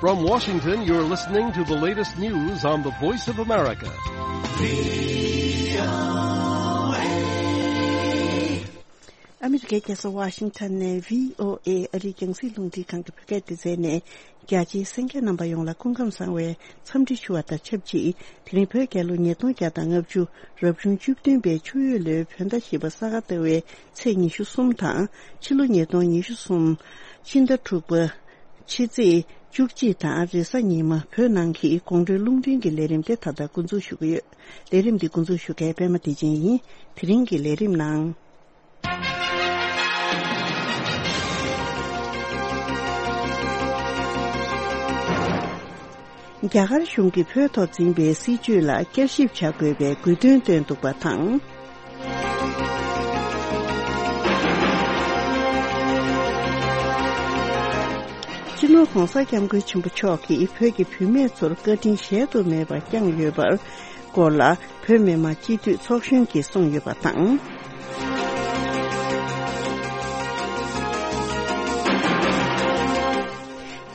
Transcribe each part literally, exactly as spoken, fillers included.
From Washington, you're listening to the latest news on the Voice of America. ཨ་མི་རི་ཀའི་རྒྱལ་ས་ཝ་ཤིང་ཊོན་ནས་བྷི་ཨོ་ཨེ་ཨ་རིའི་རྒྱང་སྲིང་རླུང་འཕྲིན་ཁང་གི་བོད་སྐད་སྡེ་ཚན་ནས། རྒྱ་ཆེའི་གསན་མཁན་རྣམ་པ་ཡོངས་ལ་སྐུ་ཁམས་བཟང་བའི་འཚམས་འདྲི་ཞུ་བ་དང་ཆབས་ཅིག་དེ་རིང་བོད་རྒྱལ་ལོ་ཉིས་སྟོང་བརྒྱ་དང་ལྔ་བཅུ་རབ་བྱུང་བཅུ་བདུན་པའི་ཆུ་ཡོས་ལོའི་བོད་ཟླ་བཞི་པ་ས་ག་ཟླ་བའི་ཚེས་ཉི་ཤུ་གསུམ་དང་། ཕྱི་ལོ་ཉིས་སྟོང་ཉི་ཤུ་གསུམ་ཕྱི་ཟླ་དྲུག་པ་ཕྱི་ཚེས་བཅུ་གཅིག་དང་རེས་གཟའ་ཉི་མ་བོད་ནང་གི་དགོང་དྲོའི་རླུང་འཕྲིན་གྱི་ལས་རིམ་དེ་ད་ལྟ་འགོ་འཛུགས་ཞུ་གི་ཡོད། ལས་རིམ་འདི་འགོ་འཛུགས་ཞུ་མཁན་པད་མ་བདེ་ཆེན་ཡིན། དེ་རིང་གི་ལས་རིམ་ནང་། རྒྱ་གར་གཞུང་གིས་བོད་ཐོག་འཛིན་པའི་སྲིད་བྱུས་ལ་བསྐྱར་ཞིབ་བྱ་དགོས་པའི་དགོས་འདུན་བཏོན་འདུག་པ་དང་། སྤྱི་ནོར་༧གོང་ས་༧སྐྱབས་མགོན་ཆེན་པོ་མཆོག་གིས་བོད་ཀྱི་བུད་མེད་ཚོར་བཀའ་དྲིན་གཞལ་དུ་མེད་པ་བསྐྱངས་ཡོད་པར་སྐོར་ལ། བོད་མི་མང་སྤྱི་འཐུས་ཚོགས་གཞོན་གྱིས་གསུངས་ཡོད་པ་དང་།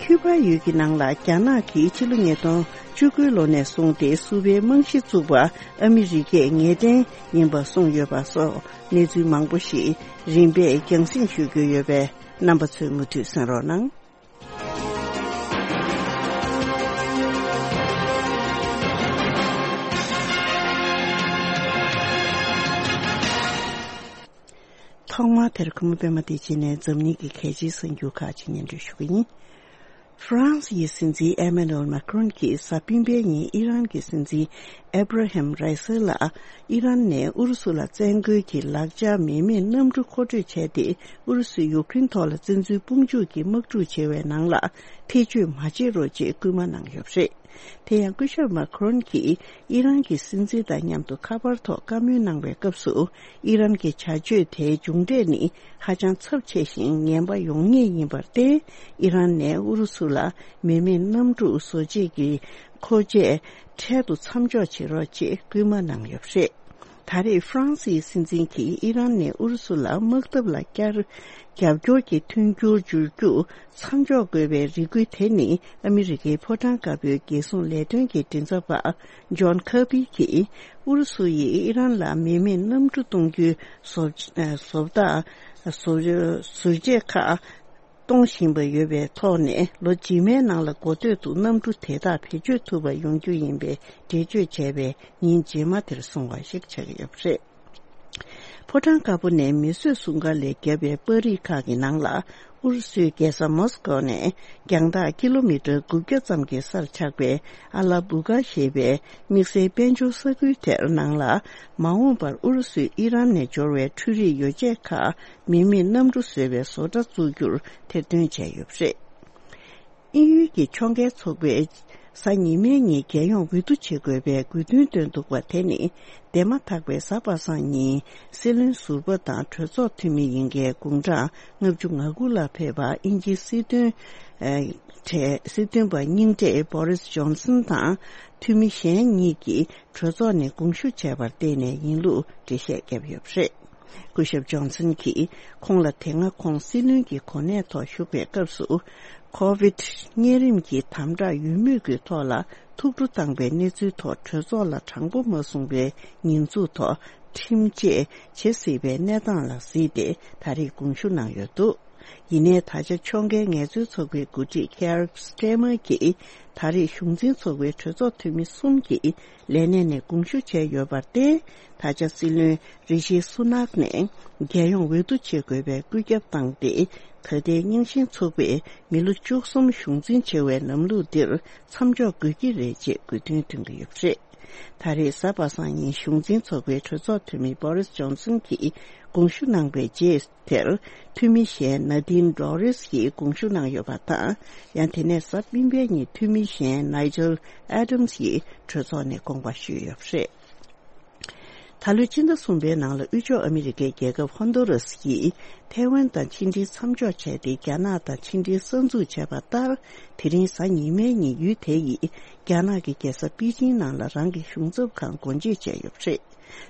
ཁྱུ་པ་ཡུལ་གྱི་ནང་ལ་རྒྱ་ནག་གིས་ཕྱི་ལོ་ཉིས་སྟོང་བཅུ་དགུ་ལོ་ནས་བཟུང་སྟེ་སུ་པའི་རྨང་གཞི་བཙུགས་པ་ཨ་མི་རི་ཀས་ངེས་གཏན་ཡིན་པ་གསུངས་ཡོད་པ་སོགས་གནས་ཚུལ་མང་པོ་ཞིག་རིམ་པས་རྒྱང་སྲིང་ཞུ་རྒྱུ་ཡོད་པས། རྣམ་པ་ཚོས་མུ་མཐུད་གསན་རོགས་གནང་། ཐོག་མར་དེར་གུས་མོ་པད་མ་བདེ་ཆེན་ནས་འཛམ་གླིང་གི་གལ་ཆེའི་གསར་འགྱུར་ཁག་ཅིག་སྙན་སྒྲོན་ཞུ་གི་ཡིན། ཧྥ་རན་སི་ཡི་སྲིད་འཛིན་ཨེ་མེ་ནུ་ཨེལ་མཱ་ཁི་རོན་གྱིས་གཟའ་སྤེན་པའི་ཉིན་ཨི་རན་གྱི་སྲིད་འཛིན་ཨེབ་ར་ཧེམ་རའི་སི་ལ་ཨི་རན་ནས་ཨུ་རུ་སུ་ལ་བཙན་རྒོལ་གྱི་ལག་ཆ་མེ་མེད་གནམ་གྲུ་མཁོ་སྤྲོད་བྱས་ཏེ། ཨུ་རུ་སུས་ཡུཀ་རེན་ཐོག་ལ་བཙན་འཛུལ་དཔུང་འཇུག་གི་དམག་འཁྲུག་བྱེད་པའི་ནང་ལ་ཐེ་བྱུས་མ་བྱེད་རོགས་ཅེས་སྐུལ་མ་གནང་ཡོད་པ་རེད། དེ་ཡང་སྐུ་ཞབས་མཱ་ཁི་རོན་གྱིས་ཨི་རན་གྱི་སྲིད་འཛིན་དང་མཉམ་དུ་ཁ་པར་ཐོག་བཀའ་མོལ་གནང་བའི་སྐབས་སུ། ཨི་རན་གྱི་བྱ་སྤྱོད་དེའི་མཇུག་འབྲས་ནི་ཧ་ཅང་ཚབས་ཆེ་ཞིང་ངན་པ་ཡོང་ངེས་ཡིན་པར་བརྟེན། ཨི་རན་ནས་ཨུ་རུ་སུ་ལ་མེ་མེད་གནམ་གྲུ་བཟོ་བྱེད་ཀྱི་མཁོ་ཆས་འཕྲལ་དུ་མཚམས་འཇོག་བྱེད་རོགས་ཅེས་སྐུལ་མ་གནང་ཡོད་པ་རེད། ད་རེས་ཧྥ་རན་སིའི་སྲིད་འཛིན་གྱིས་ཨི་རན་ནས་ཨུ་རུ་སུ་ལ་དམག་འཐབ་ལ་བསྐྱར་རྒྱབ་སྐྱོར་གྱི་མཐུན་འགྱུར་འཇུག་རྒྱུ་མཚམས་འཇོག་དགོས་པའི་རེ་སྐུལ་དེ་ནི་ཨ་མི་རི་ཀའི་ཕོ་བྲང་དཀར་པོའི་རྒྱལ་སྲུང་ལས་དོན་གྱི་མགྲིན་ཚབ་པ་ཇོན་ཁར་བྷི་གིས། ཨུ་རུ་སུ་ཡིས་ཨི་རན་ལ་མེ་མེད་གནམ་གྲུ་གཏོང་རྒྱུའི་བཟོ་བཟོ་ལྟ་བཟོ་བཟོ་བྱེད་ཁག་གཏོང་བཞིན་པ་ཡོད་པའི་ཐོག་ནས། ལོ་རྗེས་མའི་ནང་ལ་འགོ་སྟོད་དུ་གནམ་གྲུ་དེ་དག་བེད་སྤྱོད་ཐུབ་པ་ཡོང་རྒྱུ་ཡིན་པའི་འགྲེལ་བརྗོད་བྱས་པའི་ཉིན་རྗེས་མ་དེར་སོང་བ་ཞིག་ཆགས་ཀྱི་ཡོད་པ་རེད། ཕོ་བྲང་དཀར་པོ་ནས་མིས་བཟོས་སྲུང་སྐར་ལས་བརྒྱབ་པའི་པར་རིས་ཁག་གི་ནང་ལ། ཨུ་རུ་སུའི་རྒྱལ་ས་མོ་སི་ཀོ་ནས་རྒྱང་ཐག་ཀི་ལོ་མི་ཊར་དགུ་བརྒྱ་ཙམ་གྱི་སར་ཆགས་པའི་ཨ་ལ་བུ་ག་ཞེས་པའི་དམིགས་བསལ་དཔལ་འབྱོར་ས་ཁུལ་དེར་ནང་ལ། མ་འོངས་པར་ཨུ་རུ་སུས་ཨི་རན་ནས་འབྱོར་བའི་འཕྲུལ་རིག་ཡོ་བྱད་ཁག་མེ་མེད་གནམ་གྲུ་བཟོ་བའི་བཟོ་གྲྭ་བཙུགས་རྒྱུར་ཐེར་འདོན་བྱས་ཡོད་པ་རེད། དབྱིན་ཡུལ་གྱི་ཕྱོགས་འགལ་ཚོགས་པས་གཟའ་ཉི་མའི་ཉིན་རྒྱལ་ཡོངས་འོས་བསྡུ་བྱེད་དགོས་པའི་དགོས་འདུན་བཏོན་འདུག་པ་དེ་ནི། འདས་མ་ཐག་པའི་གཟའ་པ་སངས་ཉིན་སྲིད་བློན་ཟུར་པ་དང་གྲོས་ཚོགས་འཐུས་མི་ཡིན་མཁན་དགུང་གྲངས་ལྔ་བཅུ་ང་དགུ་ལ་ཕེབས་པ་དབྱིན་ཇིའི་སྲིད་དོན་གྲས་སྲིད་དོན་པ་རྙིང་གྲས་བྷོ་རིས་ཇོན་སན་དང་འཐུས་མི་གཞན་གཉིས་ཀྱིས་གྲོས་ཚོགས་ནས་དགོངས་ཞུ་བྱས་པར་བརྟེན་ནས་ཡིན་ལུགས་འགྲེལ་བཤད་བརྒྱབ་ཡོད་པ་རེད། སྐུ་ཞབས་ཇོན་སན་གྱིས་ཁོང་ལ་དེ་སྔ་ཁོང་སྲིད་བློན་གྱི་གོ་གནས་ཐོག་བཞུགས་པའི་སྐབས་སུ། ཁོ་ཝིད་གཉན་རིམས་ཀྱི་དམ་དྲག་ཡོད་མུས་ཀྱི་ཐོག་ལ་ཐུགས་སྤྲོ་བཏང་བའི་གནས་ཚུལ་ཐོག་གྲོས་ཚོགས་ལ་དྲང་པོ་མ་གསུངས་པའི་ཉེས་འཛུགས་ཐོག་ཁྲིམས་བཅད་བྱེད་སྲིད་པའི་གནས་སྟངས་ལ་གཟིགས་ཏེ་ད་རེས་དགོངས་ཞུ་གནང་ཡོད་འདུག་ཡིན་ནའི་ད་ཆ་ཕྱོགས་འགལ་ངལ་རྩོལ་ཚོགས་པའི་འགོ་ཁྲིད་ཁེར་སི་ཊེ་མར་གྱིས་ད་རེས་གཞུང་འཛིན་ཚོགས་པའི་གྲོས་ཚོགས་འཐུས་མི་གསུམ་གྱིས་ལས་གནས་ནས་དགོངས་ཞུ་བྱས་ཡོད་པར་བརྟེན། ད་ཆ་སྲིད་བློན་རི་ཤི་སུ་ནག་ནས་རྒྱལ་ཡོངས་འོས་བསྡུ་བྱེད་དགོས་པའི་བཀོད་ཁྱབ་བཏང་སྟེ། ད་ལྟའི་རྙིང་ཞེན་ཚོགས་པས་མི་ལོ་བཅུ་གསུམ་གཞུང་འཛིན་བྱེད་པའི་ལམ་ལུགས་འདིར་མཚམས་འཇོག་དགོས་ཀྱི་རེད་ཅེས་དགོས་འདུན་འདོན་གྱི་ཡོད་པ་རེད། ད་རེས་གཟའ་པ་སངས་ཉིན་གཞུང་འཛིན་ཚོགས་པའི་གྲོས་ཚོགས་འཐུས་མི་བྷོ་རིས་ཇོན་སན་གྱིས་དགོངས་ཞུ་གནང་བའི་རྗེས་དེར། འཐུས་མི་གཞན་ན་དིན་ཌོ་རིས་ཀྱིས་དགོངས་ཞུ་གནང་ཡོད་པ་དང་། ཡང་དེ་ནས་གཟའ་སྤེན་པའི་ཉིན་འཐུས་མི་གཞན་ནའི་ཇལ་ཨེ་ཌམ་སི་ཡིས་གྲོས་ཚོགས་ནས་དགོངས་པ་ཞུས་ཡོད་པ་རེད། ད་ལོའི་སྤྱི་ཟླ་གསུམ་པའི་ནང་ལ་དབུས་ཕྱོགས་ཨ་མི་རི་ཀའི་རྒྱལ་ཁབ་ཧོན་དུ་རུ་སི་ཡིས་ཐའེ་ཝན་དང་ཕྱི་འབྲེལ་མཚམས་འཇོག་བྱས་ཏེ། རྒྱ་ནག་དང་ཕྱི་འབྲེལ་གསར་འཛུགས་བྱས་པ་ལྟར། དེ་རིང་གཟའ་ཉི་མའི་ཉིན་ཡུལ་དེ་ཡིས་རྒྱ་ནག་གི་རྒྱལ་ས་པེ་ཅིང་ནང་ལ་རང་གི་གཞུང་ཚབ་ཁང་སྒོ་འབྱེད་བྱས་ཡོད་པ་རེད།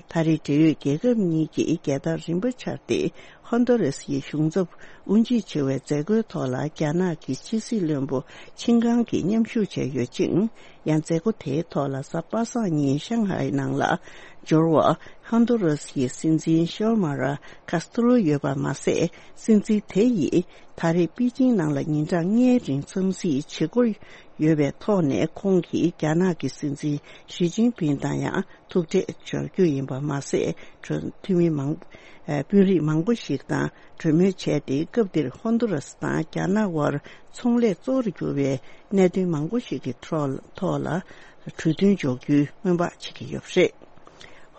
ད་རེས་འབྲེལ་ཡོད་རྒྱལ་ཁབ་གཉིས་ཀྱིས་རྒྱལ་དར་རིམ་པ་འཕྱར་ཏེ། ཧོན་ཏུ་རེས་ཀྱི་གཞུང་ཚབ་དབུ་འབྱེད་བྱེད་པའི་མཛད་སྒོའི་ཐོག་ལ་རྒྱ་ནག་གི་ཕྱི་སྲིད་བློན་པོ་ཆིན་ཀང་གིས་མཉམ་ཞུགས་བྱས་ཡོད་ཅིང་། ཡང་མཛད་སྒོ་དེའི་ཐོག་ལ་གཟའ་པ་སངས་ཉིན་ཤང་ཧའེ་ནང་ལ་འབྱོར་བ་ཧོན་ཏུ་རེས་ཀྱི་སྲིད་འཛིན་ཤོ་མ་ར་ཀཱས་ཏྲོ་ཡོད་པ་མ་ཟད། སྲིད་འཛིན་དེ་ཡིས་ད་རེས་པེ་ཅིང་ནང་ལ་ཉིན་གྲངས་ལྔའི་རིང་འཚམས་གཟིགས་བྱེད་སྒོ་ཡོད་པའི་ཐོག་ནས། ཁོང་གིས་རྒྱ་ནག་གི་སྲིད་འཛིན་ཞི་ཅིན་ཕིང་དང་ཡང་ཐུག་འཕྲད་འབྱོར་རྒྱུ་ཡིན་པ་མ་ཟད། གྲོས་འཐུས་མི་མང་། ཨ། དཔོན་རིགས་མང་པོ་ཞིག་དང་གྲོས་མོལ་བྱས་ཏེ། སྐབས་འདིར་ཧོན་ཏུ་ར་སི་དང་རྒྱ་ནག་དབར་ཚོང་ལས་གཙོ་བོར་གྱུར་བའི་གནད་དོན་མང་པོ་ཞིག་གི་ཐོག་ཐོག་ལ་གྲོས་མཐུན་འཇོག་རྒྱུའི་སྨོན་པ་བྱེད་ཀྱི་ཡོད་པ་རེད།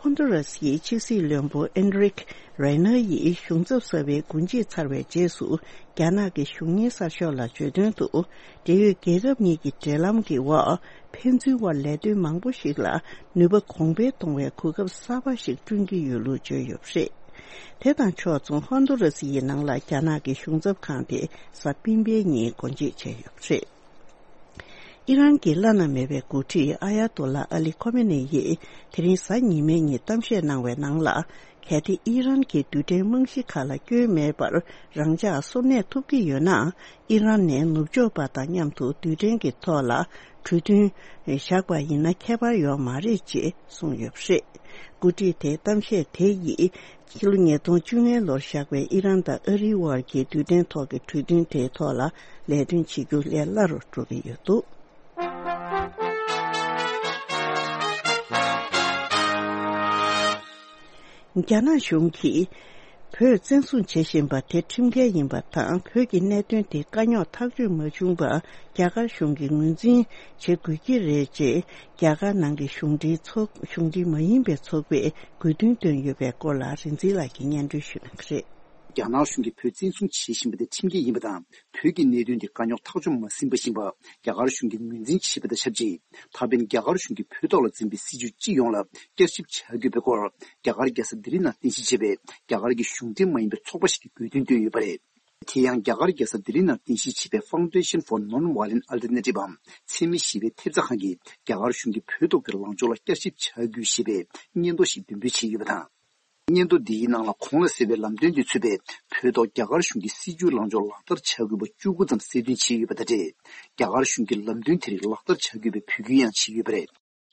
ཧོན་ཏུ་ར་སིའི་ཕྱི་སྲིད་བློན་པོ་ཨེན་རིག་རེ་ནར་ཡིས་གཞུང་ཚབ་གསར་པའི་འགོ་འབྱེད་ཚར་བའི་རྗེས་སུ། རྒྱ་ནག་གི་གཞུང་གཉེར་གསར་ཤོག་ལ་བརྗོད་དོན་དུ། འབྲེལ་ཡོད་རྒྱལ་ཁབ་གཉིས་ཀྱི་འབྲེལ་ལམ་གྱི་འོག་ཕན་ཚུན་དབར་ལས་དོན་མང་པོ་ཞིག་ལ་ནུས་པ་གོང་འཕེལ་གཏོང་བའི་གོ་སྐབས་གསར་པ་ཞིག་བསྐྲུན་གྱི་ཡོད་ལུགས་བརྗོད་ཡོད་པ་རེད། དེ་དང་ཕྱོགས་མཚུངས། ཧོན་ཏུ་ར་སི་ཡི་ནང་ལ་རྒྱ་ནག་གི་གཞུང་ཚབ་ཁང་དེ་གཟའ་སྤེན་པའི་ཉིན་སྒོ་འབྱེད་བྱས་ཡོད་པ་རེད། ཨི་རན་གྱི་བླ་ན་མེད་པའི་འགོ་ཁྲིད་ཨ་ཡ་ཏོ་ལ་ཨ་ལི་ཁོ་མེ་ནེ་ཡིས་དེ་རིང་གཟའ་ཉི་མའི་ཉིན་གཏམ་བཤད་གནང་བའི་ནང་ལ། གལ་ཏེ་ཨི་རན་གྱི་རྡུལ་ཕྲན་རྨང་གཞི་ཁག་ལ་སྐྱོན་མེད་པར་རང་འཇགས་སོར་གནས་ཐུབ་ཀྱི་ཡོད་ན། ཨི་རན་ནས་ནུབ་ཕྱོགས་པ་དང་མཉམ་དུ་རྡུལ་ཕྲན་གྱི་ཐོག་ལ་གྲོས་མཐུན་བཞག་པ་ཡིན་ན་ཁྱད་པར་ཡོད་མ་རེད་ཅེས་གསུངས་ཡོད་པ་རེད། འགོ་ཁྲིད་དེའི་གཏམ་བཤད་དེ་ཡིས་ཕྱི་ལོ་ཉིས་སྟོང་བཅོ་ལྔ་ལོར་བཞག་པའི་ཨི་རན་དང་ཨ་རིའི་དབར་གྱི་རྡུལ་ཕྲན་ཐོག་གི་གྲོས་མཐུན་དེའི་ཐོག་ལ་ལས་དོན་བྱེད་རྒྱུ་ལས་སླ་རུ་འགྲོ་གི་ཡོད་འདུག། རྒྱ་ནག་གཞུང་གིས་བོད་བཙན་བཟུང་བྱེད་བཞིན་པ་དེ་ཁྲིམས་འགལ་ཡིན་པ་དང་། བོད་ཀྱི་གནད་དོན་དེ་དཀའ་རྙོག་ཐག་གཅོད་མ་བྱུང་བར། རྒྱ་གར་གཞུང་གིས་ངོས་འཛིན་བྱེད་དགོས་ཀྱི་རེད་ཅེས། རྒྱ་གར་ནང་གི་གཞུང་འབྲེལ་ཚོགས། གཞུང་འབྲེལ་མ་ཡིན་པའི་ཚོགས་པས་དགོས་འདུན་བཏོན་ཡོད་པའི་སྐོར་ལ་རིག་འཛིན་ལགས་ཀྱིས་སྙན་སྒྲོན་ཞུ་གནང་གི་རེད། རྒྱ་ནག་གཞུང་གིས་བོད་བཙན་བཟུང་བྱེད་བཞིན་པ་དེ་ཁྲིམས་འགལ་ཡིན་པ་དང་། བོད་ཀྱི་གནད་དོན་དེ་དཀའ་རྙོག་ཐག་གཅོད་མ་ཟིན་པ་བཞིན་པ། རྒྱ་གར་གཞུང་གིས་ངོས་འཛིན་བྱས་པ་དང་ཆབས་ཅིག། ད་ཕན་རྒྱ་གར་གཞུང་གིས་བོད་ཐོག་ལ་འཛིན་པའི་སྲིད་བྱུས་སྤྱི་ཡོངས་ལ་བསྐྱར་ཞིབ་བྱ་དགོས་པའི་སྐོར། རྒྱ་གར་རྒྱལ་ས་ལྡི་ལི་ནང་རྟེན་གཞི་བྱས་པའི་རྒྱ་གར་གྱི་གཞུང་འབྲེལ་མ་ཡིན་པའི་ཚོགས་པ་ཞིག་གིས་དགོས་འདུན་བཏོན་ཡོད་པ་རེད། དེ་ཡང་རྒྱ་གར་རྒྱལ་ས་ལྡི་ལི་ནང་རྟེན་གཞི་བྱས་པའི་Foundation for Non-Violent Alternative འམ་འཚེ་མེད་ཞི་བའི་ཐེབས་རྩ་ཁང་གིས་རྒྱ་གར་གཞུང་གིས་བོད་ཐོག་གི་ལངས་ཕྱོགས་ལ་བསྐྱར་ཞིབ་བྱ་དགོས་ཞེས་པའི་སྙན་ཐོ་ཞིག་འདོན་སྤེལ་བྱས་ཡོད་པ་དང་། སྙན་ཐོ་འདིའི་ནང་ལ་གོང་ལ་གསལ་བའི་ལམ་སྟོན་དེ་ཚུད་པའི་བོད་ཐོག་རྒྱ་གར་གཞུང་གི་སྲིད་བྱུས་ལངས་ཕྱོགས་ལག་བསྟར་བྱ་དགོས་པ་བཅུ་དགུ་ཙམ་གསལ་སྟོན་བྱས་ཡོད་པ་དང་འབྲེལ། རྒྱ་གར་གཞུང་གིས་ལམ་སྟོན་དེ་རིགས་ལག་བསྟར་བྱ་དགོས་པའི་འབོད་སྐུལ་ཡང་བྱས་ཡོད་པ་རེད།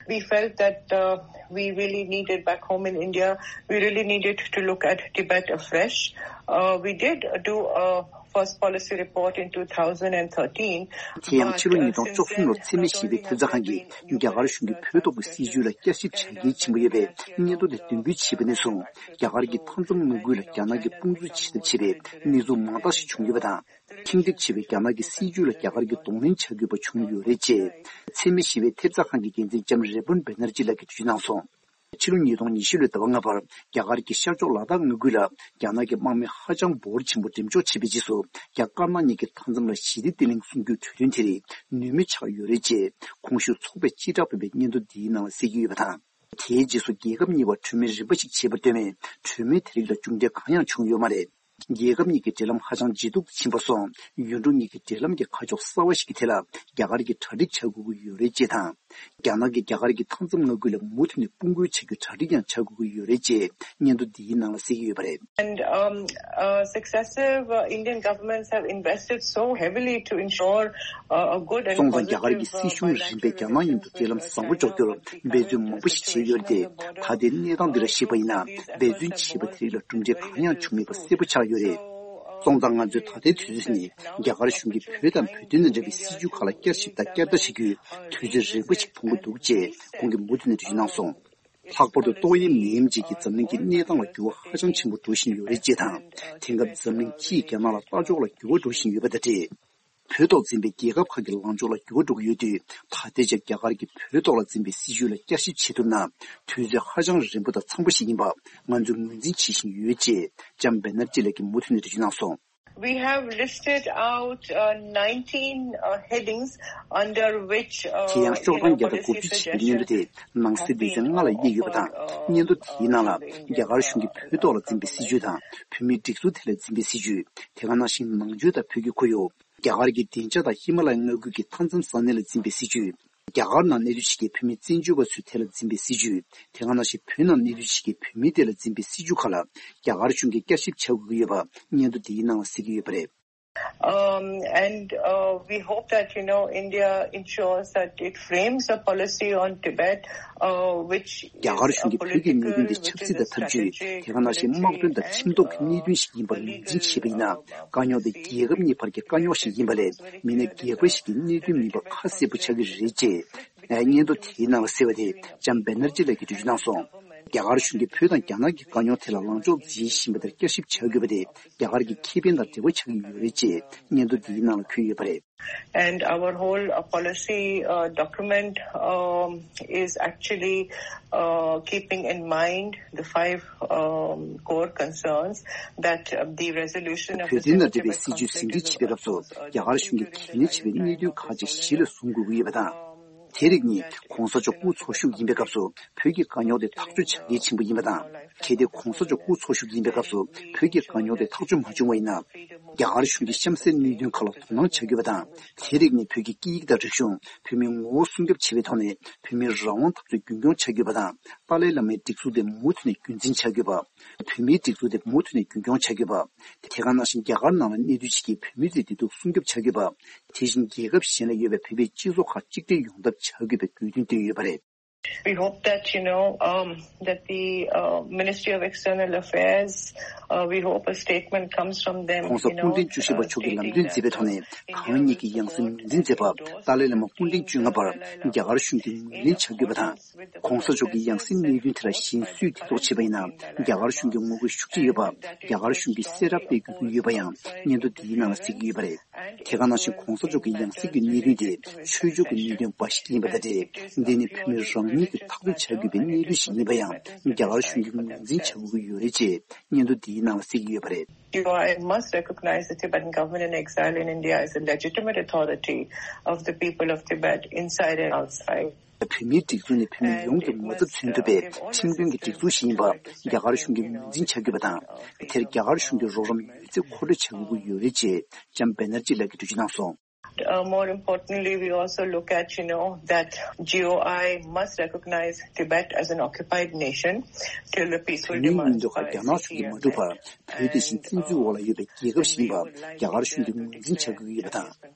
We felt that uh, we really needed back home in India, we really needed to look at Tibet afresh. Uh, we did do a first policy report in two thousand thirteen. དེ་ཡང་ཕྱི་ལོ་ཉིས་སྟོང་བཅུ་གསུམ་ལོར་འཚེ་མེད་ཞི་བའི་ཐེབས་རྩ་ཁང་གིས་རྒྱ་གར་གཞུང་གིས་བོད་ཐོག་གི་སྲིད་བྱུས་ལ་བསྐྱར་ཞིབ་བྱ་གལ་ཆེན་པོ་ཡོད་པའི་སྙན་ཐོ་དེ་འདོན་སྤེལ་བྱས་པ་ནས་བཟུང་། རྒྱ་གར་གྱི་མཐའ་མཚམས་མངའ་ཁུལ་ལ་རྒྱ་ནག་གིས་དཔུང་འཛུལ་བྱེད་ཐབས་བྱས་པའི་གནས་ཚུལ་མང་དག་ཞིག་བྱུང་ཡོད་པ་དང་། ཁེངས་དྲེགས་ཆེ་བའི་རྒྱ་ནག་གི་སྲིད་བྱུས་ལ་རྒྱ་གར་གྱིས་གདོང་ལེན་བྱ་དགོས་པ་བྱུང་ཡོད་རེད་ཅེས། འཚེ་མེད་ཞི་བའི་ཐེབས་རྩ་ཁང་གི་འགན་འཛིན་ལྕམ་རེ་བོན་བེ་ནར་ཇི་ལགས་ཀྱིས་འགྲེལ་བརྗོད་གནང་སོང་། ཕྱི་ལོ་ཉིས་སྟོང་ཉི་ཤུ་ལོའི་ཟླ་བ་ལྔ་པར་རྒྱ་གར་གྱི་ཤར་ཕྱོགས་ལ་དྭགས་མངའ་ཁུལ་ལ་རྒྱ་ནག་གི་དམག་མི་ཧ་ཅང་འབོར་ཆེན་པོ་འགྲེམས་འཇོག་བྱས་པའི་རྗེས་སུ། རྒྱ་དཀར་ནག་གཉིས་ཀྱི་མཐའ་མཚམས་ལ་ཞི་བདེ་བརྟན་ལྷིང་སྲུང་སྐྱོབ་གྲོས་མཐུན་དེ་རིགས་ནུས་མེད་ཆགས་ཡོད་རེད་ཅེས། གོང་ཞུས་ཚོགས་པས་སྤྱི་བསྒྲགས་ཕབ་པའི་སྙན་ཐོ་འདིའི་ནང་ལ་གསལ་གྱི་ཡོད་པ་དང་། དེའི་རྗེས་སུ་རྒྱལ་ཁབ་གཉིས་བར་གྲོས་མོལ་རིམ་པ་ཞིག་བྱས་པར་ལྟོས་མེད། གྲོས་མོལ་དེ་རིགས་ལ་མཇུག་འབྲས་གང་ཡང་བྱུང་ཡོད་མ་རེད། རྒྱལ་ཁབ་གཉིས་ཀྱི་འབྲེལ་ལམ་ཧ་ཅང་ལྗིད་སྡུག་ཏུ་ཕྱིན་པ་སོགས། ཡུལ་གྲུ་གཉིས་ཀྱི་འབྲེལ་ལམ་གྱི་ཁ་ཕྱོགས་གསར་བ་ཞིག་གི་ཐད་ལ་རྒྱ་གར་གྱིས་གྲ་སྒྲིག་བྱ་དགོས་ཀྱི་ཡོད་རེད་ཅེས་དང་། རྒྱ་ནག་གིས་རྒྱ་གར་གྱི་མཐའ་མཚམས་མངའ་ཁུལ་ལ་མུ་མཐུད་ནས་དཔུང་རྒོལ་བྱ་རྒྱུའི་གྲ་སྒྲིག་ཡང་བྱ་དགོས་ཀྱི་ཡོད་རེད་ཅེས་སྙན་ཐོ་འདིའི་ནང་ལ་གསལ་གྱི་ཡོད་པ་རེད། And um, uh, successive uh, Indian governments have invested so heavily to ensure uh, a good and སོང་ཙང་། རྒྱ་གར་གྱི་positive སྲིད་གཞུང་རིམ་པས་རྒྱ་ནག་མཉམ་དུ་འབྲེལ་ལམ་བཟང་པོ་འཇོག་རྒྱུར་འབད་བརྩོན་མང་པོ་ཞིག་བྱས་ཡོད་རེད་དེ། ད་ལྟའི་གནས་སྟངས་འདི་ལ་གཞིགས་པ་ཡིན་ན། འབད་བརྩོན་བྱས་པ་དེ་རིགས་ལ་གྲུབ་འབྲས་གང་ཡང་བྱུང་མེད་པ་གསལ་པོ་ཆགས་ཡོད་རེད། སོང་ཙང་། ང་ཚོས་ད་ལྟའི་དུས་ཚོད་ནི་རྒྱ་གར་གཞུང་གིས་བོད་དང་བོད་དོན་དང་འབྲེལ་བའི་སྲིད་བྱུས་ཁག་ལ་བསྐྱར་ཞིབ་དང་བསྐྱར་ལྟ་བྱེད་རྒྱུའི་དུས་ཚོད་རིང་པོ་ཞིག་མཐོང་གི་འདུག་ཅེས་ཁོང་གིས་མུ་མཐུད་ནས་འགྲེལ་བརྗོད་གནང་སོང་། ལྷག་པར་དུ་ཏོག་དབྱིབས་ནད་ཡམས་རྗེས་ཀྱི་འཛམ་གླིང་གི་གནས་སྟངས་ལ་འགྱུར་བ་ཧ་ཅང་ཆེན་པོ་འགྲོ་བཞིན་ཡོད་རེད་ཅེས་དང་། དེང་སྐབས་འཛམ་གླིང་སྤྱིས་རྒྱ་ནག་ལ་ལྟ་ཕྱོགས་ལ་འགྱུར་བ་འགྲོ་བཞིན་ཡོད་པ་དང་འབྲེལ། བོད་ཐོག་འཛིན་པའི་རྒྱལ་ཁབ་ཁག་གི་ལངས་ཕྱོགས་ལ་འགྱུར་བ་འགྲོ་གི་ཡོད་དུས། ད་ལྟའི་ཆར་རྒྱ་གར་གྱིས་བོད་ཐོག་ལ་འཛིན་པའི་སྲིད་བྱུས་ལ་བསྐྱར་ཞིབ་བྱེད་ཐུབ་ན། དུས་ཚོད་ཧ་ཅང་རིང་པོ་དང་འཚམ་པོ་ཞིག་ཡིན་པ་ང་ཚོས་ངོས་འཛིན་བྱེད་བཞིན་ཡོད་ཅེས་ལྕམ་བེ་ནར་ཇི་ལགས་ཀྱིས་མུ་མཐུད་ནས་འགྲེལ་བརྗོད་གནང་སོང་། We have listed out uh, nineteen uh, headings under which uh, དེ་ཡང་ཤོག་གྲངས་བརྒྱ་དང་དགུ་བཅུ་ཞེས་པའི་སྙན་ཐོ་དེ་ནང་གསེས་སྡེ་ཚན་ལྔ་ལ་དབྱེ་ཡོད་པ་དང་། སྙན་ཐོ་དེའི་ནང་ལ་རྒྱ་གར་གཞུང་གིས་བོད་ཐོག་ལ་འཛིན་པའི་སྲིད་བྱུས་དང་། བོད་མིའི་སྒྲིག་འཛུགས་ཐད་ལ་འཛིན་པའི་སྲིད་བྱུས། དེ་ག་ནང་བཞིན་ནང་ཆོས་དང་བོད་ཀྱི་ཁོར་ཡུག་རྒྱ་གར་གྱི་བདེ་འཇགས་དང་ཧི་མ་ལ་ཡའི་མངའ་ཁུལ་གྱི་མཐའ་མཚམས་ས་གནས་ལ་འཛིན་པའི་སྲིད་བྱུས། རྒྱ་གར་ནང་གནས་སྡོད་བྱེད་མཁན་བོད་མི་བཙན་བྱོལ་བ་ཚོའི་ཐད་ལ་འཛིན་པའི་སྲིད་བྱུས། དེ་ག་ནང་བཞིན་བོད་ནང་གནས་སྡོད་བྱེད་མཁན་བོད་མིའི་ཐད་ལ་འཛིན་པའི་སྲིད་བྱུས་ཁག་ལ་རྒྱ་གར་གཞུང་གིས་བསྐྱར་ཞིབ་བྱ་དགོས་ཀྱི་ཡོད་པ་སྙན་ཐོ་འདིའི་ནང་ལ་གསལ་གྱི་ཡོད་པ་རེད། Um, and uh, we hope that, you know, India ensures that it frames a policy on Tibet, uh, which རྒྱ་གར་གཞུང་གིས་བོད་ཀྱི་གནད་དོན་དེ་ཆབ་སྲིད་དང་འཐབ་ཇུས། དེ་ག་ནང་བཞིན་དམག་དོན་དང་ཁྲིམས་ཐོག་གི་གནད་དོན་ཞིག་ཡིན་པར་ངོས་འཛིན་བྱས་པ་ཡིན་ན། དཀའ་རྙོག་དེ་རྒྱལ་ཁབ་གཉིས་བར་གྱི་དཀའ་རྙོག་ཞིག་ཡིན་པ་ལས། མི་སྣ་སྒེར་པ་ཞིག་གི་གནད་དོན་མིན་པ་ཁ་གསལ་པོ་ཆགས་ཀྱི་རེད་ཅེས། སྙན་ཐོ་དེའི་ནང་ལ་གསལ་བ་དེ་ལྕམ་བེ་ནར་ཇི་ལགས་ཀྱིས་འགྲེལ་བརྗོད་གནང་སོང་། རྒྱ་གར་གཞུང་གིས་བོད་དང་རྒྱ་ནག་གི་དཀའ་རྙོག་དེ་ལ་ལངས་ཕྱོགས་འཛིན་བཞིན་པ་དེར་བསྐྱར་ཞིབ་བྱ་དགོས་པ་དེ་རྒྱ་གར་གྱི་ཁེ་ཕན་དང་འབྲེལ་བ་ཆགས་ཀྱི་ཡོད་རེད་ཅེས་སྙན་ཐོ་འདིའི་ནང་ལ་འཁོད་ཡོད་པ་རེད། And our whole uh, policy uh, document um, is actually uh, keeping in mind the five um, core concerns that uh, the resolution of བོད་དོན་དང་འབྲེལ་བའི་སྲིད་བྱུས་ཟིན་བྲིས་བྱེད་པའི་སྐབས་སུ་རྒྱ་གར་གཞུང་གིས་གལ་གནད་ཆེ་བའི་གནད་དོན་ཁག་ཅིག་གཞི་ལ་བཟུང་དགོས་ཀྱི་ཡོད་པ་དང་། དེ་རིགས་ནི་༸གོང་ས་མཆོག་དབུ་ཚོགས་ཞུགས་ཡིན་པའི་སྐབས་སུ་བོད་ཀྱི་དཀའ་རྙོག་དེ་ཐག་གཅོད་བྱ་གལ་ཆེན་པོ་ཡིན་པ་དང་། གལ་ཏེ་༸གོང་ས་མཆོག་དབུ་ཚོགས་ཞུགས་ཡིན་པའི་སྐབས་སུ་བོད་ཀྱི་དཀའ་རྙོག་དེ་ཐག་གཅོད་མ་བྱུང་བ་ཡིན་ན། རྒྱ་གར་གཞུང་གིས་གཤམ་གསལ་གནད་དོན་ཁག་ལ་དོ་སྣང་བྱ་དགོས་པ་དང་། དེ་རིགས་ནི་བོད་ཀྱི་སྐད་ཡིག་དང་རིག་གཞུང་། བོད་མིའི་ངོ་བོ་སྲུང་སྐྱོབ་བྱེད་པའི་ཐོག་ནས་བོད་མིའི་རང་དབང་འཐབ་རྩོད་རྒྱུན་འཁྱོངས་བྱ་དགོས་པ་དང་། ཏཱ་ལའི་བླ་མའི་སྒྲིག་འཛུགས་དེ་མུ་མཐུད་ནས་རྒྱུན་འཛིན་བྱ་དགོས་པ། བོད་མིའི་སྒྲིག་འཛུགས་དེ་མུ་མཐུད་ནས་རྒྱུན་འཁྱོངས་བྱ་དགོས་པ། དེ་ག་ནང་བཞིན་རྒྱ་གར་ནང་ལ་གནས་སྡོད་བྱེད་མཁན་བོད་མི་ཚོའི་བདེ་སྡུག་སྲུང་སྐྱོབ་བྱ་དགོས་པ། དེ་བཞིན་རྒྱལ་ཁབ་གཞན་ལ་ཡོད་པའི་བོད་པའི་སྤྱི་ཚོགས་ཁག་གཅིག་སྒྲིལ་ཡོང་ཐབས་བྱ་དགོས་པའི་དགོས་འདུན་བཏོན་ཡོད་པ་རེད། We hope that, you know, um, that the uh, Ministry of External Affairs, uh, we hope a statement comes from them, you know, གོང་ས་སྐུ་ཕྲེང་བཅུ་བཞི་པ་མཆོག་གིས་ལམ་སྟོན་མཛད་པའི་ཐོག་ནས། གང་ཉིད་ཀྱི་ཡང་སྲིད་ངོས་འཛིན་མཛད་པ་ཏཱ་ལའི་བླ་མ་སྐུ་ཕྲེང་བཅོ་ལྔ་པར་རྒྱ་གར་གཞུང་གིས་ངོས་ལེན་བྱ་དགོས་པ་དང་། གོང་ས་མཆོག་གི་ཡང་སྲིད་གནད་དོན་དེ་ལ་གཞན་སུས་དེ་ཐོག་བྱས་པ་ཡིན་ན། རྒྱ་གར་གཞུང་གིས་ངོ་རྒོལ་ཤུགས་ཆེ་ཡོད་པ། རྒྱ་གར་གཞུང་གིས་གསལ་བསྒྲགས་སྤེལ་དགོས་ཀྱི་ཡོད་པ་ཡང་སྙན་ཐོ་འདིའི་ནང་ལ་གསལ་གྱི་ཡོད་པ་རེད། དེ་ག་ནང་བཞིན་གོང་ས་མཆོག་གི་ཡང་སྲིད་ཀྱི་གནད་དོན་དེ་ཆོས་ཕྱོགས་ཀྱི་གནད་དོན་འབའ་ཞིག་ཡིན་པ་དང་འབྲེལ། འདི་ནི་བོད་མི་རང་ཉིད་ཀྱིས་ཐག་གཅོད་བྱ་དགོས་པའི་གནད་དོན་ཞིག་ཡིན་པ་ཡང་རྒྱ་གར་གཞུང་གིས་ངོས་འཛིན་བྱ་དགོས་ཀྱི་ཡོད་རེད་ཅེས་སྙན་ཐོ་འདིའི་ནང་ལ་གསལ་གྱི་ཡོད་པ་རེད། T O I must recognize the Tibetan government in exile in India as a legitimate authority of the people of Tibet inside and outside. བོད་མིའི་སྒྲིག་འཛུགས་ནི་བོད་མི་ཡོངས་ཀྱི་ངོ་ཚབ་མཚོན་ཐུབ་པའི་ཁྲིམས་མཐུན་གྱི་སྒྲིག་འཛུགས་ཤིག་ཡིན་པ་རྒྱ་གར་གཞུང་གིས་ངོས་འཛིན་བྱ་དགོས་པ་དང་། དེར་རྒྱ་གར་གཞུང་གིས་རོགས་རམ་ཡོད་ཚད་མཁོ་སྤྲོད་བྱ་དགོས་ཀྱི་ཡོད་རེད་ཅེས་ལྕམ་བེ་ནར་ཇི་ལགས་ཀྱིས་འགྲེལ་བརྗོད་གནང་སོང་། Uh, more importantly, we also look at, you know, that G O I must recognize Tibet as an occupied nation till the peaceful བོད་མིའི་མངོན་འདོད་ཁག་རྒྱ་ནག་གཞུང་གིས་མ་བསྒྲུབས་བར་བོད་དེ་བཞིན་བཙན་འཛུལ་འོག་ལ་ཡོད་པའི་རྒྱལ་ཁབ་ཞིག་ཡིན་པ་རྒྱ་གར་གཞུང་གིས་ངོས་འཛིན་བྱ་དགོས་ཀྱི་ཡོད་པ་དང་།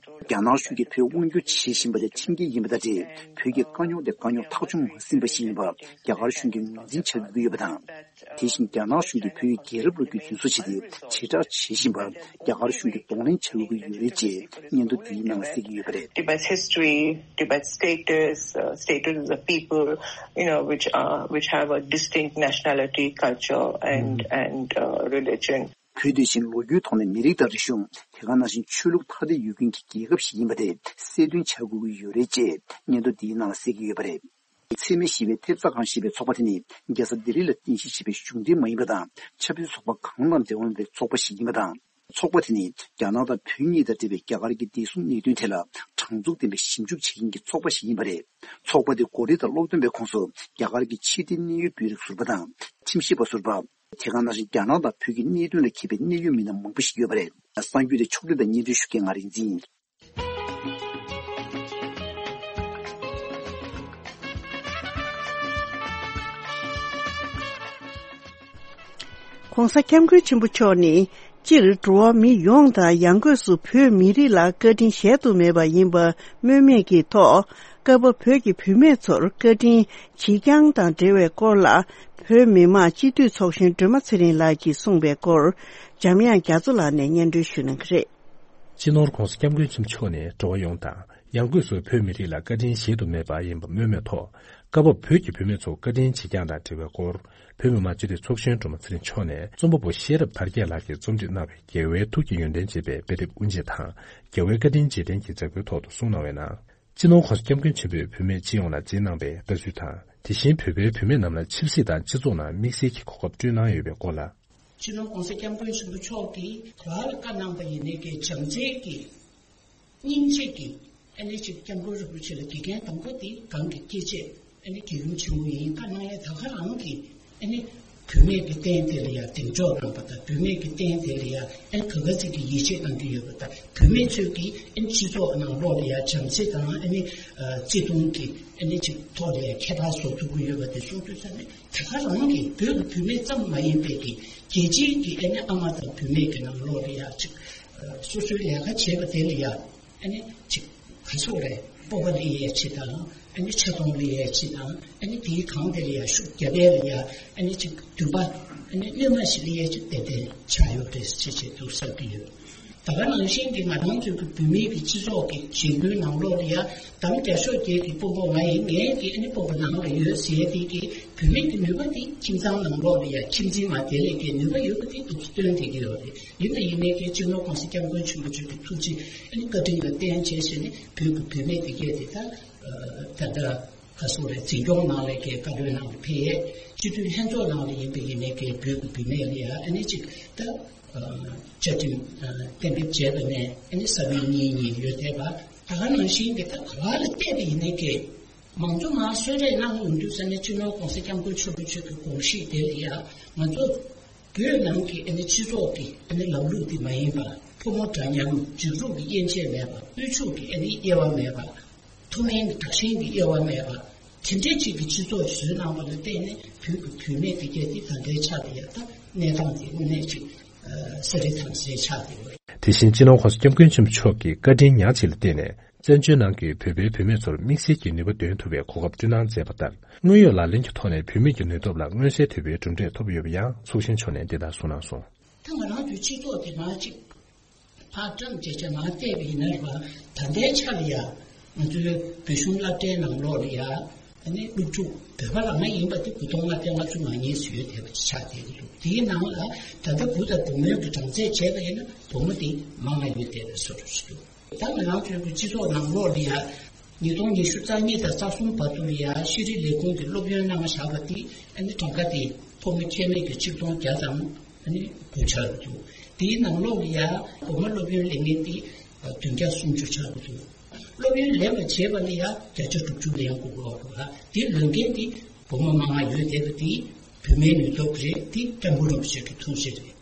རྒྱ་ནག་གཞུང་གིས་བོད་དབང་སྒྱུར་བྱེད་བཞིན་པ་དེ་ཁྲིམས་འགལ་ཡིན་པ་དང་འབྲེལ། བོད་ཀྱི་དཀའ་རྙོག་དེ་དཀའ་རྙོག་ཐག་གཅོད་མ་ཟིན་པ་ཞིག་ཡིན་པ་རྒྱ་གར་གཞུང་གིས་ངོས་འཛིན་བྱ་དགོས་ཀྱི་ཡོད་པ་དང་། དེ་བཞིན་རྒྱ་ནག་གཞུང་གིས་བོད་ཡུལ་རྒྱལ་རབས་ལོ་རྒྱུས་རྫུན་བཟོ་བྱས་ཏེ་ཇེ་དྲག་བྱེད་བཞིན་པར་རྒྱ་གར་གཞུང་གིས་གདོང་ལེན་བྱ་དགོས་ཀྱི་ཡོད་རེད་ཅེས་སྙན་ཐོ་འདིའི་ནང་ལ་གསལ་གྱི་ཡོད་པ་རེད། Tibet's history, Tibet's status, uh, status of the people, you know, which are, which have a distinct nationality, culture, and, and uh, religion. བོད་དེ་བཞིན་ལོ་རྒྱུས་ཐོག་ནས་མི་རིགས་དང་རིག་གཞུང་། དེ་ག་ནང་བཞིན་ཆོས་ལུགས་ཐ་དད་ཡོད་མཁན་གྱི་རྒྱལ་ཁབ་ཞིག་ཡིན་པ་དེ་གསལ་སྟོན་བྱ་དགོས་ཀྱི་ཡོད་རེད་ཅེས་སྙན་ཐོ་འདིའི་ནང་ལ་གསལ་གྱི་ཡོད་པ་རེད། འཚེ་མེད་ཞི་བའི་ཐེབས་རྩ་ཁང་ཞེས་པའི་ཚོགས་པ་དེ་ནི་རྒྱལ་ས་ལྡི་ལི་ལ་རྟེན་གཞི་བྱས་པའི་གཞུང་འབྲེལ་མ་ཡིན་པ་དང་ཆབ་སྲིད་ཚོགས་པ་གང་དང་འབྲེལ་བ་མེད་པའི་ཚོགས་པ་ཞིག་ཡིན་པ་དང་། ཚོགས་པ་དེ་ནི་རྒྱ་ནག་དང་བོད་གཉིས་དང་འབྲེལ་བའི་རྒྱ་གར་གྱི་བདེ་སྲུང་གནད་དོན་ཐད་ལ་དྲང་ཚུགས་ལྡན་པའི་ཞིབ་འཇུག་བྱེད་མཁན་གྱི་ཚོགས་པ་ཞིག་ཡིན་པ་རེད། ཚོགས་པ་དེ་གོ་སྒྲིག་དང་སློབ་སྟོན་པའི་ཁོངས་སུ་རྒྱ་གར་གྱི་ཕྱི་དྲིལ་གནད་ཡོད་དཔོན་རིགས་ཟུར་པ་དང་ཁྲིམས་ཞིབ་པ་ཟུར་པ། དེ་ག་ནང་བཞིན་རྒྱ་ནག་དང་བོད་ཀྱི་གནད་དོན་ལ་མཁས་པའི་གནད་ཡོད་མི་སྣ་མང་པོ་ཞིག་ཡོད་པ་རེད། གསར་འགྱུར་དེ་ཕྱོགས་སྒྲིག་དང་སྙན་སྒྲོན་ཞུ་མཁན་ང་རིག་འཛིན་ཡིན། ྋགོང་ས་ྋསྐྱབས་མགོན་ཆེན་པོ་མཆོག་ནི། སྤྱིར་འགྲོ་བ་མི་ཡོངས་དང་ཡང་སྒོས་སུ་བོད་མི་རིགས་ལ་བཀའ་དྲིན་གཞལ་དུ་མེད་པ་ཡིན་པ་སྨོས་མེད་ཀྱི་ཐོག་སྐབས་བབ་བོད་ཀྱི་བུད་མེད་ཚོར་བཀའ་དྲིན་བྱེད་རྐྱང་དང་འབྲེལ་བའི་སྐོར་ལ། བོད་མི་མང་སྤྱི་འཐུས་ཚོགས་གཞོན་སྒྲོལ་མ་ཚེ་རིང་ལགས་ཀྱིས་གསུངས་པའི་སྐོར། འཇམ་དབྱངས་རྒྱ་མཚོ་ལགས་ནས་སྙན་སྒྲོན་ཞུ་གནང་གི་རེད། སྤྱི་ནོར་༧གོང་ས་༧སྐྱབས་མགོན་ཆེན་པོ་མཆོག་ནས་འགྲོ་བ་ཡོངས་དང་ཡང་སྒོས་སུ་བོད་མི་རིགས་ལ་བཀའ་དྲིན་གཞལ་དུ་མེད་པ་ཡིན་པ་སྨོས་མེད་ཐོག་སྐབས་བབ་བོད་ཀྱི་བུད་མེད་ཚོ་བཀའ་དྲིན་བྱེད་རྐྱང་དང་འབྲེལ་བའི་སྐོར། བོད་མི་མང་སྤྱི་འཐུས་ཚོགས་གཞོན་སྒྲོལ་མ་ཚེ་རིང་མཆོག་ནས་རྩོམ་པ་པོ་ཤེས་རབ་དར་རྒྱས་ལགས་ཀྱིས་རྩོམ་སྒྲིག་གནང་བའི་རྒྱལ་བའི་ཐུགས་ཀྱི་ཡོན་ཏན་ཅེས་པའི་དཔེ་དེབ་དབུ་འབྱེད་དང་རྒྱལ་བའི་བཀའ་དྲིན་རྗེས་དྲན་གྱི་མཛད་སྒོའི་ཐོག་ཏུ་གསུངས་གནང་བའི་ནང་། སྤྱི་ནོར་༧གོང་ས་༧སྐྱབས་མགོན་ཆེན་པོས་བུད་མེད་སྤྱི་ཡོངས་ལ་མཛད་གནང་བའི་ལྟ་ཚུལ་དང་། དེ་བཞིན་བོད་པའི་བུད་མེད་རྣམས་ལ་ཆབ་སྲིད་དང་སྤྱི་ཚོགས་ནང་དམིགས་བསལ་གྱི་གོ་སྐབས་བསྐྲུན་གནང་ཡོད་པའི་སྐོར་ལ། སྤྱི་ནོར་༧གོང་ས་༧སྐྱབས་མགོན་ཆེན་པོ་མཆོག་གིས་ག་རེ་བཀའ་གནང་པ་ཡིན་ནའི་གི་བྱམས་བརྩེ་གི་སྙིང་རྗེ་གི་ཨ་ནི་ཅིག་སྐྱབས་མགོན་རིན་པོ་ཆེ་ལ་དགེ་རྒན་དང་པོ་དེ་གང་གི་སྐྱེས་ཆེད་ཨ་ནི་རྒྱལ་ཡུམ་ཆེན་མོ་ཡིན། བཀའ་གནང་ཡ་ད་ག་རང་གི་ཨ་ནི་ བུད་མེད་ཀྱི་རྟེན་དེ་ལ་ཡང་གདེང་འཇོག་གནང་པ་དང་། བུད་མེད་ཀྱི་རྟེན་དེ་ལ་ཡང་ཨ་ནི་ག་ག་ཚོད་ཀྱི་ཡིད་ཆེས་གནང་གི་ཡོད་པ་དང་། བུད་མེད་ཚོས་ཀྱིས་ཨ་ནི་སྤྱི་ཚོགས་ནང་ལོགས་ལ་ཡང་བྱམས་བརྩེ་དང་ཨ་ནི་བརྩེ་དུང་གི་ཨ་ནི་ཅིག་ཐོག་ལ་ཡང་ཁྱད་པར་བཟོ་ཐུབ་ཀྱི་ཡོད་པ་དེ་གསུང་དུས་ཙ་ནས། ད་ག་རང་གི་བོད་ཀྱི་བུད་མེད་ཙམ་མ་ཡིན་པའི་གི་རྒྱལ་སྤྱིའི་གི་ཨ་ནི་ཨ་མ་དང་བུད་མེད་ཀྱི་ནང་ལོགས་ལ་ཡང་ཅིག་སོ་སོའི་ལས་ཀ་བྱེད་པ་དེ་ལ་ཡང་ཨ་ནི་ཅིག་ག་ཚོད་རེད། སྤོབས་པ་སླེབས་ཡས་ཆེད་དང་། ཨ་ནི་ཆེ་མཐོང་སླེབས་ཡས་ཆེད་དང་། ཨ་ནི་དེའི་སྒང་དེ་ལ་ཡང་ཤུགས་རྒྱབ་ཡས་ལ་ཡང་ཨ་ནི་ཅིག་འདུན་པ་ཨ་ནི་གནོད་མ་ཞིག་སླེབས་ཡས་ཅིག་ཏན་ཏན་ཆགས་ཡོད་རེད་ཅེས་བྱས་འདུག་བསམ་གྱི་ཡོད། ད་ག་ནང་བཞིན་གྱི་ང་རང་ཚོའི་གི་བུད་མེད་ཀྱི་སྤྱི་ཚོགས་ཀྱི་གཞིས་ལུས་ནང་ལོགས་ལ་ཡང་དམ་བརྒྱ་ཤོག་བརྒྱད་ཀྱི་དཔོན་པོ་ང་ཡིན། ངའི་གི་ཨ་ནི་དཔོན་པོ་ནང་ལ་ཡོད་ཟེར་དེ་གི་བུད་མེད་ཀྱི་ནུས་པ་དེ་ཁྱིམ་ཚང་ནང་ལོགས་ལ་ཡང་ཁྱིམ་འཛིན་མ་དེ་ལས་ཀྱི་ནུས་པ་ཡོད་པ་དེ་འདུག་སྟོན་བསྡད་ཀྱི་ཡོད་རེད། ཡིན་ན་ཡིན་མིན་གྱི་སྤྱི་ནོར་གོང་ས་སྐྱབས་མགོན་ཆེན་པོ་མཆོག་གི་ཐུགས་རྗེ་ཨ་ནི་བཀའ་དྲིན་ལ་བརྟེན་བྱས་བྱས་ནས་བོད་ཀྱི་བུད་མེད་དེ་གས་དེ་ད་ད་ལྟ་ག་སོག་རེད། འཛིན་སྐྱོང་ནང་ལས་ཀའི་བཀའ་བློན་ནང་ལ་ཕེབས། སྤྱི་འཐུས་ལྷན་ཚོགས་ནང་ལ་ཡིན་པའི་ཡིན་མིན་གྱི་བོད་ཀྱི་བུད་མེད་ལ་ཡང་ཨ་ནི་ཅིག་ད་བཅའ་ཁྲིམས་གཏན་འབེབས་བྱས་པ་ནས་ཨ་ནི་ས་བོན་གཉིས་གཉིས་ཡོད་བསྡད་པ། ད་ག་ནང་བཞིན་གྱི་ད་ག་བ་ལ་བལྟས་པ་ཡིན་མིན་གྱི་མང་གཙོ་མར་གསོལ་རས་གནང་ཡོང་དུས་ཙ་ནས་སྤྱི་ནོར་གོང་ས་སྐྱབས་མགོན་ཆེན་པོ་མཆོག་གི་དགོངས་གཞི་དེ་ལ་ཡང་ང་ཚོ་བོད་ནང་གི་ཨ་ནི་སྤྱི་ཚོགས་ཀྱི་ཨ་ནི་ལམ་ལུགས་དེ་མ་ཡིན་པ། ཕོ་མོ་འདྲ་མཉམ། འཇིགས་རུང་གི་དབྱེ་འབྱེད་མེད་པ། དབུལ་ཕྱུག་གི་ཨ་ནི་དབྱེ་བ་མེད་པ། མཐོ་དམན་གྱི་དྲག་ཞན་གྱི་དབྱེ་བ་མེད་པ། དེ་འདྲའི་ཅིག་གི་སྤྱི་ཚོགས་བཟོས་གནང་བ་ལ་བརྟེན་ནས་བོད་ཀྱི་བུད་མེད་དེ་གས་དེ་ད་ལྟའི་ཆ་དེ་ཡང་ད་གནས་སྟངས་དེ་དངོས་གནས་ཅིག་ཨ་གསལ་རི་ཐང་གསལ་ཆགས་བསྡད་ཡོད། དེ་བཞིན་སྤྱི་ནོར་གོང་ས་སྐྱབས་མགོན་ཆེན་པོ་མཆོག་གིས་བཀའ་དྲིན་ཉག་གཅིག་ལ་བརྟེན་ནས། བཙན་བྱོལ་ནང་གི་བོད་པའི་བུད་མེད་ཚོར་དམིགས་བསལ་གྱི་ནུས་པ་འདོན་ཐུབ་པའི་གོ་སྐབས་བསྐྲུན་གནང་མཛད་པ་ལྟར། དངོས་ཡོད་ལག་ལེན་གྱི་ཐོག་ནས་བུད་མེད་ཀྱི་ནུས་སྟོབས་ལ་མངོན་གསལ་དོད་པོའི་གྲུབ་འབྲས་ཐོབ་ཡོད་པ་ཡང་ཚོགས་གཞོན་མཆོག་ནས་འདི་ལྟར་གསུངས་གནང་སོང་། ད་ང་རང་ཚོའི་སྤྱི་ཚོགས་དེ་མར་ཅིག་ཕར་བཀྲམ་བྱས་བྱས་མར་བལྟས་པ་ཡིན་ན་རེད་པ། ད་ལྟའི་ཆ་ལ་ཡ་ང་ཚོའི་བོད་གཞུང་སློབ་གྲྭའི་ནང་ལོགས་ལ་ཡ་ཨ་ནི་སློབ་ཕྲུག་བོད་པ་རང་ཡིན་པ་དེ་དགུ་སྟོང་ལྔ་བརྒྱ་ལྔ་བཅུ་ང་གཉིས་ཙམ་ཡོད་བསྡད་པ་ཆགས་བསྡད་ཀྱི་འདུག་དེའི་ནང་ལ་ད་ལྟ་བུ་དང་བུ་མོའི་གི་གྲངས་ཚད་བྱས་པ་ཡིན་ན་བུ་མོ་དེ་མང་བ་ཡོད་བསྡད་པའི་བཟོ་འདྲ་ཞིག་འདུག་ད་ང་རང་ཚོའི་གི་སྤྱི་ཚོགས་ནང་ལོགས་ལ་ཡ་ཉིས་སྟོང་ཉི་ཤུ་རྩ་གཉིས་དང་རྩ་གསུམ་བར་དུ་ལ་ཡ་ཤེས་རིག་ལས་ཁུངས་ཀྱི་སློབ་ཡོན་གནང་བཞག་པ་དེ་ཨ་ནི་གྲངས་ཀ་དེ་ཕོ་མོ་ཁྱད་མེད་ཀྱི་ཆིག་སྟོང་བརྒྱ་དང་ཨ་ནི་དགུ་ཆགས་འདུག་དེའི་ནང་ལོགས་ལ་ཡ་བུ་མོ་སློབ་ཡོན་ལེན་མཁན་དེ་བདུན་བརྒྱ་སུམ་ཅུ་ཆགས་འདུག་སློབ་ཡོན་ལེན་པ་བྱས་པ་ལ་ཡ་བརྒྱ་ཆ་དྲུག་ཅུ་ལེན་དགོས་ཀྱི་ཡོད་འདུག་དེ་ལོན་མཁན་དེ་བུ་མོ་མང་བ་ཡོད་བསྡད་པ་དེ་བུད་མེད་ནུས་སྟོབས་རེད། དེ་སྐྱབས་མགོན་རིན་པོ་ཆེ་གི་ཐུགས་རྗེ་རེད།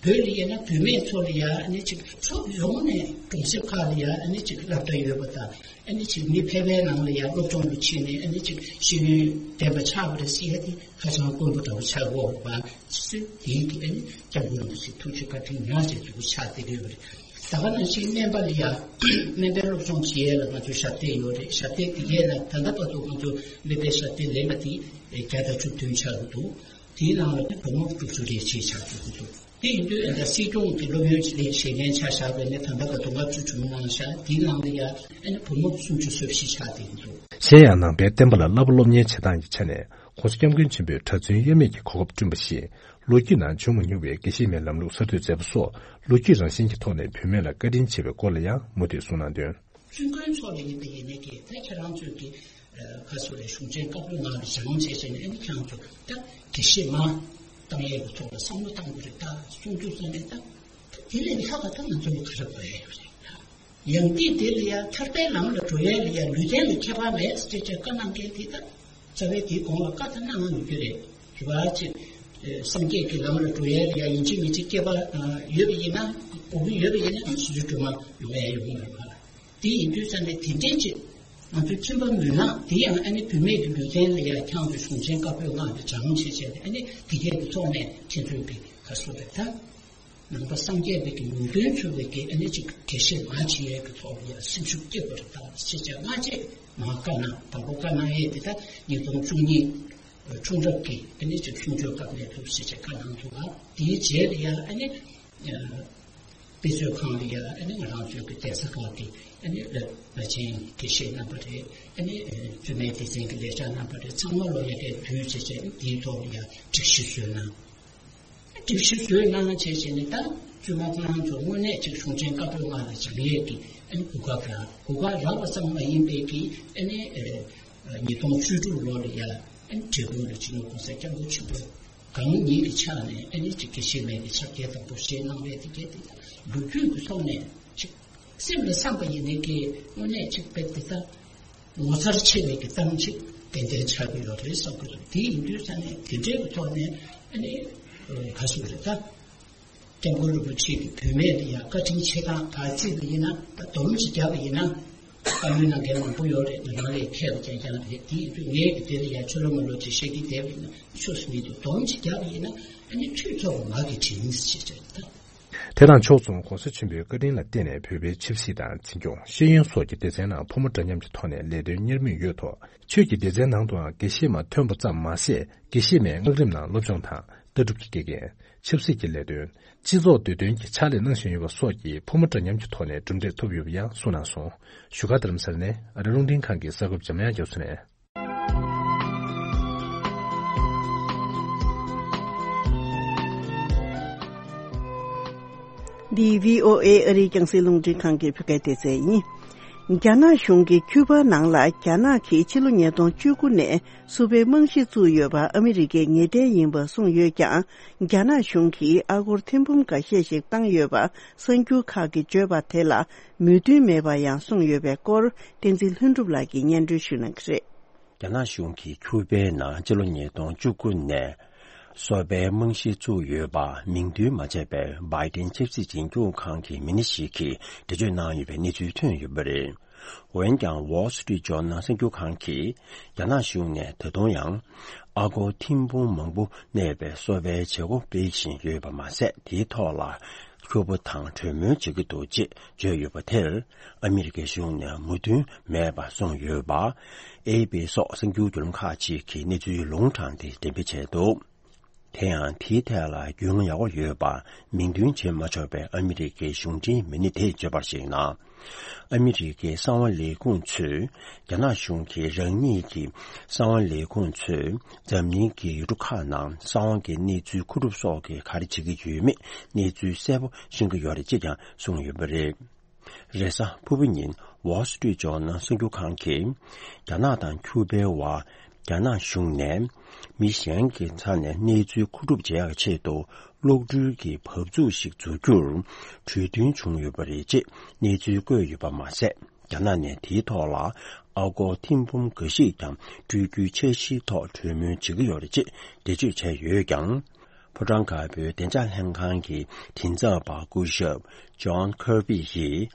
བོད་ལ་ཡིན་ན་བུད་མེད་ཚོ་ལ་ཡ་ཨ་ནི་ཅིག་ཕྱོགས་ཡོངས་ནས་གྲོང་གསེབ་ཁག་ལ་ཡ་ཨ་ནི་ཅིག་སློབ་གྲྭ་ཡོད་པ་དང་། ཨ་ནི་ཅིག་མི་ཕལ་པའི་ནང་ལ་ཡ་སློབ་སྦྱོང་དུ་ཕྱིན་ནས་ཨ་ནི་ཅིག་ཤེས་ཡོན་ལྡན་པ་ཆགས་པ་རེད་ཟེར་ཡ་དེ་ཧ་ཅང་དཀོན་པོ་འདྲ་བོ་ཆགས་ཡོད་པ། ཅི་སྲིད་དེའི་གི་ཨ་ནི་སྐྱབས་མགོན་རིན་པོ་ཆེ་ཐུགས་རྗེ་བཀའ་དྲིན་ཉག་ཅིག་འདུག་ཆགས་བསྡད་ཀྱི་ཡོད་པ་རེད། ད་ག་ནང་བཞིན་སྨན་པ་ལ་ཡ་སྨན་པའི་སློབ་སྦྱོང་བྱེད་ཡས་ལ་ང་ཚོའི་ཞབས་སྟེགས་ཡོད་རེད། ཞབས་སྟེགས་དེ་གའི་ནང་ད་ལྟ་བར་དུ་ང་ཚོ་སྨན་པའི་ཞབས་སྟེགས་ལེན་པ་དེ་བརྒྱ་དང་བཅུ་བདུན་ཆགས་ཀྱི་འདུག་དེའི་ནང་ལ་ནི་བུ་མོ་དྲུག་ཅུ་རེ་གཅིག་ཆགས་ཀྱི་འདུག་དེ་ཡིན་དུས་ཨ་ད་སྲིད་སྐྱོང་གི་སློབ་ཡོན་ལས་བྱེད་མཁན་ཆ་བཞག་པ་ཡིན་ན་ད་ལྟ་བར་དུ་ལྔ་བཅུ་བྱུང་གནང་བཞག་དེའི་ནང་ལ་ཡ་ཨ་ནི་བུ་མོ་སུམ་ཅུ་སོ་བཞི་ཆགས་བསྡད་འདུག་གཞན་ཡང་ནང་པའི་བསྟན་པ་ལ་བསླབ་པ་སློབ་གཉེར་བྱེད་སྟངས་ཀྱི་ཆ་ནས་༸གོང་ས་༸སྐྱབས་མགོན་ཆེན་པོས་གྲྭ་བཙུན་དབྱེར་མེད་ཀྱི་གོ་སྐབས་བསྐྲུན་པ་བཞིན། ལོ་རྒྱུས་ནང་བྱུང་མ་མྱོང་བའི་དགེ་བཤེས་མའི་ལམ་ལུགས་གསར་གཏོད་མཛད་པ་སོགས་ལོ་རྒྱུས་རང་བཞིན་གྱི་ཐོག་ནས་བུད་མེད་ལ་བཀའ་དྲིན་ཆེ་བའི་སྐོར་ལ་ཡང་མུ་མཐུད་གསུངས་གནང་དོན། བཙུན་དགོན་ཚོགས་ལ་ཡིན་པ་ཡིན་ནའི་གི་ད་ཁྱེད་རང་ཚོས་ཀྱི་ཁ་སོ་རེ་གཞུང་ཆེན་བཀའ་པོད་ནང་ལ་སྦྱངས་བྱས་བྱས་ནས་ཨ་ནི་ཁྱེད་རང་ཚོ་ད་དགེ་བཤེས་མ་བཏང་ཡས་ཀྱི་ཐོག་ལ་བསམ་བློ་བཏང་དགོས་རེད་ད་གསུང་རྒྱུ་ཙམ་ནས་ད་ད་དེ་ལས་ལྷག་པ་ད་ང་ཚོ་ལ་ག་རེ་དགོས་ཡ་ཡོད་རེད། ཡང་ཏིག་དེ་ལ་ཡང་ཐར་པའི་ལམ་ལ་འགྲོ་ཡས་ལ་ཡང་ལུས་རྟེན་ལ་ཁྱད་པར་མེད་ཅེས་བྱས་བཀའ་གནང་མཁན་དེ་ད་རྩ་བའི་དེའི་གོང་ལ་བཀའ་ད་གནང་ཡོད་རྒྱུ་རེད། རེ་བ་ཅིག་སངས་རྒྱས་ཀྱི་ལམ་ལ་འགྲོ་ཡས་ལ་ཡང་ཡིན་གཅིག་མིན་གཅིག་སྐྱེས་པ་ཡོད་པ་ཡིན་ན་དགོས་ཀྱི་ཡོད་པ་ཡིན་ན་སོ་སོའི་སྒྲོལ་མ་ཡོང་ཡས་ཡོང་གི་མ་རེད་པ། དེ་ཡིན་དུས་ཙང་ནས་དེ་འདྲའི་ཅིག་ང་ཚོའི་ཁྱིམ་པ་མུན་ནག་དེ་ཡང་ཨ་ནི་བུད་མེད་ཀྱི་ལུས་རྟེན་ལ་ཡང་ཁྱང་དུ་གཞུང་ཆེན་བཀའ་པོད་ལྔ་ལ་སྦྱང་བྱས་བྱས་ཏེ་ཨ་ནི་དེ་གས་ཀྱི་ཐོག་ནས་ཁྱེད་ཚོའི་གི་ཁ་སོ་རེད་ད། ནང་པ་སངས་རྒྱས་པའི་གི་ལུང་སྟོན་ཚུལ་བའི་གི་ཨ་ནི་ཅིག་དགེ་བཤེས་མ་བྱེད་ཡས་ཀྱི་ཐོག་ལ་ཡང་སེམས་ཤུགས་སྐྱེ་དགོས་རེད་ད་ཅེས་བྱས་སྔ་རྗེས་མ་བཀའ་གནང་དང་པོ་བཀའ་གནང་ཡས་དེ་ད་ཉིས་སྟོང་བཅུ་གཉིས་འཁྲུངས་རབས་ཀྱི་ཨ་ནི་ཅིག་གསུང་ཆོས་སྐབས་ནས་འདུག་ཅེས་བྱས་བཀའ་གནང་འདུག་ལ་དེའི་རྗེས་ལ་ཡང་ཨ་ནི་དཔེ་མཛོད་ཁང་ལ་ཡང་ཨ་ནི་ང་རང་ཚོའི་གི་གདན་ས་ཁག་གི་ཨ་ནི་བླ་ཆེན་དགེ་བཤེས་རྣམ་པ་རེད། ཨ་ནི་བཙུན་མའི་སྡེ་ཚན་གྱི་ལས་བྱ་རྣམ་པ་རེད། ཚང་མ་ལོ་ཡ་གའི་དུས་བྱས་བྱས་དེའི་ཐོག་ལ་ཡང་སྒྲིག་གཞི་བཟོས་གནང་། སྒྲིག་གཞི་བཟོས་གནང་བྱས་བྱས་ནས་ད་བཙུན་མ་ཁོ་རང་ཚོ་དངོས་གནས་ཅིག་གཞུང་ཆེན་བཀའ་པོད་ལྔ་ལ་སྦྱང་ཡས་ཀྱི་ཨ་ནི་གོ་སྐབས་རག་གོ་སྐབས་རག་པ་ཙམ་མ་ཡིན་པའི་གི་ཨ་ནི་ཉིས་སྟོང་བཅུ་དྲུག་ལོ་ལ་ཡ་ཨ་ནི་འབྲས་སྤུངས་ལ་སྤྱི་ནོར་གོང་ས་སྐྱབས་མགོན་ཆེན་པོས་གང་ཉིད་ཀྱི་ཕྱག་ནས་ཨ་ནི་ཅིག་དགེ་བཤེས་མའི་གི་ཕྱག་འཁྱེར་དང་པོ་བཞེས་གནང་བའི་དེ་གས་དེ་ལོ་རྒྱུས་ཀྱི་ཐོག་ནས་ཅིག་སེམས་ལ་བསམ་པ་ཡིན་ནའི་གི་དངོས་གནས་ཅིག་དཔེ་དེ་ལྟ། ངོ་མཚར་ཆེ་བའི་གི་གཏམ་ཅིག་ཏན་ཏན་ཆགས་ཀྱི་ཡོད་རེད་བསམ་གྱི་འདུག་དེ་ཡིན་དུས་ཙང་ནས་དེ་འདྲའི་གི་ཐོག་ནས་ ཨ་ནི་ག་ཟེར་རེད་ད། སྐྱབས་མགོན་རིན་པོ་ཆེ་གི་བུད་མེད་ལ་ཡང་བཀའ་དྲིན་ཆེ་གང་བར་རྩིས་པ་ཡིན་ན། ད་སྡོམ་ཅིག་བརྒྱབ་པ་ཡིན་ན། བཀའ་མོལ་གནང་མཁན་མང་པོ་ཡོད་རེད། ང་རང་ལས་མཁས་པ་རྐྱང་རྐྱང་རེད། དེ་ཡིན་དུས་ངས་ཀྱི་དེ་ལ་ཡང་ཆོ་ལོ་མ་ལོ་ཅིག་བཤད་ཀྱི་བསྡད་པ་ཡིན་ན། ཆོས་སུ་མི་འདུག་སྡོམ་ཅིག་བརྒྱབ་པ་ཡིན་ན། ཨ་ནི་ཁྲུས་ཐོབ་པ་མ་གི་དྲིན་ཞེས་བྱ་ད། དེ་དང་ཕྱོགས་མཚུངས་༸གོང་ས་ཆེན་པོའི་བཀའ་དྲིན་ལ་བརྟེན་ནས་བོད་པའི་ཆབ་སྲིད་དང་འཛིན་སྐྱོང་། ཤེས་ཡོན་སོགས་ཀྱི་སྡེ་ཚན་ནང་ཕོ་མོ་འདྲ་མཉམ་གྱི་ཐོག་ནས་ལས་དོན་གཉེར་མུས་ཡོད་ཐོག་ཆོས་ཀྱི་སྡེ་ཚན་ནང་དུའང་དགེ་བཤེས་མ་ཐོན་པ་ཙམ་མ་ཟད། དགེ་བཤེས་མའི་སྔགས་རིམ་ནང་སློབ་སྦྱོང་དང་། ལྟ་གྲུབ་ཀྱི་དགེ་རྒན། ཆབ་སྲིད་ཀྱི་ལས་དོན། སྤྱི་ཚོགས་འདོད་དོན་གྱི་ཕྱག་ལས་གནང་བཞིན་ཡོད་པ་སོགས་ཀྱི་ཕོ་མོ་འདྲ་མཉམ་གྱི་ཐོག་ནས་གྲུབ་འབྲས་ཐོབ་ཡོད་པ་ཡང་གསུངས་གནང་སོང་། བཞུགས་སྒར་རྡ་རམ་ས་ལ་ནས་ཨ་རི་རླུང་འཕྲིན་ཁང་གི་གསར་འགོད་པ་འཇམ་དབྱངས་རྒྱ་མཚོ་ནས། འདི་བྷི་ཨོ་ཨེ་ཨ་རིའི་རྒྱང་སྲིང་རླུང་འཕྲིན་ཁང་གི་བོད་སྐད་སྡེ་ཚན་ཡིན། རྒྱ་ནག་གཞུང་གིས་ཁྱུ་པ་ནང་ལ་རྒྱ་ནག་གིས་ཕྱི་ལོ་ཉིས་སྟོང་བཅུ་དགུ་ནས་སུ་ཕའི་རྨང་གཞི་བཙུགས་ཡོད་པ་ཨ་མི་རི་ཀའི་ངེས་གཏན་ཡིན་པ་གསུངས་ཡོད་ཀྱང་། རྒྱ་ནག་གཞུང་གིས་ཨ་སྒོར་ཐེར་འབུམ་འགའ་ཤས་ཤིག་བཏང་ཡོད་པ་གསར་འགྱུར་ཁག་གིས་བརྗོད་པ་དེ་ལ་མོས་མཐུན་མེད་པ་ཡང་གསུངས་ཡོད་པའི་སྐོར། བསྟན་འཛིན་ལྷུན་གྲུབ་ལགས་ཀྱིས་སྙན་སྒྲོན་ཞུ་གནང་གི་རེད། རྒྱ་ནག་གཞུང་གིས་ཁྱུ་པའི་ནང་སྤྱི་ལོ་ཉིས་སྟོང་བཅུ་དགུ་ནས་སོ་པའི་རྨང་གཞི་བཙུགས་ཡོད་པ་མིང་འདོན་མ་བྱས་པའི་བྷའི་ཏིན་ཆབ་སྲིད་འཛིན་སྐྱོང་ཁང་གི་མི་སྣ་ཞིག་གིས་འགྲེལ་བརྗོད་གནང་ཡོད་པའི་གནས་ཚུལ་ཐོན་ཡོད་པ་རེད། འོན་ཀྱང་། Wall Street Journal་གསར་འགྱུར་ཁང་གིས་རྒྱ་ནག་གཞུང་ནས་ད་དུང་ཡང་ཨ་སྒོར་ཐེར་འབུམ་མང་པོ་གནས་པའི་སོ་པའི་བྱེད་སྒོ་སྤེལ་བཞིན་ཡོད་པ་མ་ཟད། དེའི་ཐོག་ལ་ཁྱུ་པ་དང་གྲོས་མོལ་བྱེད་ཀྱི་འདུག་ཅེས་བརྗོད་ཡོད་པ་དེར་ཨ་མི་རི་ཀའི་གཞུང་ནས་མོས་མཐུན་མེད་པ་གསུངས་ཡོད་པ། ཨེ་པི་སོགས་གསར་འགྱུར་བརྒྱུད་ལམ་ཁག་ཅིག་གིས་གནས་ཚུལ་ལུང་དྲངས་ཏེ་འགྲེམས་སྤེལ་བྱས་འདུག་དེ་ཡང་དེའི་ཐད་ལ་རྒྱུས་མངའ་ཡག་པོ་ཡོད་པ་མིང་འདོན་བྱེད་མ་ཆོག་པའི་ཨ་མི་རི་ཀའི་གཞུང་འབྲེལ་མི་སྣ་དེས་བརྗོད་པར་གཞིགས་ན། ཨ་མི་རི་ཀའི་གསང་བ་ལས་ཁུངས་ཚོས་རྒྱ་ནག་གཞུང་གིས་རང་ཉིད་ཀྱི་གསང་བ་ལས་ཁུངས་ཚོས་འཛམ་གླིང་གི་ཡུལ་གྲུ་ཁག་ནང་གསང་བ་གི་གནས་ཚུལ་མཁོ་སྒྲུབ་སོགས་ཀྱི་ག་རེ་བྱེད་ཀྱི་ཡོད་མེད་གནས་ཚུལ་གསལ་པོ་ཤེས་ཀྱི་ཡོད་རེད་ཅེས་ཀྱང་གསུངས་ཡོད་པ་རེད། རེས་གཟའ་ཕུར་བུ་ཉིན་Wall Street Journal་གསར་འགྱུར་ཁང་གིས་རྒྱ་ནག་དང་ཁྱུ་པའི་བར་རྒྱ་ནག་གཞུང་ནས་མི་གཞན་གྱི་རྩ་ནས་གནས་ཚུལ་མཁོ་སྒྲུབ་བྱེད་ཡག་ཆེད་དུ་གློག་འཕྲུལ་གྱི་བབས་ཚུགས་ཤིག་འཛུགས་རྒྱུར་གྲོས་མཐུན་བྱུང་ཡོད་པ་རེད་ཅེས་གནས་ཚུལ་བཀོད་ཡོད་པ་མ་ཟད། རྒྱ་ནག་ནས་དེའི་ཐོག་ལ་ཨ་སྒོར་ཐེར་འབུམ་འགའ་ཞིག་ཀྱང་སྤྲོད་རྒྱུའི་འཆར་གཞིའི་ཐོག་གྲོས་མོལ་བྱེད་ཀྱི་ཡོད་རེད་ཅེས་འགྲེལ་བརྗོད་བྱས་ཡོད་ཀྱང་། ཕོ་བྲང་དཀར་པོའི་བདེ་འཇགས་ལྷན་ཁང་གི་མགྲིན་ཚབ་པ་སྐུ་ཞབས་John Kirby་ཡིས།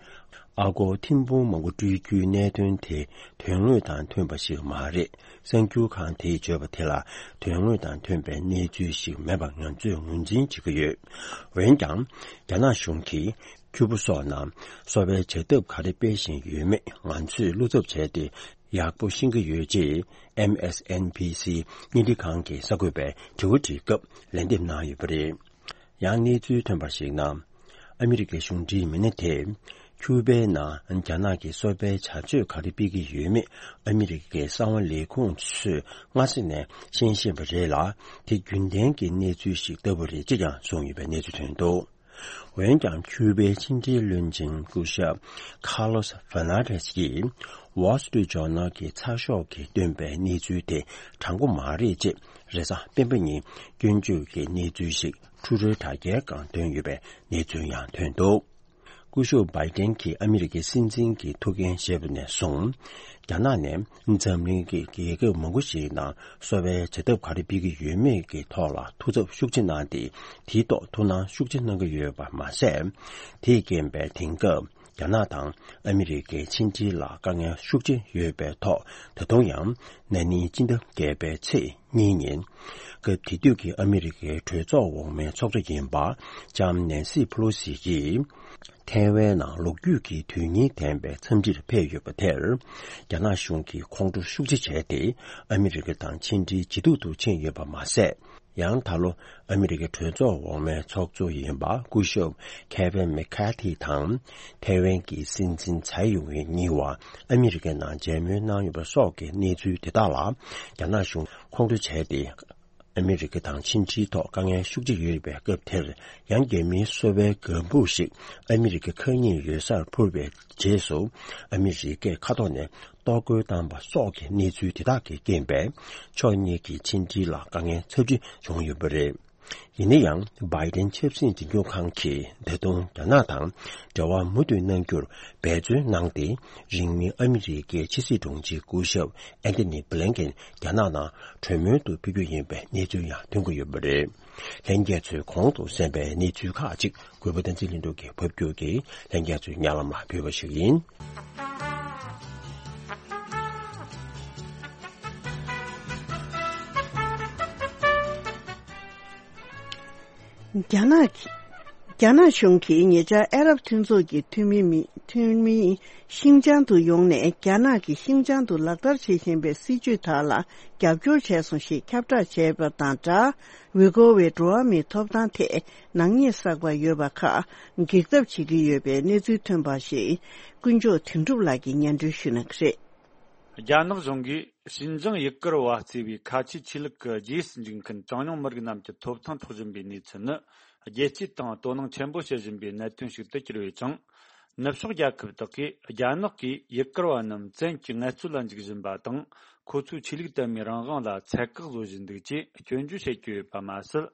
ཨ་སྒོར་ཐེར་འབུམ་མང་པོ་སྤྲོད་རྒྱུའི་གནད་དོན་དེ་དོན་དངོས་དང་མཐུན་པ་ཞིག་མ་རེད། གསར་འགྱུར་ཁང་དེས་བརྗོད་པ་དེ་ལ་དོན་དངོས་དང་མཐུན་པའི་གནས་ཚུལ་ཞིག་མེད་པ་ང་ཚོས་ངོས་འཛིན་བྱེད་ཀྱི་ཡོད། འོན་ཀྱང་། རྒྱ་ནག་གཞུང་གིས་ཁྱུ་པ་སོགས་ནང་སོ་པའི་བྱ་ཐབས་ག་རེ་སྤེལ་བཞིན་ཡོད་མེད་ང་ཚོས་བློ་འཚབ་བྱས་ཏེ། ཡག་པོ་ཤེས་ཀྱི་ཡོད་ཅེས་ཨེམ་ཨེས་ཨེན་བྷི་སི་བརྙན་འཕྲིན་ཁང་གི་གསར་འགོད་པས་དྲི་བ་དྲིས་སྐབས་ལན་འདེབས་གནང་ཡོད་པ་རེད། ཡང་གནས་ཚུལ་ཐོན་པར་གཞིགས་ན། ཨ་མི་རི་ཀའི་གཞུང་འབྲེལ་མི་སྣ་དེས་ཁྱུ་པའི་ནང་རྒྱ་ནག་གིས་སོ་པའི་བྱ་སྤྱོད་ག་རེ་སྤེལ་གྱི་ཡོད་མེད་ཨ་མི་རི་ཀའི་གསང་བ་ལས་ཁུངས་ཚོས་སྔ་ས་ནས་ཤེས་བཞིན་པ་རེད་ལ། དེ་རྒྱུན་ལྡན་གྱི་གནས་ཚུལ་ཞིག་ལྟ་བུ་རེད་ཅེས་ཀྱང་གསུངས་ཡོད་པའི་གནས་ཚུལ་ཐོན་འདུག་འོན་ཀྱང་ཁྱུ་པའི་ཕྱི་འབྲེལ་བློན་ཆེན་སྐུ་ཞབས་Carlos Fernandez་ཡིས་Wall Street Journal་གྱི་ཚགས་ཤོག་གིས་བཏོན་པའི་གནས་ཚུལ་དེ་དྲང་པོ་མ་རེད་ཅེས་རེས་གཟའ་སྤེན་པ་ཉིན་སྐྱོན་བརྗོད་ཀྱི་གནས་ཚུལ་ཞིག་ཕྲུ་གུའི་དྲ་རྒྱའི་སྒང་བཏོན་ཡོད་པའི་གནས་ཚུལ་ཡང་ཐོན་འདུག་སྐུ་ཞབས་Biden་གྱིས་ཨ་མི་རི་ཀའི་སྲིད་འཛིན་གྱི་ཐུགས་འགན་བཞེས་པ་ནས་བཟུང་། རྒྱ་ནག་ནས་འཛམ་གླིང་གི་རྒྱལ་ཁབ་མང་པོ་ཞིག་ནང་སོ་པའི་བྱ་ཐབས་ག་རེ་སྤེལ་གྱི་ཡོད་མེད་ཀྱི་ཐོག་ལ་ཐུགས་འཚབ་ཤུགས་ཆེ་གནང་སྟེ། དེའི་ཐོག་ཐུགས་སྣང་ཤུགས་ཆེ་གནང་གི་ཡོད་པ་མ་ཟད། དེས་རྐྱེན་པས་དེང་སྐབས་རྒྱ་ནག་དང་ཨ་མི་རི་ཀའི་ཕྱི་འབྲེལ་ལ་དཀའ་ངལ་ཤུགས་ཆེ་ཡོད་པའི་ཐོག་ད་དུང་ཡང་ན་ནིང་སྤྱི་ཟླ་བརྒྱད་པའི་ཚེས་གཉིས་ཉིན། སྐབས་དེ་དུས་ཀྱི་ཨ་མི་རི་ཀའི་གྲོས་ཚོགས་འོག་མའི་ཚོགས་གཙོ་ཡིན་པ་ལྕམ་ནན་སི་ཕུ་ལོ་སི་ཡིས། ཐའེ་ཝན་ནང་ལོ་རྒྱུས་ཀྱི་དོན་སྙིང་ལྡན་པའི་འཚམས་འདྲིར་ཕེབས་ཡོད་པ་དེར། རྒྱ་ནག་གཞུང་གིས་ཁོང་ཁྲོ་ཤུགས་ཆེ་བྱས་ཏེ། ཨ་མི་རི་ཀ་དང་ཕྱི་འབྲེལ་ཇེ་སྡུག་ཏུ་ཕྱིན་ཡོད་པ་མ་ཟད། ཡང་ད་ལོ་ཨ་མི་རི་ཀའི་གྲོས་ཚོགས་འོག་མའི་ཚོགས་གཙོ་ཡིན་པ་སྐུ་ཞབས་ཁེ་ཝིན་མེ་ཁ་ཐི་དང་། ཐའེ་ཝན་གྱི་སྲིད་འཛིན་ཚའེ་ཡུང་ཝེ་གཉིས་བར་ཨ་མི་རི་ཀའི་ནང་མཇལ་མོལ་གནང་ཡོད་པ་སོགས་ཀྱི་གནས་ཚུལ་དེ་དག་ལ། རྒྱ་ནག་གཞུང་ཁོང་ཁྲོ་བྱས་ཏེ། ཨ་མི་རི་ཀ་དང་ཕྱི་འབྲེལ་ཐོག་དཀའ་ངལ་ཤུགས་ཆེ་ཡོད་པའི་སྐབས་དེར། ཡང་རྒྱ་མིའི་གསོ་བའི་ལྒང་བུ་ཞིག་ཨ་མི་རི་ཀའི་ཁ་ཉིན་ཡོད་སར་འཕུར་བའི་རྗེས་སུ། ཨ་མི་རི་ཀས་མཁའ་ཐོག་ནས་གཏོར་རྒོལ་བཏང་པ་སོགས་ཀྱི་གནས་ཚུལ་དེ་དག་གི་རྐྱེན་པས། ཕྱོགས་གཉིས་ཀྱི་ཕྱི་འབྲེལ་ལ་དཀའ་ངལ་ཚབས་ཆེ་བྱུང་ཡོད་པ་རེད། ཡིན་ན་ཡང་། བྷའི་ཏིན་ཆབ་སྲིད་འཛིན་སྐྱོང་ཁང་གིས་ད་དུང་རྒྱ་ནག་དང་འབྲེལ་བ་མུ་མཐུད་གནང་རྒྱུར་འབད་བརྩོན་གནང་སྟེ། རིང་མིན་ཨ་མི་རི་ཀའི་ཕྱི་སྲིད་དྲུང་ཆེ་སྐུ་ཞབས་ཨན་ཐོ་ནི་བྷི་ལིན་ཀེན་རྒྱ་ནག་ནང་གྲོས་མོལ་དུ་ཕེབས་རྒྱུ་ཡིན་པའི་གནས་ཚུལ་ཡང་ཐོན་གྱི་ཡོད་པ་རེད། ལྷན་རྒྱས་ཚོས་གོང་དུ་གསན་པའི་གནས་ཚུལ་ཁག་ཅིག་གུས་པ་བསྟན་འཛིན་ལྷུན་གྲུབ་ཀྱིས་ཕབ་སྒྱུར་གྱིས་ལྷན་རྒྱས་ཚོའི་སྙན་ལམ་ལ་ཕུལ་བ་ཞིག་ཡིན། རྒྱ་ནག་གི་རྒྱ་ནག་གཞུང་གིས་ཉེ་ཆར་ཨ་རབ་མཐུན་ཚོགས་ཀྱི་འཐུས་མི་མི་འཐུས་མི་ཤིན་ཅང་དུ་ཡོང་ནས་རྒྱ་ནག་གིས་ཤིན་ཅང་དུ་ལག་བསྟར་བྱེད་བཞིན་པའི་སྲིད་བྱུས་དག་ལ་རྒྱབ་སྐྱོར་བྱས་སོང་ཞེས་ཁྱབ་བསྒྲགས་བྱས་པ་དང་སྦྲགས། ཝི་གོ་བའི་འགྲོ་བ་མིའི་ཐོབ་ཐང་ཐད་ནག་ཉེས་བསགས་པ་ཡོད་པ་ཁག་འགེལ་ཐབས་བྱེད་ཀྱི་ཡོད་པའི་གནས་ཚུལ་ཐོན་པ་ཞིག་དཀོན་མཆོག་དོན་གྲུབ་ལགས་ཀྱིས་སྙན་སྒྲོན་ཞུ་གནང་གི་རེད། རྒྱ་ནག་གཞུང་གིས་ཞིན་ཅང་ཡུ་གུར་བ་གཙོས་པའི་ཁ་ཆེའི་ཆོས་ལུགས་ཀྱི་རྗེས་སུ་འཇུག་མཁན་གྲངས་ཉུང་མི་རིགས་རྣམས་ཀྱི་ཐོབ་ཐང་འཕྲོག་བཞིན་པའི་གནས་ཚུལ་ནི། རྒྱལ་སྤྱིའི་སྟེང་དོ་སྣང་ཆེན་པོ་བྱེད་བཞིན་པའི་གནད་དོན་ཞིག་ཏུ་གྱུར་ཡོད་ཅིང་། ནུབ་ཕྱོགས་རྒྱལ་ཁབ་དག་གིས་རྒྱ་ནག་གིས་ཡུ་གུར་བ་རྣམས་བཙན་གྱིས་ངལ་རྩོལ་ལ་འཇུག་བཞིན་པ་དང་། ཁོ་ཚོའི་ཆོས་ལུགས་དད་མོས་རང་དབང་ལ་ཚད་བཀག་བཟོ་བཞིན་འདུག་ཅེས་སྐྱོན་བརྗོད་བྱེད་ཀྱི་ཡོད་པ་མ་ཟད།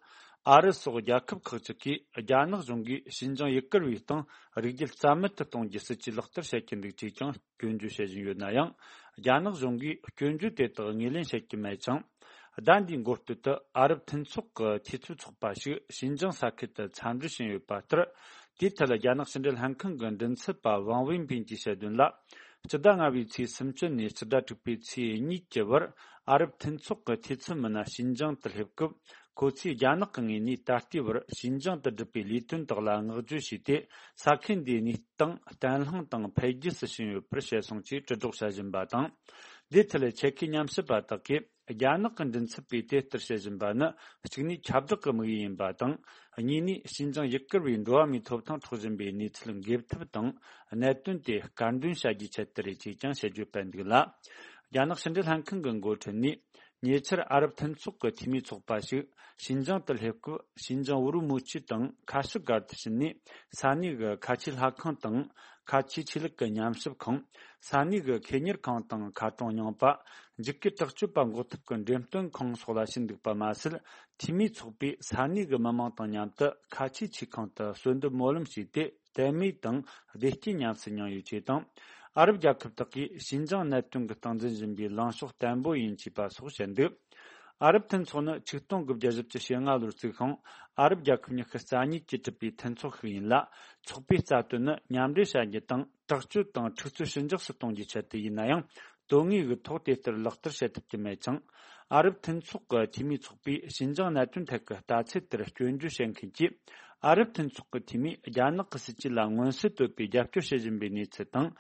ཨ་རི་སོགས་རྒྱལ་ཁབ་ཁག་ཅིག་གིས་རྒྱ་ནག་གཞུང་གིས་ཞིན་ཅང་ཡུ་གུར་བའི་སྟེང་རིགས་རྒྱུད་རྩ་མེད་དུ་གཏོང་རྒྱུའི་སྲིད་ཇུས་ལག་བསྟར་བྱེད་ཀྱི་འདུག་ཅེས་ཀྱང་སྐྱོན་བརྗོད་བྱེད་བཞིན་ཡོད་ན་ཡང་། རྒྱ་ནག་གཞུང་གིས་སྐྱོན་བརྗོད་དེ་དག་ངོས་ལེན་བྱེད་ཀྱི་མེད་ཅིང་། ཟླ་འདིའི་འགོ་སྟོད་དུ་ཨ་རབ་མཐུན་ཚོགས་ཀྱི་འཐུས་ཚབ་ཚོགས་པ་ཞིག་ཞིན་ཅང་ས་ཁུལ་དུ་འཚམས་འདྲི་ཞུས་ཡོད་པ་ལྟར། དེའི་ཐད་རྒྱ་ནག་ཕྱི་འབྲེལ་ལྷན་ཁང་གི་མགྲིན་ཚབ་པ་ཝང་ཝེན་པིན་གྱིས་བཤད་དོན་ལ། སྤྱི་ཟླ་ལྔ་པའི་ཚེས་སུམ་ཅུ་ནས་སྤྱི་ཟླ་དྲུག་པའི་ཚེས་གཉིས་ཀྱི་བར་ཨ་རབ་མཐུན་ཚོགས་ཀྱི་འཐུས་ཚབ་མི་སྣ་ཞིན་ཅང་དུ་སླེབས་སྐབས། ཁོ་ཚོས་རྒྱ་ནག་གི་ངོས་ནས་ད་ལྟའི་བར་ཞིན་ཅང་དུ་བསྒྲུབས་པའི་ལས་དོན་དག་ལ་བསྔགས་བརྗོད་བྱས་ཏེ། ས་ཁུལ་འདིའི་གནས་སྟངས་བརྟན་ལྷིང་དང་འཕེལ་རྒྱས་སུ་ཕྱིན་ཡོད་པར་བཤད་སོང་ཅེས་དྲིལ་སྒྲོག་བྱ་བཞིན་པ་དང་། འདིའི་ཐད་ཆེད་མཁས་ཉམས་ཞིབ་པ་དག་གིས། རྒྱ་ནག་གི་མགྲིན་ཚབ་པས་དེ་ལྟར་བཤད་བཞིན་པ་ནི། གཅིག་ནས་ཁྱབ་བསྒྲགས་ཀྱི་དམིགས་ཡུལ་ཡིན་པ་དང་། གཉིས་ནས་ཞིན་ཅང་ཡུ་གུར་བའི་འགྲོ་བ་མིའི་ཐོབ་ཐང་འཕྲོག་བཞིན་པའི་གནས་ཚུལ་འགེབས་ཐབས་དང་། གནད་དོན་དེ་དཀར་འདོན་བྱ་རྒྱུའི་ཆེད་དུ་རེད་ཅེས་ཀྱང་བཤད་རྒྱུ་སྤེལ་འདུག་ལ། རྒྱ་ནག་ཕྱི་འབྲེལ་ལྷན་ཁང་གི་འགོ་ཁྲིད་ནས། ཉེ་ཆར་ཨ་རབ་མཐུན་ཚོགས་ཀྱི་འཐུས་མིའི་ཚོགས་པ་ཞིག་ཞིན་ཅང་དུ་སླེབས་སྐབས། ཞིན་ཅང་ཝུ་རུ་མུའུ་ཆི་དང་ཁ་ཤུ་སྒར་དུ་ཕྱིན་ནས། ས་གནས་ཀྱི་ཁ་ཆེའི་ལྷ་ཁང་དང་། ཁ་ཆེའི་ཆོས་ལུགས་ཀྱི་ཉམས་ཞིབ་ཁང་། ས་གནས་ཀྱི་ཁེ་གཉེར་ཁང་དང་མཁར་གྲོང་རྙིང་པ། འཇིགས་སྐུལ་དྲག་སྤྱོད་པ་འགོག་ཐབས་ཀྱི་འགྲེམས་སྟོན་ཁང་སོགས་ལ་ཕྱིན་འདུག་པ་མ་ཟད། འཐུས་མིའི་ཚོགས་པས་ས་གནས་ཀྱི་མི་མང་དང་མཉམ་དུ་ཁ་ཆེའི་ཆོས་ཁང་དུ་གསོལ་འདེབས་སྨོན་ལམ་བྱས་ཏེ། དད་མོས་དང་བདེ་སྐྱིད་ཉམས་སུ་མྱངས་ཡོད་ཅེས་དང་། ཨ་རབ་རྒྱལ་ཁབ་དག་གིས་ཞིན་ཅང་གནད་དོན་གྱི་སྟངས་འཛིན་བཞིན་པའི་ལངས་ཕྱོགས་བརྟན་པོ་ཡིན་ཅེས་པ་སོགས་བཤད་འདུག་ཨ་རབ་མཐུན་ཚོགས་ནི་ཆིག་སྟོང་དགུ་བརྒྱ་བཞི་བཅུ་ཞེ་ལྔ་ལོར་བཙུགས་ཤིང་། ཨ་རབ་རྒྱལ་ཁབ་ཉི་ཤུ་རྩ་གཉིས་ཀྱིས་གྲུབ་པའི་མཐུན་ཚོགས་ཤིག་ཡིན་ལ། ཚོགས་པའི་རྩ་དོན་ནི་མཉམ་འབྲེལ་བྱ་རྒྱུ་དང་། དྲག་སྤྱོད་དང་འཁྲུག་རྩོད་ཞི་འཇགས་སུ་གཏོང་རྒྱུའི་ཆེད་དུ་ཡིན་ན་ཡང་། དོན་དངོས་ཀྱི་ཐོག་དེ་ལྟར་ལག་བསྟར་བྱེད་ཐུབ་ཀྱི་མེད་ཅིང་། ཨ་རབ་མཐུན་ཚོགས་ཀྱི་འཐུས་མིའི་ཚོགས་པས་ཞིན་ཅང་གནད་དོན་ཐད་ཀྱི་ལྟ་ཚུལ་དེར་སྐྱོན་བརྗོད་བྱེད་མཁན་གྱིས། ཨ་རབ་མཐུན་ཚོགས་ཀྱི་འཐུས་མིས་རྒྱ་ནག་གི་སྲིད་ཇུས་ལ་མངོན་གསལ་དོད་པའི་རྒྱབ་སྐྱོར་བྱེད་བཞིན་པའི་གནས་ཚུལ་དང་།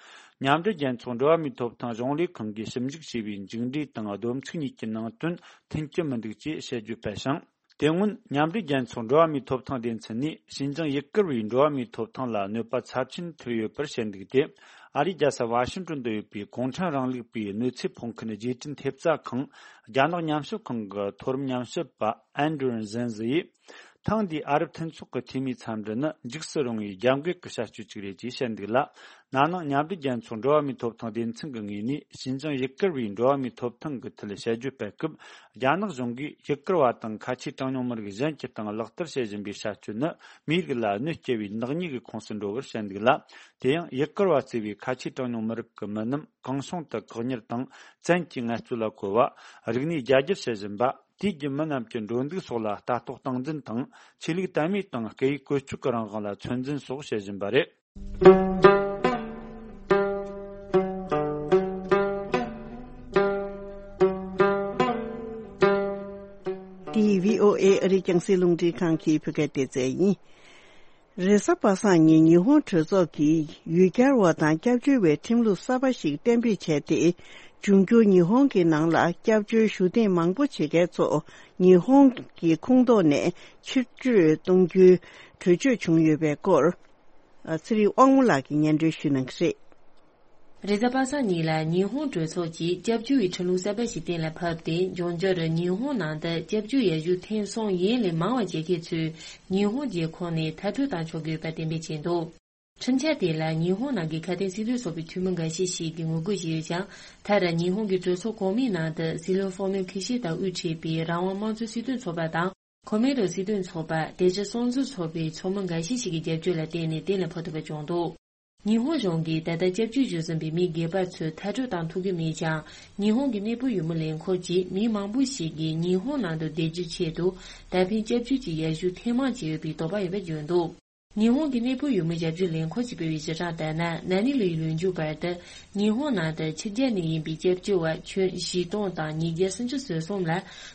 མཉམ་འབྲེལ་རྒྱལ་ཚོགས་འགྲོ་བ་མིའི་ཐོབ་ཐང་གཞུང་ལས་ཁང་གིས་ཞིབ་འཇུག་བྱས་པའི་མཇུག་འབྲས་དང་བསྡོམས་ཚིག་གཉིས་ཀྱི་ནང་དོན་མཐུན་གྱི་མི་འདུག་ཅེས་བཤད་རྒྱུ་སྤེལ་ཞིང་། དེ་སྔོན། མཉམ་འབྲེལ་རྒྱལ་ཚོགས་འགྲོ་བ་མིའི་ཐོབ་ཐང་སྡེ་ཚན་ནས་ཞིན་ཅང་ཡུ་གུར་བའི་འགྲོ་བ་མིའི་ཐོབ་ཐང་ལ་གནོད་པ་ཚབས་ཆེན་ཐེབས་ཡོད་པར་བཤད་འདུག་སྟེ། ཨ་རིའི་རྒྱལ་ས་ཝ་ཤིང་ཏོན་དུ་ཡོད་པའི་གུང་ཁྲན་རིང་ལུགས་པའི་གནོད་འཚེ་ཕོག་མཁན་རྗེས་དྲན་ཐེབས་རྩ་ཁང་། རྒྱ་ནག་ཉམས་ཞིབ་ཁང་གི་མཐོ་རིམ་ཉམས་ཞིབ་པ་ཨན་ཌྲུ་ཟན་ཟི་ཡིས། ཐེངས་འདིའི་ཨ་རབ་མཐུན་ཚོགས་ཀྱི་འཐུས་མིའི་འཚམས་འདྲི་ནི་འཇིགས་སུ་རུང་བའི་རྒྱབ་འགལ་གྱི་བྱ་སྤྱོད་ཅིག་རེད་ཅེས་བཤད་འདུག་ལ། ན་ནིང་མཉམ་འབྲེལ་རྒྱལ་ཚོགས་འགྲོ་བ་མིའི་ཐོབ་ཐང་སྡེ་ཚན་གྱི་ངོས་ནས་ཞིན་ཅང་ཡུ་གུར་བའི་འགྲོ་བ་མིའི་ཐོབ་ཐང་གི་ཐད་དཔྱད་བརྗོད་སྤེལ་སྐབས། རྒྱ་ནག་གཞུང་གིས་ཡུ་གུར་བ་དང་ཁ་ཆེའི་གྲངས་ཉུང་མི་རིགས་གཞན་གྱི་སྟེང་ལག་བསྟར་བྱེད་བཞིན་པའི་བྱ་སྤྱོད་ནི་མིའི་རིགས་ལ་གནོད་སྐྱེལ་བའི་ནག་ཉེས་ཀྱི་ཁོངས་སུ་འགྲོ་བར་བཤད་འདུག་ལ། དེ་ཡང་ཡུ་གུར་བ་གཙོས་པའི་ཁ་ཆེའི་གྲངས་ཉུང་མི་རིགས་ཀྱི་མི་རྣམས་གང་བྱུང་དུ་བཀག་ཉར་དང་བཙན་གྱིས་ངལ་རྩོལ་ལ་བཀོལ་བ། རིག་གནས་རྒྱ་སྒྱུར་བྱེད་བཞིན་པ། དུས་རྒྱུན་མི་རྣམས་ཀྱི་འགྲོ་འདུག་སོགས་ལ་ལྟ་རྟོག་སྟངས་འཛིན་དང་། ཆོས་ལུགས་དད་མོས་དང་སྐད་ཡིག་བཀོལ་སྤྱོད་ཀྱི་རང་དབང་ལ་ཚོད་འཛིན་སོགས་བྱེད་བཞིན་པ་རེད། འདི་བྷི་ཨོ་ཨེ་ཨ་རིའི་རྒྱང་སྲིང་རླུང་འཕྲིན་ཁང་གི་བོད་སྐད་སྡེ་ཚན་ཡིན། རེས་གཟའ་པ་སངས་ཉིན་ཉི་ཧོང་གྲོས་ཚོགས་ཀྱིས་ཡུལ་གྱར་བ་དང་སྐྱབས་བཅོལ་བའི་ཁྲིམས་ལུགས་གསར་པ་ཞིག་གཏན་འབེབས་བྱས་ཏེ། འབྱུང་འགྱུར་ཉི་ཧོང་གི་ནང་ལ་སྐྱབས་བཅོལ་ཞུ་གཏན་མང་པོ་བྱེད་མཁན་ཚོ་ཉི་ཧོང་གི་ཁོངས་གཏོགས་ནས་ཕྱིར་སྤྲོད་གཏོང་རྒྱུའི་གྲོས་ཆོད་བྱུང་ཡོད་པའི་སྐོར། ཚེ་རིང་དབང་མོ་ལགས་ཀྱིས་སྙན་སྒྲོན་ཞུ་གནང་གི་རེད། རེས་གཟའ་པ་སངས་ཉིན་ལ་ཉི་ཧོང་གྲོས་ཚོགས་ཀྱིས་སྐྱབས་བཅོལ་བའི་ཁྲིམས་ལུགས་གསར་པ་ཞིག་གཏན་ལ་ཕབ་སྟེ། འབྱུང་འགྱུར་ཉི་ཧོང་ནང་དུ་སྐྱབས་བཅོལ་ཡར་ཞུ་ཐེངས་གསུམ་ཡན་ལས་མང་བ་བྱེད་མཁན་ཚོས་ཉི་ཧོང་རྒྱལ་ཁོངས་ནས་མཐར་སྐྲོད་བཏང་ཆོག་གི་ཡོད་པ་གཏན་འབེབས་བྱས་འདུག་ཁྲིམས་འཆར་དེ་ལ་ཉི་ཧོང་ནང་གི་ཁ་དན་སྲིད་དོན་ཚོགས་པའི་འཐུས་མི་འགའ་ཤས་ཤིག་གིས་ངོ་རྒོལ་བྱས་ཡོད་ཀྱང་། མཐར་ཉི་ཧོང་གི་གྲོས་ཚོགས་གོང་མའི་ནང་དུ་སྲིད་བློན་ཧྥོ་མིན་ཁི་ཤི་དང་དབུ་ཁྲིད་པའི་རང་དབང་དམངས་གཙོའི་སྲིད་དོན་ཚོགས་པ་དང་། ཁོ་མེ་རོ་སྲིད་དོན་ཚོགས་པ། བདེ་སྐྱིད་སྲུང་བརྩི་ཚོགས་པའི་ཚོགས་མི་འགའ་ཤས་ཤིག་གི་རྒྱབ་སྐྱོར་ལ་བརྟེན་ནས་གཏན་ལ་ཕབ་ཐུབ་པ་བྱུང་འདུག་ཉི་ཧོང་གཞུང་གིས་ད་ལྟ་སྐྱབས་བཅོལ་ཞུ་བཞིན་པའི་མི་སྒེར་པ་ཚོ་མཐར་སྐྲོད་བཏང་ཐུབ་ཀྱི་མེད་ཀྱང་། ཉི་ཧོང་གི་གནས་སྤོ་ཡུལ་མི་ལས་འཁུར་གྱིས་མི་མང་པོ་ཞིག་གིས་ཉི་ཧོང་ནང་དུ་བསྡད་རྒྱུའི་ཆེད་དུ་ད་ཕན་སྐྱབས་བཅོལ་གྱི་ཡར་ཞུ་ཐེངས་མང་བྱེད་འོས་པའི་དོགས་པ་ཡོད་པ་བརྗོད་འདུག་ཉི་ཧོང་གི་གནས་སྤོ་ཡུལ་མི་རྒྱབ་སྐྱོར་ལས་འཁུར་གྱིས་སྤེལ་བའི་གཞི་གྲངས་ལྟར་ན། ན་ནིང་ལོའི་ལོ་མཇུག་བར་དུ་ཉི་ཧོང་ནང་དུ་ཕྱི་རྒྱལ་ནས་ཡིན་པའི་སྐྱབས་བཅོལ་བ་ཁྱོན་བཞི་སྟོང་དང་ཉིས་བརྒྱ་སུམ་ཅུ་སོ་གསུམ་ལ་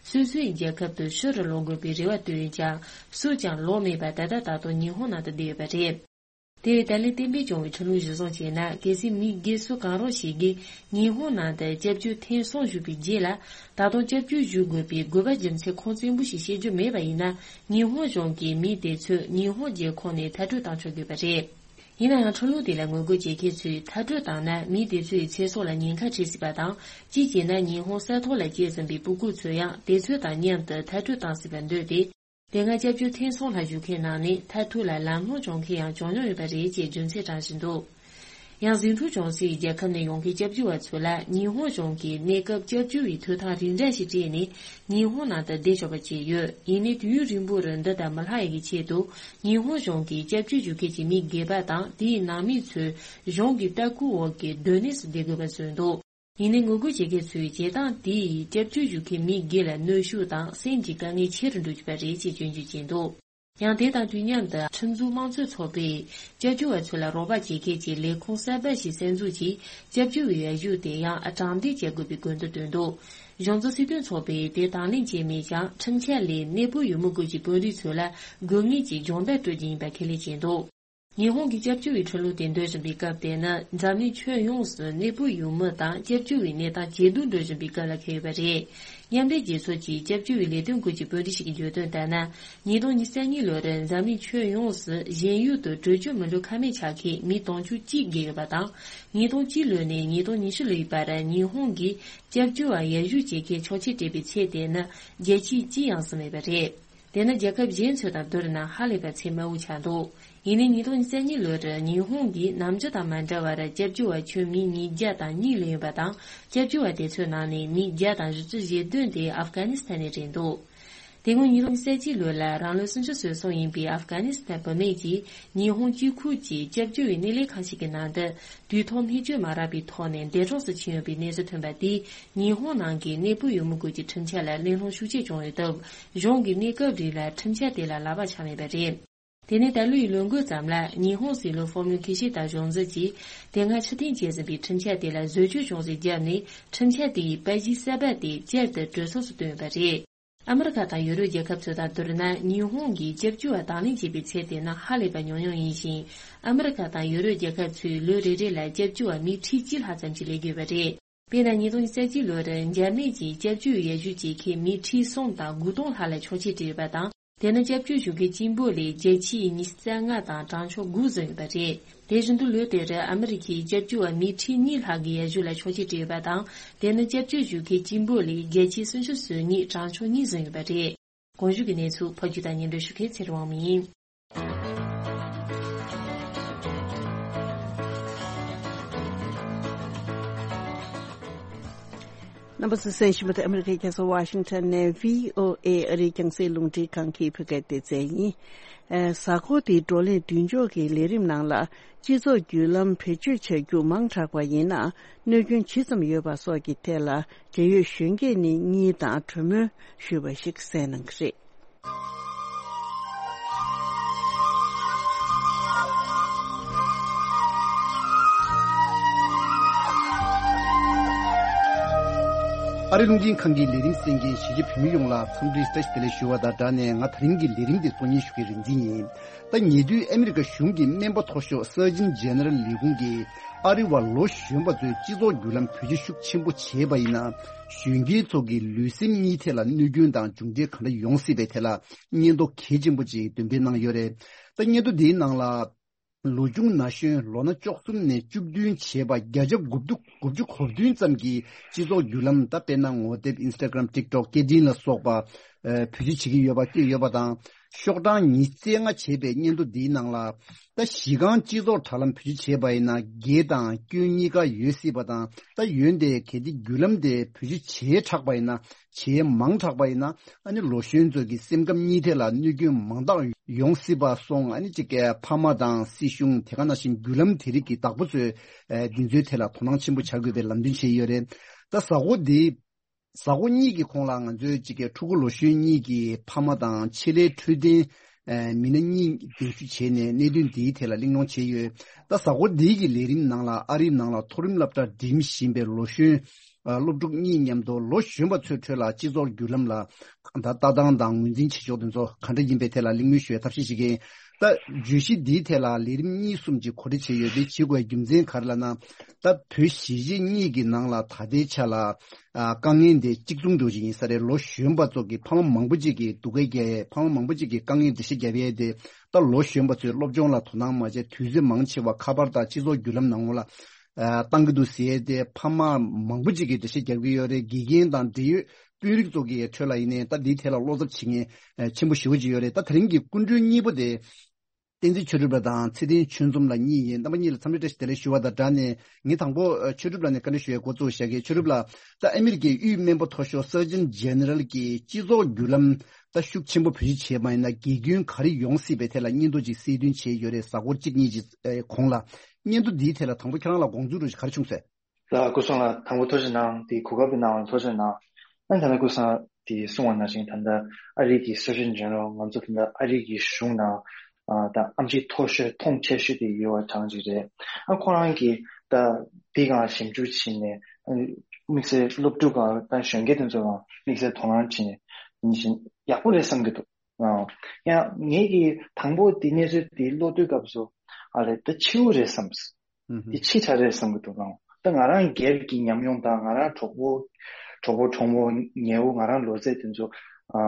སོ་སོའི་རྒྱལ་ཁབ་ཏུ་ཕྱིར་ལོག་དགོས་པའི་རེ་བ་བཏོན་ཡོད་ཀྱང་། སུས་ཀྱང་ལོག་མེད་པར་ད་ལྟ་ད་དུང་ཉི་ཧོང་ནང་དུ་བསྡད་ཡོད་པ་རེད། དེ་བས་ད་ལན་གཏན་འབེབས་བྱུང་བའི་ཁྲིམས་ལུགས་གཞིར་བཟུང་བྱས་ན། གལ་སྲིད་མི་སྒེར་སུ་གང་རུང་ཞིག་གིས་ཉི་ཧོང་ནང་དུ་སྐྱབས་བཅོལ་ཐེངས་གསུམ་ཞུས་པའི་རྗེས་ལ། ད་དུང་སྐྱབས་བཅོལ་ཞུ་དགོས་པའི་དགོས་པ་རྒྱུ་མཚན་ཁུངས་བཙན་པོ་ཞིག་བཤད་རྒྱུ་མེད་པ་ཡིན་ན། ཉི་ཧོང་གཞུང་གིས་མི་དེ་ཚོ་ཉི་ཧོང་རྒྱལ་ཁོངས་ནས་མཐར་སྐྲོད་བཏང་ཆོག་དགོས་པ་རེད། ཡིན་ན་ཡང་། ཁྲིམས་ལུགས་དེ་ལ་ངོ་རྒོལ་བྱེད་མཁན་ཚོས། མཐར་སྐྲོད་བཏང་ན་མི་དེ་ཚོའི་ཚེ་སྲོག་ལ་ཉེན་ཁ་འཕྲད་སྲིད་པ་དང་། གཅིག་བྱས་ན། ཉི་ཧོང་ས་ཐོག་ལ་སྐྱེས་ཟིན་པའི་སྤུ་གུ་ཚོ་ཡང་དེ་ཚོ་དང་མཉམ་དུ་མཐར་སྐྲོད་བཏང་སྲིད་པར་འདོད་དེ། དེ་སྔ་སྐྱབས་བཅོལ་ཐེངས་གསུམ་ལྷག་ཞུ་མཁན་ནང་ནས་མཐར་ཐུག་ལ་ལམ་ལྷོང་བྱུང་མཁན་ཡང་བྱུང་མྱོང་ཡོད་པ་རེད་ཅེས་རྒྱུ་མཚན་དྲངས་བཞིན་འདུག་ཡང་། ཟིང་འཁྲུག་བྱུང་སའི་རྒྱལ་ཁབ་ནས་ཡོང་མཁན་སྐྱབས་བཅོལ་བ་ཚོ་ལ་ཉི་ཧོང་གཞུང་གིས་གནས་སྐབས་སྐྱབས་བཅོལ་བའི་ཐོབ་ཐང་རིགས་འདྲ་ཞིག་སྤྲད་ནས་ཉི་ཧོང་ནང་དུ་བསྡད་ཆོག་པ་བྱས་ཡོད། ཡིན་ནའི་དུས་ཡུན་རིང་པོར་འདི་ལྟར་མི་ལྷག་ཡག་གི་ཆེད་དུ། ཉི་ཧོང་གཞུང་གིས་སྐྱབས་བཅོལ་ཞུ་མཁན་གྱི་མི་སྒེར་པ་དང་དེའི་ནང་མི་ཚོས་གཞུང་གི་ལྟ་སྐུལ་འོག་གི་སྡོད་གནས་སུ་བསྡད་དགོས་པ་བཟོས་འདུག་ཡིན་ནའི་ངོ་རྒོལ་བྱེད་མཁན་ཚོས་བྱེད་སྟངས་དེས་སྐྱབས་བཅོལ་ཞུ་མཁན་མི་སྒེར་ལ་གནོན་ཤུགས་དང་སེམས་ཀྱི་དཀའ་ངལ་ཆེ་རུ་འགྲོ་གི་ཡོད་པ་རེད་ཅེས་སྐྱོན་བརྗོད་བྱས་འདུག་ཡང་། དེ་དང་དུས་མཉམ་དུ། ཁྲིམས་འཛུགས་དམངས་གཙོའི་ཚོགས་པས་སྐྱབས་བཅོལ་བ་ཚོ་ལ་རོགས་པ་བྱེད་མཁན་གྱི་ལས་ཁུངས་གསར་པ་ཞིག་གསར་འཛུགས་ཀྱིས། སྐྱབས་བཅོལ་བའི་ཡར་ཞུ་དེ་ཡང་དྲང་བདེན་བྱེད་དགོས་པའི་དགོས་འདུན་བཏོན་འདུག་གཞུང་འཛིན་སྲིད་དོན་ཚོགས་པས་དེ་དང་ལེན་བྱས་མེད་ཀྱང་། ཁྲིམས་འཆར་ལས་གནས་སྤོ་ཡུལ་མི་དགོས་ཀྱི་དཔོན་རིགས་ཚོ་ལ་དགོས་ངེས་ཀྱི་སྦྱོང་བརྡར་སྤྲོད་རྒྱུ་ཡིན་པ་ཁས་ལེན་བྱས་འདུག་ཉི་ཧོང་གི་སྐྱབས་བཅོལ་བའི་ཁྲིམས་ལུགས་དེ་འདོན་བཞིན་པའི་སྐབས་དེ་ནི། འཛམ་གླིང་ཁྱོན་ཡོངས་སུ་གནས་སྤོ་ཡུལ་མི་དང་སྐྱབས་བཅོལ་བའི་གནས་སྟངས་ཇེ་སྡུག་འགྲོ་བཞིན་པའི་སྐབས་ལ་འཁེལ་ཡོད་པ་རེད། མཉམ་འབྲེལ་རྒྱལ་ཚོགས་ཀྱི་སྐྱབས་བཅོལ་བའི་ལས་དོན་སྐོར་གྱི་དཔོན་རིགས་ཤིག་གིས་བརྗོད་དོན་ལྟར་ན། ཉིས་སྟོང་ཉི་ཤུ་རྩ་གཉིས་ལོར་འཛམ་གླིང་ཁྱོན་ཡོངས་སུ་གཞན་ཡུལ་དུ་བྲོས་བྱོལ་མི་འགྲོ་ཁ་མེད་ཆགས་མཁན་མི་སྟོང་ཕྲག་གཅིག་བརྒལ་ཡོད་པ་དང་། ཉིས་སྟོང་གཅིག་ལོ་ནས་ཉིས་སྟོང་ཉི་ཤུ་ལོའི་བར་ཉི་ཧོང་གིས་སྐྱབས་བཅོལ་བ་ཡར་ཞུ་བྱེད་མཁན་ཆོག་མཆན་སྤྲད་པའི་ཚད་དེ་ནི་བརྒྱ་ཆའི་གཅིག་ཡང་ཟིན་མེད་པ་རེད། དེ་ནི་རྒྱལ་ཁབ་གཞན་ཚོ་དང་བསྡུར་ན་ཧ་ལས་པ་ཚད་དམའ་བོ་ཆགས་འདུག་ཡིན་ནའི་ཉིས་སྟོང་ཉི་ཤུ་རྩ་གཉིས་ལོར་ཉི་ཧོང་གིས་ནམ་རྒྱུན་དང་མ་འདྲ་བར་སྐྱབས་བཅོལ་བ་ཁྱོན་མི་ཉིས་བརྒྱ་དང་གཉིས་ལོན་ཡོད་པ་དང་། སྐྱབས་བཅོལ་བ་དེ་ཚོའི་ནང་ནས་མི་བརྒྱ་དང་བཞི་བཅུ་ཞེ་བདུན་དེ་ཨབ་གྷ་ནི་སི་ཐན་ནས་རེད་འདུག་དེ་སྔོན་ཉིས་སྟོང་ཉི་ཤུ་རྩ་གཅིག་ལོ་ལ་རང་ལོ་སུམ་ཅུ་སོ་གསུམ་ཡིན་པའི་ཨབ་གྷ་ནི་སི་ཐན་བུད་མེད་ཀྱིས་ཉི་ཧོང་གཅིག་ཁུལ་གྱི་སྐྱབས་བཅོལ་བའི་གནས་ལས་ཁང་ཞིག་གི་ནང་དུ། དུས་ཐོག་སྨན་བཅོས་མ་རག་པའི་ཐོག་ནས་འདས་གྲོངས་སུ་ཕྱིན་ཡོད་པའི་གནས་ཚུལ་ཐོན་པ་དེས། ཉི་ཧོང་ནང་གི་གནས་སྤོ་ཡུལ་མི་དགོས་ཀྱི་ཁྲིམས་འཆར་ལ་གླེང་སློང་ཤུགས་ཆེ་བྱུང་ཡོད་སྟབས། གཞུང་གིས་གནས་སྐབས་རིང་ལ་ཁྲིམས་འཆར་དེ་ལ་ལག་པ་འཆང་མེད་པ་རེད། དེ་ནས་ད་ལོའི་ལོ་འགོ་ཙམ་ལ་ཉི་ཧོང་སྲིད་བློན་ཧྥོ་མིའུ་ཁི་ཤི་ད་གཞུང་འཛིན་གྱིས་དེ་སྔ་ཕྱིར་འཐེན་བྱས་ཟིན་པའི་ཁྲིམས་འཆར་དེ་ལ་བཟོ་བཅོས་ཅུང་ཟད་བརྒྱབ་ནས། ཁྲིམས་འཆར་དེ་ཡི་པར་གཞི་གསར་པ་དེ་བསྐྱར་དུ་གྲོས་ཚོགས་སུ་བཏོན་ཡོད་པ་རེད། ཨ་མི་རི་ཀ་དང་ཡུ་རོབ་རྒྱལ་ཁབ་ཚོ་དང་བསྡུར་ན། ཉི་ཧོང་གིས་སྐྱབས་བཅོལ་བ་དང་ལེན་བྱེད་པའི་ཚད་དེ་ནི་ཧ་ལས་པ་ཉུང་ཉུང་ཡིན་ཞིང་། ཨ་མི་རི་ཀ་དང་ཡུ་རོབ་རྒྱལ་ཁབ་ཚོས་ལོ་རེ་རེ་ལ་སྐྱབས་བཅོལ་བ་མི་ཁྲི་གཅིག་ལྷག་ཙམ་ཞིག་སླེབས་ཀྱི་ཡོད་པ་རེད། དཔེར་ན། ཉིས་སྟོང་ཉི་ཤུ་རྩ་གཅིག་ལོར་འཇར་མན་གྱིས་སྐྱབས་བཅོལ་བའི་ཡར་ཞུ་བྱེད་མཁན་མི་ཁྲི་གསུམ་དང་དགུ་སྟོང་ལྷག་ལ་ཆོག་མཆན་སྤྲད་ཡོད་པ་དང་། དེ་ནི་སྐྱབས་བཅོལ་ཞུ་མཁན་གཅིག་པོ་ལས་བརྒྱ་ཆའི་ཉི་ཤུ་རྩ་ལྔ་དང་གྲངས་ཆུང་དགུ་ཟིན་ཡོད་པ་རེད། དེ་བཞིན་དུ་ལོ་དེར་ཨ་མི་རི་ཁའི་སྐྱབས་བཅོལ་བ་མི་ཁྲི་གཉིས་ལྷག་གིས་ཡར་ཞུ་ལ་ཆོག་མཆན་སྤྲད་ཡོད་པ་དང་། དེ་ནི་སྐྱབས་བཅོལ་ཞུ་མཁན་གཅིག་པོ་ལས་བརྒྱ་ཆའི་སུམ་ཅུ་སོ་གཉིས་གྲངས་ཆུང་གཉིས་ཟིན་ཡོད་པ་རེད། གོང་ཞུས་ཀྱི་གནས་ཚུལ་ཕབ་སྒྱུར་དང་སྙན་སྒྲོན་ཞུ་མཁན་ཚེ་རིང་དབང་མོ་ཡིན། རྣམ་པ་ཚོས་གསན་བཞིན་པ་དེ་ཨ་མི་རི་ཀའི་རྒྱལ་ས་ཝ་ཤིང་ཊོན་ནས་བྷི་ཨོ་ཨེ་ཨ་རིའི་རྒྱང་སྲིང་རླུང་འཕྲིན་ཁང་གི་བོད་སྐད་སྡེ་ཚན་ཡིན། ཨ། གཟའ་འཁོར་འདིའི་བགྲོ་གླེང་མདུན་ལྕོག་གི་ལས་རིམ་ནང་ལ། སྤྱི་ཚོགས་བརྒྱུད་ལམ་བེད་སྤྱོད་བྱ་རྒྱུ་མང་དྲགས་པ་ཡིན་ན། གནོད་སྐྱོན་ཇི་ཙམ་ཡོད་པ་སོགས་ཀྱི་ཐད་ལ། འབྲེལ་ཡོད་གཞོན་སྐྱེས་ནས་གཉིས་དང་གྲོས་མོལ་ཞུས་པ་ཞིག་གསན་གནང་གི་རེད། ཨ་རི་རླུང་འཕྲིན་ཁང་གི་ལས་རིམ་གསན་མཁན་གཞིས་བྱེས་བོད་མི་ཡོངས་ལ་འཚམས་འདྲི་བཀྲ་ཤིས་བདེ་ལེགས་ཞུ་བ་དང་སྦྲགས་ནས། ང་དེ་རིང་གི་ལས་རིམ་འདི་གཙོ་གཉེར་ཞུ་མཁན་རིག་འཛིན་ཡིན། ད་ཉེ་དུས་ཨ་མི་རི་ཀ་གཞུང་གི་སྨན་པ་མཐོ་ཤོས་སར་ཇིན་ཇེ་ནེ་རལ་ལས་ཁུངས་ཀྱིས། ཨ་རི་བ་ལོ་གཞོན་པ་ཚོས་སྤྱི་ཚོགས་བརྒྱུད་ལམ་བེད་སྤྱོད་ཤུགས་ཆེན་པོ་བྱས་པ་ཡིན་ན། གཞོན་སྐྱེས་ཚོ་གི་ལུས་སེམས་གཉིས་ཐད་ལ་གནོད་སྐྱོན་དང་མཇུག་འབྲས་ག་འདྲ་ཡོང་སྲིད་པའི་ཐད་ལ། སྙན་ཐོ་གལ་ཆེན་པོ་ཅིག་འདོན་སྤེལ་གནང་ཡོད་རེད། ད་སྙན་ཐོ་འདིའི་ནང་ལ། ལོ་ཆུང་ན་གཞོན། ལོ་ན་བཅུ་གསུམ་ནས་བཅུ་བདུན་བྱས་པ་བརྒྱ་ཆ་དགུ་བཅུ་གོ་བདུན་ཙམ་གྱིས་སྤྱི་ཚོགས་བརྒྱུད་ལམ། ད་དཔེར་ན་ངོ་དེབ། ཨིན་སི་ཊ་གྷ་རམ། ཊིག་ཊོག་སྐད་འཕྲིན་ལ་སོགས་པ། ཨ། བེད་སྤྱོད་བྱེད་ཀྱི་ཡོད་པ་བཀོད་ཡོད་པ་དང་། ཤོག་གྲངས་ཉི་ཤུ་རྩ་ལྔ་བྱས་པའི་སྙན་ཐོ་འདིའི་ནང་ལ། ད་གཞི་རྐང་སྤྱི་ཚོགས་དྲ་ལམ་བེད་སྤྱོད་བྱས་པ་ཡིན་ན་དགེ་དང་སྐྱོན་གཉིས་ཀ་ཡོད་སྲིད་པ་དང་། ད་ཡོན་ཏན་གལ་ཏེ་བརྒྱུད་ལམ་དེ་བེད་སྤྱོད་བྱས་དྲགས་པ་ཡིན་ན། བྱས་མང་དྲགས་པ་ཡིན་ན། ཨ་ནི་ལོ་གཞོན་ཚོ་གི་སེམས་ཁམས་གཉིས་ཐད་ལ་གནོད་སྐྱོན་མང་དག་ཡོང་སྲིད་པ་སོང་། ཨ་ནི་གཅིག་གི་ཕ་མ་དང་སྲིད་གཞུང་དེ་ག་ནང་བཞིན་བརྒྱུད་ལམ་དེ་རིགས་ཀྱི་བདག་པོ་ཚོས་འདི་ཚོའི་ཐད་ལ་དོ་སྣང་ཆེན་པོ་བྱ་དགོས་པའི་ལམ་སྟོན་བྱས་ཡོད་རེད། ད་གཟའ་འཁོར་འདི། གཟའ་འཁོར་གཉིས་ཀྱི་གོང་ལ་ང་ཚོའི་གཅིག་གི་ཕྲུ་གུ་ལོ་གཞོན་གཉིས་ཀྱི་ཕ་མ་དང་ཆེད་ལས་འཕྲོད་བསྟེན་མི་སྣ་གཉིས་གདན་ཞུ་བྱས་ནས་གནད་དོན་འདིའི་ཐད་ལ་གླེང་སློང་བྱས་ཡོད། ད་གཟའ་འཁོར་འདིའི་གི་ལས་རིམ་ནང་ལ་ཨ་རིའི་ནང་ལ་མཐོ་རིམ་སློབ་གྲྭ་འགྲིམ་བཞིན་པའི་ལོ་གཞོན་སློབ་ཕྲུག་གཉིས་མཉམ་དུ་ལོ་གཞོན་པ་ཚོའི་ཁྲོད་ལ་སྤྱི་ཚོགས་བརྒྱུད་ལམ་ལ་ད་ལྟ་སྟངས་དང་ངོས་འཛིན་བྱེད་ཕྱོགས་དེ་ཚོ་ག་འདྲ་ཡིན་པའི་ཐད་ལ་གླེང་མོལ་ཞུ་བའི་ཐབས་ཤེས་བྱེད་ཀྱི་ཡིན། ད་བརྗོད་གཞི་འདིའི་ཐད་ལ་ལས་རིམ་གཉིས་གསུམ་ཅིག་གོ་སྒྲིག་བྱས་ཡོད་དེ། བྱེད་དགོས་རྒྱུ་མཚན་ག་རེ་ལབ་ན། ད་བོད་གཞིས་བྱེས་གཉིས་ཀྱི་ནང་ལ་ད་ལྟའི་ཆ་ལ་ཨ་དཀའ་ངལ་འདི་གཅིག་མཚུངས་འདྲ་བོ་ཅིག་ཡིན་ས་རེད། ལོ་གཞོན་པ་ཚོ་གི་ཕ་མ་མང་པོ་ཅིག་གིས་སྡུག་སྐད་རྒྱག་ཡས། ཕ་མ་མང་པོ་ཅིག་གིས་དཀའ་ངལ་འགྲེལ་བཤད་རྒྱབ་ཡས་དེ། ད་ལོ་གཞོན་པ་ཚོས་སློབ་སྦྱོང་ལ་དོ་སྣང་མ་བྱས། དུས་ཚོད་མང་ཆེ་བ་ཁ་པར་དང་སྤྱི་ཚོགས་བརྒྱུད་ལམ་ནང་ལ་ཨ་བཏང་གི་འདུག་ཟེར་ཏེ་ཕ་མ་མང་པོ་ཅིག་གིས་འགྲེལ་བཤད་རྒྱབ་ཀྱི་ཡོད་རེད། དགེ་རྒན་དང་འབྲེལ་ཡོད་དཔོན་རིགས་ཚོ་གི་ཁྲོད་ལ་ཡིན་ནའི་ད་འདིའི་ཐད་ལ་བློ་འཚབ་བྱེད་མཁན་ཆེན་པོ་ཞེ་པོ་ཅིག་ཡོད་རེད། ད་དེ་རིང་གི་སྐུ་མགྲོན་གཉིས་པོ་དེ། བསྟན་འཛིན་ཆོས་གྲུབ་ལགས་དང་ཚེ་བརྟན་ཆོས་འཛོམས་ལགས་གཉིས་ཡིན། རྣམ་པ་གཉིས་ལ་འཚམས་འདྲི་བཀྲ་ཤིས་བདེ་ལེགས་ཞུ་བ་དང་སྦྲགས་ནས། ངས་དང་པོ་ཨ་ཆོས་གྲུབ་ལགས་ནས་བཀའ་འདྲི་ཞུ་ཡའི་འགོ་བཙུགས་བཞག་གི། ཆོས་གྲུབ་ལགས། ད་ཨ་མི་རི་ཀའི་དབུས་སྨན་པ་མཐོ་ཤོས་Surgeon General གྱིས་སྤྱི་ཚོགས་བརྒྱུད་ལམ་ད་ཤུགས་ཆེན་པོ་བེད་སྤྱོད་བྱས་པ་ཡིན་ན་དགེ་སྐྱོན་ག་རེ་ཡོང་སྲིད་པའི་ཐད་ལ་སྙན་ཐོ་ཅིག་གསལ་སྟོན་བྱས་ཡོད་རེད། གཟའ་འཁོར་གཅིག་གཉིས་ཀྱི་ཨ་གོང་ལ། སྙན་ཐོ་འདིའི་ཐད་ལ་དང་པོ་ཁྱེད་རང་ལ་དགོངས་ཚུལ་འདྲ་བོ་ཞིག་ག་རེ་བྱུང་ཟེར། ལགས། སྐུ་གསུང་ལགས། དང་པོ་ཐུགས་རྗེ་གནང་། དེ་གོ་སྐབས་དེ་གནང་བ་ཐུགས་རྗེ་གནང་། ཨ་ད་ལྟ་སྐུ་གསུང་དེ་གསུང་བ་ནང་བཞིན་ད་ལྟ་ཨ་རི་གི་Surgeon General། ང་ཚོ་ད་ལྟ་ཨ་རི་གི་གཞུང་ནང་ཨ་ད་ཨེམ་ཆི་མཐོ་ཤོས་མཐོང་ཆེ་ཤོས་དེ་ཡོད་པ་གྲངས་ཅིག་རེད། ཨ་ཁོ་རང་གིས་ད་འདི་སྒང་ཞིབ་འཇུག་བྱས་ནས་ཨ་དམིགས་བསལ་སློབ་ཕྲུག་དང་ད་གཞོན་སྐྱེས་དེ་ཚོ་ལ་དམིགས་བསལ་དོ་སྣང་བྱས་ནས་ཡིན་ཞིང་ཡག་པོ་རེད་བསམ་གྱི་འདུག། ཨ་ཡང་ངེད་ཀྱིས་དང་པོ་འདི་གནས་ཚུལ་འདི་ཀློག་དུས་སྐབས་སུ་ཨ་ལས་ད་འཕྱི་བོ་རེད་བསམ། ཨུ་ཧུ། འདི་འཕྱི་དྲགས་རེད་བསམ་གྱི་འདུག་ཨང་། ད་ང་རང་སྒེར་གྱི་ཉམས་མྱོང་དང་ང་རང་གྲོགས་པོ་གྲོགས་པོ་གྲོགས་མོ་ཉེ་བོ་ང་རང་ལོ་ཚད་དེ་ཚོ་ཨ་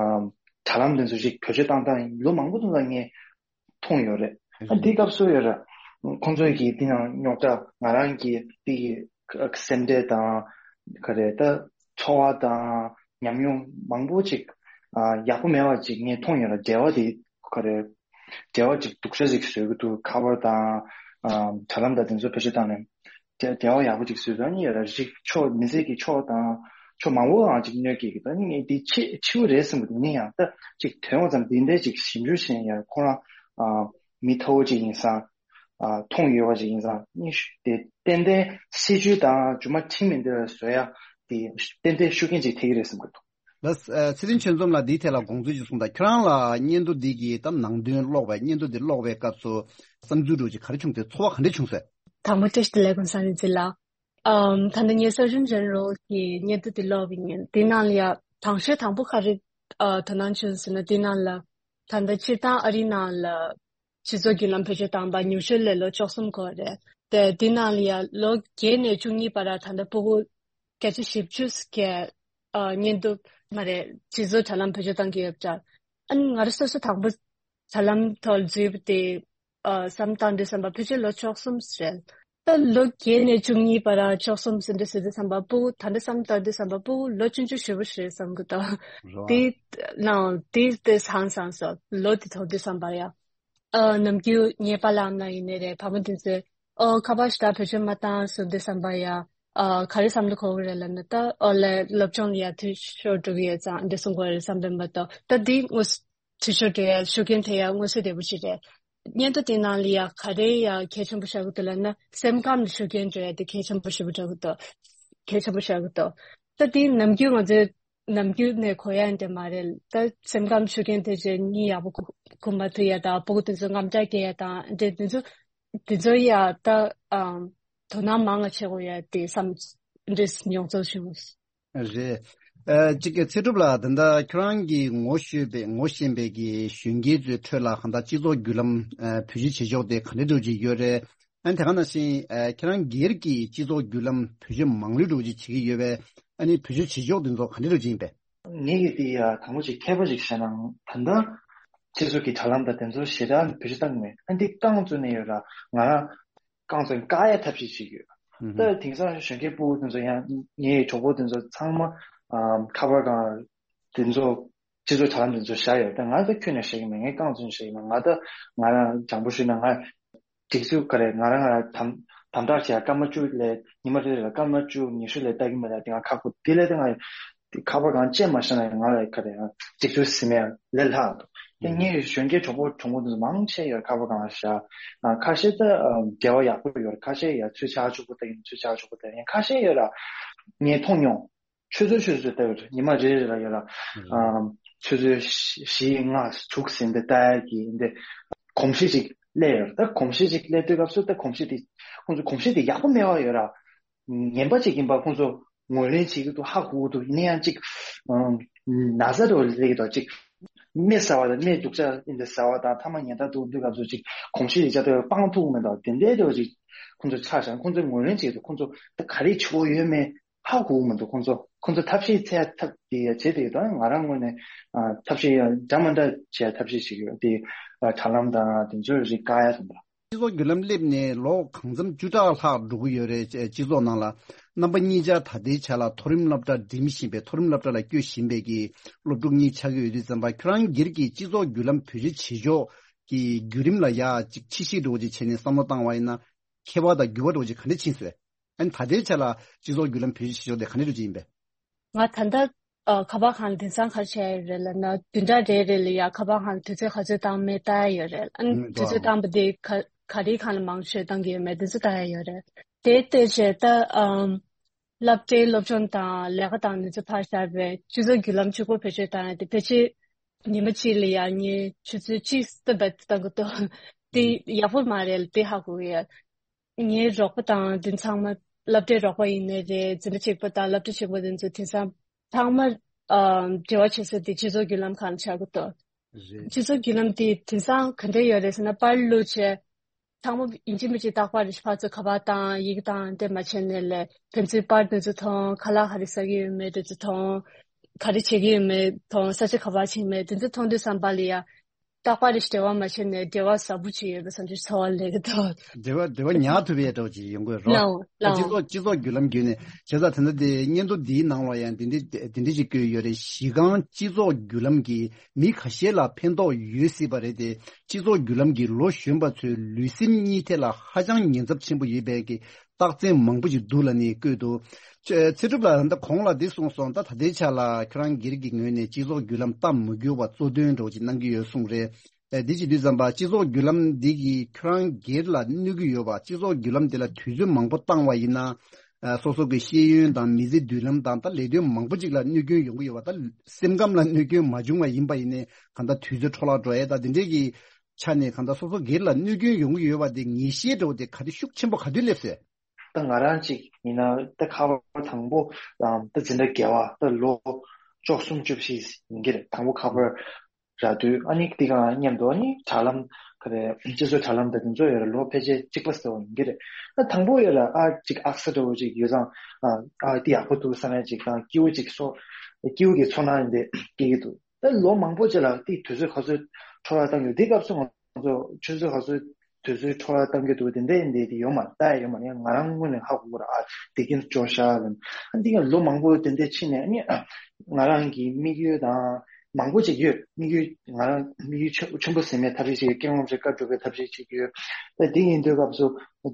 དྲ་ལམ་དེ་ཚོ་ཞིག་བེད་སྤྱོད་བཏང་སྟངས་ལོ་མང་པོ་དེ་ཚོ་ངས་མཐོང་ཡོད་རེད། ཨ་འདི་སྐབས་སུ་ཡོད་རེད། ཁོང་ཚོས་ཀྱིས་འདི་ནང་རྙོག་དྲ་ང་རང་གི་འདི་གི་སེམས་ཁྲལ་དང་ག་རེ་ད་ཚོར་བ་དང་ཉམས་མྱོང་མང་པོ་ཅིག་ཨ་ཡག་པོ་མེད་པ་ཅིག་ངས་མཐོང་ཡོད་རེད། འབྲེལ་བ་དེ་ག་རེ་འབྲེལ་བ་ཅིག་སྡུག་ཤ་ཅིག་བཟོ་གི་འདུག། ཁ་པར་དང་ཨ་དྲ་ལམ་དང་དེ་ཚོ་བེད་སྤྱོད་བཏང་ནས་འབྲེལ་འབྲེལ་བ་ཡག་པོ་ཅིག་བཟོས་ཡོད་ནི་ཡོད་རེད། རིགས་ཕྱོགས་མི་ཚེ་གི་ཕྱོགས་དང་ཕྱོགས་མང་པོའང་ཅིག་གནོད་སྐྱེལ་གི་འདུག། ཨ་ནི་ངས་འདི་འཕྱི་འཕྱི་བོ་རེད་བསམ་གི་འདུག། ཡིན་ཡང་ད་ཅིག་དོན་ངོ་ཙམ་འདི་འདྲའི་ཅིག་ཞིབ་འཇུག་བྱས་ཡང་ཁོ་རང་ཨ་མི་ཐ་བོ་ཅིག་ཡིན་ཙང་། ཨ་མཐོང་ཡོད་པ་ཞིག་ཡིན་ཙང་ནི་ཤུ་དེ་ཏན་ཏན་སྲིད་ཇུས་དང་རྗེས་མ་ཁྲིམས་མི་འདི་ལ་བཟོ་ཡ་དེ་ཏན་ཏན་ཤུགས་རྐྱེན་ཅིག་ཐེབས་ཀྱི་རེད་བསམ་གྱི་འདུག། ལགས། ཨ་ཚེ་བརྟན་ཆོས་འཛོམས་ལགས་འདིའི་ཐད་ལ་དགོངས་ཚུལ་ཅིག་གསུངས་དང་། ཁྱོད་རང་ལ་སྙན་ཐོ་འདི་གི་ད་ནང་དོན་ཀློག་པའི་སྙན་ཐོ་འདི་ཀློག་པའི་སྐབས་སུ་བསམ་ཚུལ་འདྲ་ཅིག་ག་རེ་བྱུང་སྟེ་ཚོར་བ་ག་འདྲ་བྱུང་ཟེར། དང་པོ་བཀྲ་ཤིས་བདེ་ལེགས་ཀུན་བཟང་རིག་འཛིན་ལགས། ཨམ་ད་ལྟ་ངས་Surgeon General གི་སྙན་ཐོ་འདི་ཀློག་པ་ཡིན། འདི་ནང་ལ་ཡ་དང་ཤོས་དང་པོ་ག་རེ་ཨ་དོ་སྣང་བྱུང་ཟེར་ན། འདི་ནང་ལ་ད་ལྟ་སྤྱིར་བཏང་ཨ་རིའི་ནང་ལ་སྤྱི་ཚོགས་བརྒྱུད་ལམ་བེད་སྤྱོད་བཏང་པ་ཉུང་ཤོས་ལ་ལོ་བཅུ་གསུམ་འཁོར་རེད་དེ། འདི་ནང་ལ་ཡ་ལོ་བརྒྱད་ནས་བཅུ་གཉིས་བར་ལ་ད་ལྟ་སྤུ་གུ་བརྒྱ་ཆ་བཞི་བཅུ་གི་ཨ་སྙན་ཐོ་མ་རེད། སྤྱི་ཚོགས་དྲ་ལམ་བེད་སྤྱོད་བཏང་གི་ཡོད་པ་འདྲ། ཨ་ནི་ང་རང་སོ་སོ་དང་པོ་དྲ་ལམ་ཐོག་འཛུལ་བ་དེ་ཨ་བསམ་བཏང་དུས་ཙམ་པ་ཕལ་ཆེར་ལོ་བཅུ་གསུམ་རེད། ད་ལོ་བརྒྱད་ནས་བཅུ་གཉིས་བར་བཅུ་གསུམ་ཟིན་དུས་ཟིན་དུས་ཙམ་པ་སྤུ་གུ་ད་ལྟ་བསམ་བཏང་དུས་ཙམ་པ་སྤུ་གུ་ལོ་ཆུང་ཆུང་ཞེ་པོ་རེད་བསམ་གི་འདུག། རེད་བ། དེ་ནང་དེ་དེ་སང་སང་སོ་ལོ་དེ་ཐོག་དུས་ཙམ་པ་ཡ། ཨ་ནམ་རྒྱུན་ངའི་པཱ་ལགས་ཨ་མ་ལགས་ཡིན་ནའི་རེད། ཕ་མ་དེ་ཚོས་ཨོ་ཁ་པར་ཞེ་དྲག་བེད་སྤྱོད་མ་བཏང་ཟེར་དུས་ཙམ་པ་ཡ། ཨ་ག་རེ་བསམ་བློ་འཁོར་གི་རེད་ལབ་ན། ད་ཨོ་ལས་སློབ་སྦྱོང་ལ་ཡ་འཐུས་ཤོར་འགྲོ་གི་ཡོད་ཙང་འདི་གསུང་གི་རེད་བསམ་པའི་མ་གཏོགས། ད་འདི་དངོས་འཐུས་ཤོར་འགྲོ་ཡ་ཤུགས་རྐྱེན་ཐེབས་ཡ་མངོན་གསལ་དོད་པོ་ཞིག་རེད། སྙན་ཐོ་དེ་ནང་ལ་ཡ་ག་རེ་ཡ་གལ་ཆེན་པོ་ཆགས་ཀྱི་འདུག་ལབ་ན། སེམས་ཁམས་ལ་ཤུགས་རྐྱེན་འགྲོ་ཡ་དེ་གལ་ཆེན་པོ་ཞེ་པོ་ཆགས་ཀྱི་འདུག། གལ་ཆེན་པོ་ཆགས་ཀྱི་འདུག། ད་འདི་ནམ་རྒྱུན་ང་ཚོས་ནམ་རྒྱུན་ནས་གོ་ཡ་འདྲ་མ་རེད། ད་སེམས་ཁམས་ཤུགས་རྐྱེན་ཐེབས་བྱས་གཉིད་ཡག་པོ་ཁུག་ཁུག་མ་ཐུབ་ཡ་དང་། སྤུ་གུ་དེ་ཚོ་དངངས་སྐྲག་སྐྱེ་ཡ་དང་འདྲ། དེ་ཚོ་དེ་ཚོ་ཡ་ད་ཨམ་དོ་སྣང་མང་ང་བྱེད་དགོས་ཡ་དེ་བསམ་འདྲ་མྱོང་ཚོར་བྱུང་། རེད། ཨ་གཅིག་གི་ཚེ་སྒྲུབ་ལགས། ད་ལྟ་ཁྱོད་རང་གིས་ངོ་ཤེས་པའི་ངོ་ཤེས་པའི་གི་གཞོན་སྐྱེས་ཚོའི་ཁྲོད་ལ་གང་ལྟར་སྤྱི་ཚོགས་བརྒྱུད་ལམ་ཨ་བེད་སྤྱོད་བྱེད་ཕྱོགས་དེ་ག་འདྲ་འདྲ་ཅིག་ཡོད་རེད། ཨ་ནི་དེ་ག་ནང་བཞིན་ཨ་ཁྱེད་རང་སྒེར་གྱིས་སྤྱི་ཚོགས་བརྒྱུད་ལམ་བེད་སྤྱོད་མང་ལོས་འདྲ་ཅིག་བྱེད་ཀྱི་ཡོད་པས། ཨ་ནི་བེད་སྤྱོད་བྱེད་ཕྱོགས་དེ་ཚོ་ག་འདྲ་འདྲ་ཅིག་ཡིན་པས། ངེད་ཀྱིས་དེ་ཡ་དང་པོ་ཅིག་མཁས་པ་ཅིག་བྱས་ན་ད་ལྟ་སྤྱི་ཚོགས་ཀྱི་དྲ་ལམ་དང་དེ་ཚོ་ཞེ་དྲག་བེད་སྤྱོད་བཏང་གི་མེད། ཨ་འདི་རྐང་བཙུགས་ནས་ཡོད་ར། ང་རང་རྐང་བཙུགས་བཀག་ཡ་ཐབས་ཤེས་བྱེད་ཀྱི་ཡོད། ཨུ་ཧུ། ད་དེང་སང་གཞོན་སྐྱེས་ཕྲུ་གུ་དེ་ཚོ་ཡང་ངའི་གྲོགས་པོ་དེ་ཚོ་ཚང་མ་ཨ་ཁ་པར་སྒང་དེ་ཚོ་ སྤྱི་ཚོགས་དྲ་ལམ་དེ་ཚོ་བཞག་ཡོད། ད་ང་ད་ཁྱོན་ནས་བཤད་ཀྱི་མེད། ངས་རྐང་བཙུན་བཤད་ཀྱི་མེད། ང་ད་ང་རང་དྲང་པོ་ཞུས་ན་ང་སྒྲིག་འཛུགས་ག་རེ་ང་རང་ང་རང་དམ་དམ་དྲག་བྱས། སྐར་མ་བཅུ་ལས་ཉི་མ་རེ་རེ་ལ་སྐར་མ་བཅུ་ཉི་ཤུ་ལས་ལྟ་གི་མེད་ལ། དེ་ང་ཁག་པོ་དེ་ལས་དེ་ང་ཁ་པར་གང་བཅད་མ་བཞག་ན་ང་ལ་ག་རེ་སྒྲིག་འཛུགས་ཟིན་མེད་ལས་ལྷག་འདུག་དེ་ངའི་གཞོན་སྐྱེས་གྲོགས་པོ་གྲོགས་མོ་དེ་ཚོ་མང་ཆེ་ཡོད། ཁ་པར་གང་བཞག་ཁ་ཤས་ད་འབྲེལ་བ་ཡག་པོ་ཡོད། ཁ་ཤས་ཡ་ཚུར་ཕྱག་ཕྱུག་པོ་ལྟ་ཡིན། ཚུར་ཕྱག་ཕྱུག་པོ་ལྟ་ཡིན། ཁ་ཤས་ཡོད་ལ་ངས་མཐོང་མྱོང་། ཆུ་ཚོད་ཆུ་ཚོད་ལྟ་ཡོད། ཉི་མ་རེ་རེ་ལ་ཡོད་ལ། ཨམ། ཆུ་ཚོད་བཞི་ལྔ་དྲུག་ཟིན་ཏེ་ལྟ་ཡ་གི་འདི་གོམས་གཤིས་ཅིག་སླེབས་ཡོད། ད་གོམས་གཤིས་ཅིག་སླེབས་དུས་སྐབས་སུ་ད་གོམས་གཤིས་དེ་ཁོང་ཚོ་གོམས་གཤིས་དེ་ཡག་པོ་མེད་པ་ཡོད་ར། ངན་པ་ཅིག་ཡིན་པ་ཁོང་ཚོ་ངོས་ལེན་བྱེད་ཀྱི་འདུག་ཧ་གོ་གི་འདུག་ཡིན་ན་ཡང་ཅིག་ཨམ། ན་ཚ་འདྲ་བོ་སླེབས་ཀྱི་འདུག་ཅིག་དམིགས་བསལ་བ་དང་དམིགས་སྡུག་ཅག་ཡིན་ཏེ་བསལ་བ་དང་ཐ་མ་ཉེན་བརྡ་འདུག་འདུག་སྐབས་སུ་ཅིག་གོམས་གཤིས་དེ་ཅག་ཏུ་སྤང་ཐུབ་མི་འདུག་དེ་འདྲའི་འདྲ་བོ་ཅིག་ཁོང་ཚོ་ཆགས་ཤག་ཁོང་ཚོ་ངོས་ལེན་བྱེད་ཀྱི་འདུག་ཁོང་ཚོ་ད་ག་རེ་བྱེད་དགོས་ཡོད་མེད། ཧ་གོ་མི་འདུག་ཁོང་ཚོ་ཁོང་ཚོ་ཐབས་ཤེས་འཚོལ་ཐབས་དེ་ཡ་བྱེད་དེ་ཡོད། ད་ང་རང་ངོས་ནས་ཨ་ཐབས་ཤེས་ཡ་འདྲ་མ་འདྲ་བྱེད་ཐབས་ཤེས་བྱེད་ཀྱི་ཡོད། དེ་ཨ་དྲ་ལམ་དང་དེ་ཚོའི་རིགས་བཀག་ཡ་དང་། སྤྱི་ཚོགས་བརྒྱུད་ལམ་སླེབས་ནས་ལོ་གང་འཚམ་བཅུ་ཕྲག་ལྷག་འགྲོ་གི་ཡོད་རེད། སྤྱི་ཚོགས་ནང་ལ་རྣམ་པ་གཉིས་ཆ་ད་ལྟའི་ཆ་ལ་མཐོ་རིམ་སློབ་གྲྭ་འགྲིམ་བཞིན་པའི་མཐོ་རིམ་སློབ་གྲྭ་ལ་བསྐྱོད་བཞིན་པའི་གི་སློབ་ཕྲུག་གཉིས་ཆགས་ཀྱི་ཡོད་དུས་ཙམ་པ་ཁྱོད་རང་སྒེར་གྱི་སྤྱི་ཚོགས་བརྒྱུད་ལམ་བེད་སྤྱོད་བྱེད་ཕྱོགས་ཀྱི་བརྒྱུད་རིམ་ལ་ཡ་ཅིག་ཕྱི་བཤིག་འགྲོ་ཅིག་བྱས་ནས་བསམ་བློ་བཏང་བ་ཡིན་ན། ཁྱད་པར་དང་འགྱུར་བ་འདྲ་བོ་ཅིག་ག་འདྲ་ཕྱིན་སོང་། ཨ་ནི་ད་ལྟའི་ཆ་ལ་སྤྱི་ཚོགས་བརྒྱུད་ལམ་བེད་སྤྱོད་བྱེད་ཕྱོགས་དེ་ག་འདྲ་འདྲ་ཅིག་ཡིན་པས། ང་ད་ལྟ་ཨ་ཁ་པར་ཁང་ལ་དེང་སང་ག་རེ་བྱས་ཡོད་རེད་ལབ་ན། བདུན་ཕྲག་རེ་རེ་ལ་ཡ་ཁ་པར་ཁང་ལ་དུས་ཚོད་ག་ཚོད་བཏང་མེད་ལྟ་ཡ་ཡོད་རེད། ཨ་ནི་ཨང་དུས་ཚོད་ལགས། བཏང་པ་དེ་ག་ག་རེའི་སྒང་ལ་མང་ཤོས་བཏང་གི་ཡོད་མེད་དེ་ཚོ་ལྟ་ཡ་ཡོད་རེད། དེ་ལྟ་བྱས་ད་ཨམ། སློབ་གྲྭའི་སློབ་སྦྱོང་དང་ལས་ཀ་དང་དེ་ཚོ་ཕར་བཞག་པའི་སྤྱི་ཚོགས་བརྒྱུད་ལམ་གཅིག་པོ་བེད་སྤྱོད་བཏང་ཡ་དེ་ཕལ་ཆེར་ཉི་མ་གཅིག་ལ་ཡ་ངས་ཆུ་ཚོད་གཅིག་སྟབས་བདེ་བཏང་གི་འདུག་དེ་ཡག་པོ་མ་རེད་ལ་དེ་ཧ་གོ་གི་ཡོད། ངའི་རོགས་པ་དང་དེ་ཚང་མ་སློབ་གྲྭའི་རོགས་པ་ཡིན་ནའི་རེད། འཛིན་གྲྭ་གཅིག་པ་དང་སློབ་གྲྭ་གཅིག་པ་དེ་ཚོ་དེང་སང་ཚང་མ་ཨ་འབྲེལ་བ་བྱེད་ས་དེ་སྤྱི་ཚོགས་བརྒྱུད་ལམ་སྒང་ཆགས་ཀྱི་འདུག་རེད། སྤྱི་ཚོགས་བརྒྱུད་ལམ་དེ་དེང་སང་ག་འདྲ་ཡོད་རེད་ཟེར་ན། པར་བླུགས་བྱས་ཚང་མ་ཡིན་གཅིག་མིན་གཅིག་རྟག་པར་རེ་ཕར་ཚུར་ཁ་པར་བཏང་ཡི་གེ་བཏང་དེ་མ་བྱས་ནས་ལས། ཕན་ཚུན་པར་དེ་ཚོ་མཐོང་། ཁ་ལག་ག་རེ་ཟ་གི་ཡོད་མེད་དེ་ཚོ་མཐོང་། ག་རེ་བྱེད་ཀྱི་ཡོད་མེད་མཐོང་། ས་ཆ་ག་པར་ཕྱིན་མེད་དེ་ཚོ་མཐོང་དུས་ཙམ་པ་ལ་ཡ། རྟག་པར་རེ་འབྲེལ་བ་མ་བྱས་ནས་འབྲེལ་བ་ཟབ་པོ་ཅིག་ཡོད་པའི་བསམ་ཚུལ་ཚོར་བ་སླེབས་ཀྱི་འདུག་འབྲེལ་བ་འབྲེལ་བ་ཉར་ཐུབ་པའི་འདྲ་བོ་ཅིག་ཡོང་གི་རེད་བ། ལའོ་ལའོ། སྤྱི་ཚོགས་སྤྱི་ཚོགས་བརྒྱུད་ལམ་བརྒྱུད་ནས་བྱས་ཙང་དེ་འདྲ་དེ་སྙན་ཐོ་འདིའི་ནང་ལ་ཡང་འདི་འདྲ་འདི་འདྲ་ཅིག་བཀོད་ཡོད་རེད། གཞི་རྐང་སྤྱི་ཚོགས་བརྒྱུད་ལམ་གྱིས་མི་ཁ་ཤས་ལ་ཕན་ཐོགས་ཡོད་སྲིད་པ་རེད་དེ། སྤྱི་ཚོགས་བརྒྱུད་ལམ་གྱིས་ལོ་གཞོན་པ་ཚོའི་ལུས་སེམས་གཉིས་ཐད་ལ་ཧ་ཅང་ཉེན་ཚབས་ཆེན་པོ་ཡོད་པའི་གི་རྟགས་མཚན་མང་པོ་ཞིག་འདུག་ལབ་ནས་བཀོད་འདུག་ཚེ་སྒྲུབ་ལགས་ད་གོང་ལ་འདི་གསུངས་སོང་། ད་ད་ལྟའི་ཆ་ལ་ཁྱོད་རང་སྒེར་གྱི་ངོས་ནས་སྤྱི་ཚོགས་བརྒྱུད་ལམ་སྟབས་མ་འགྱུར་བ་གཙོ་འདོན་འདྲ་བོ་ཅིག་གནང་གི་ཡོད་གསུངས་རེད། ཨ་འདི་བྱེད་དུས་ཙམ་པ་སྤྱི་ཚོགས་བརྒྱུད་ལམ་འདི་གིས་ཁྱོད་རང་སྒེར་ལ་གནོད་ཀྱི་ཡོད་པ། སྤྱི་ཚོགས་བརྒྱུད་ལམ་འདི་ལ་དུས་ཚོད་མང་པོ་བཏང་བ་ཡིན་ན། ཨ་སོ་སོ་གི་ཤེས་ཡོན་དང་མི་ཚེ་མདུན་ལམ་དང་ད་ལས་དོན་མང་པོ་ཅིག་ལ་གནོད་སྐྱོན་ཡོང་གི་ཡོད་པ། ད་སེམས་ཁམས་ལ་གནོད་སྐྱོན་མ་བྱུང་བ་ཡིན་པ་ཡིན་ནའི་གང་ལྟར་དུས་ཚོད་འཕྲོ་བརླག་འགྲོ་ཡས་ད་འདི་འདྲས་ཀྱི་ཆ་ནས་གང་ལྟར་སོ་སོ་སྒེར་ལ་གནོད་སྐྱོན་ཡོང་གི་ཡོད་པ་དེ་ངེས་ཤེས་འདྲ་བོ་དེ་ག་དུས་ཤུགས་ཆེན་པོ་ག་དུས་སླེབས་སོང་། ད་ང་རང་གཅིག་ཡིན་ན་ད་ཁ་པར་དང་པོ་ད་འཛིན་གྲྭ་བརྒྱད་པ་ད་ལོ་བཅུ་གསུམ་བཅུ་བཞི་ཡིན་གྱི་རེད། དང་པོ་ཁ་པར་རག་དུས་ཨ་ནི་དེ་ག་མཉམ་དུ་ཨ་ནི་དྲ་ལམ་ག་རེ་སྤྱི་ཚོགས་དྲ་ལམ་དང་དེ་ཚོ་ཡོད་རེད། ལོ་ཕལ་ཆེར་གཅིག་པ་ཙམ་ཡིན་གྱི་རེད། ད་དང་པོ་ཡོད་རེད། ཨ་གཅིག་ཨག་ས་འདྲ་བོ་གཅིག་ཡོད་ཙང་ཨ་ཨ་དེ་ཡག་པོ་འདུག་བསམ་ཡ་གཅིག་དང་སྐྱིད་པོ་གཅིག་ཚོར་སྐྱིད་པོ་གི་ཚོར་སྣང་དེ་སྐྱེ་གི་འདུག་ད་ལོ་མང་པོ་རྗེས་ལ་དེ་དུས་ཚོད་ག་ཚོད་འཕྲོ་བརླག་བཏང་གི་ཡོད། དེ་སྐབས་སུ་ང་ཚོ་ཆུ་ཚོད་ག་ཚོད་དུས་ཚོད་འཕྲོ་བརླག་བཏང་གི་འདུག་དེ་འདྲ་ཡིན་དེ་དེ་ཡོད་མ་རེད། ད་ཡོད་མ་རེད། ང་རང་ངོས་ནས་ཧ་གོ་གི་རེད། ཨ་དེ་གིན་སྐྱོ་ཤ་ལ་ཨ་འདི་ག་ལོ་མང་པོ་དེ་འདྲ་ཕྱིན་ནས་ཨ་ནི་ང་རང་གི་དམིགས་ཡུལ་དང་མང་པོ་ཅིག་ཡོད། དམིགས་ཡུལ་ང་རང་དམིགས་ཡུལ་ཆེ་ཆེན་པོ་ཟིན་མེད་ཐབས་ཤེས་ཅིག་ཡོད། ཀེང་རོང་ཅིག་བཀའ་སྒྲུབ་པའི་ཐབས་ཤེས་ཅིག་ཡོད། ད་དེ་ཡིན་དུས་སྐབས་སུ་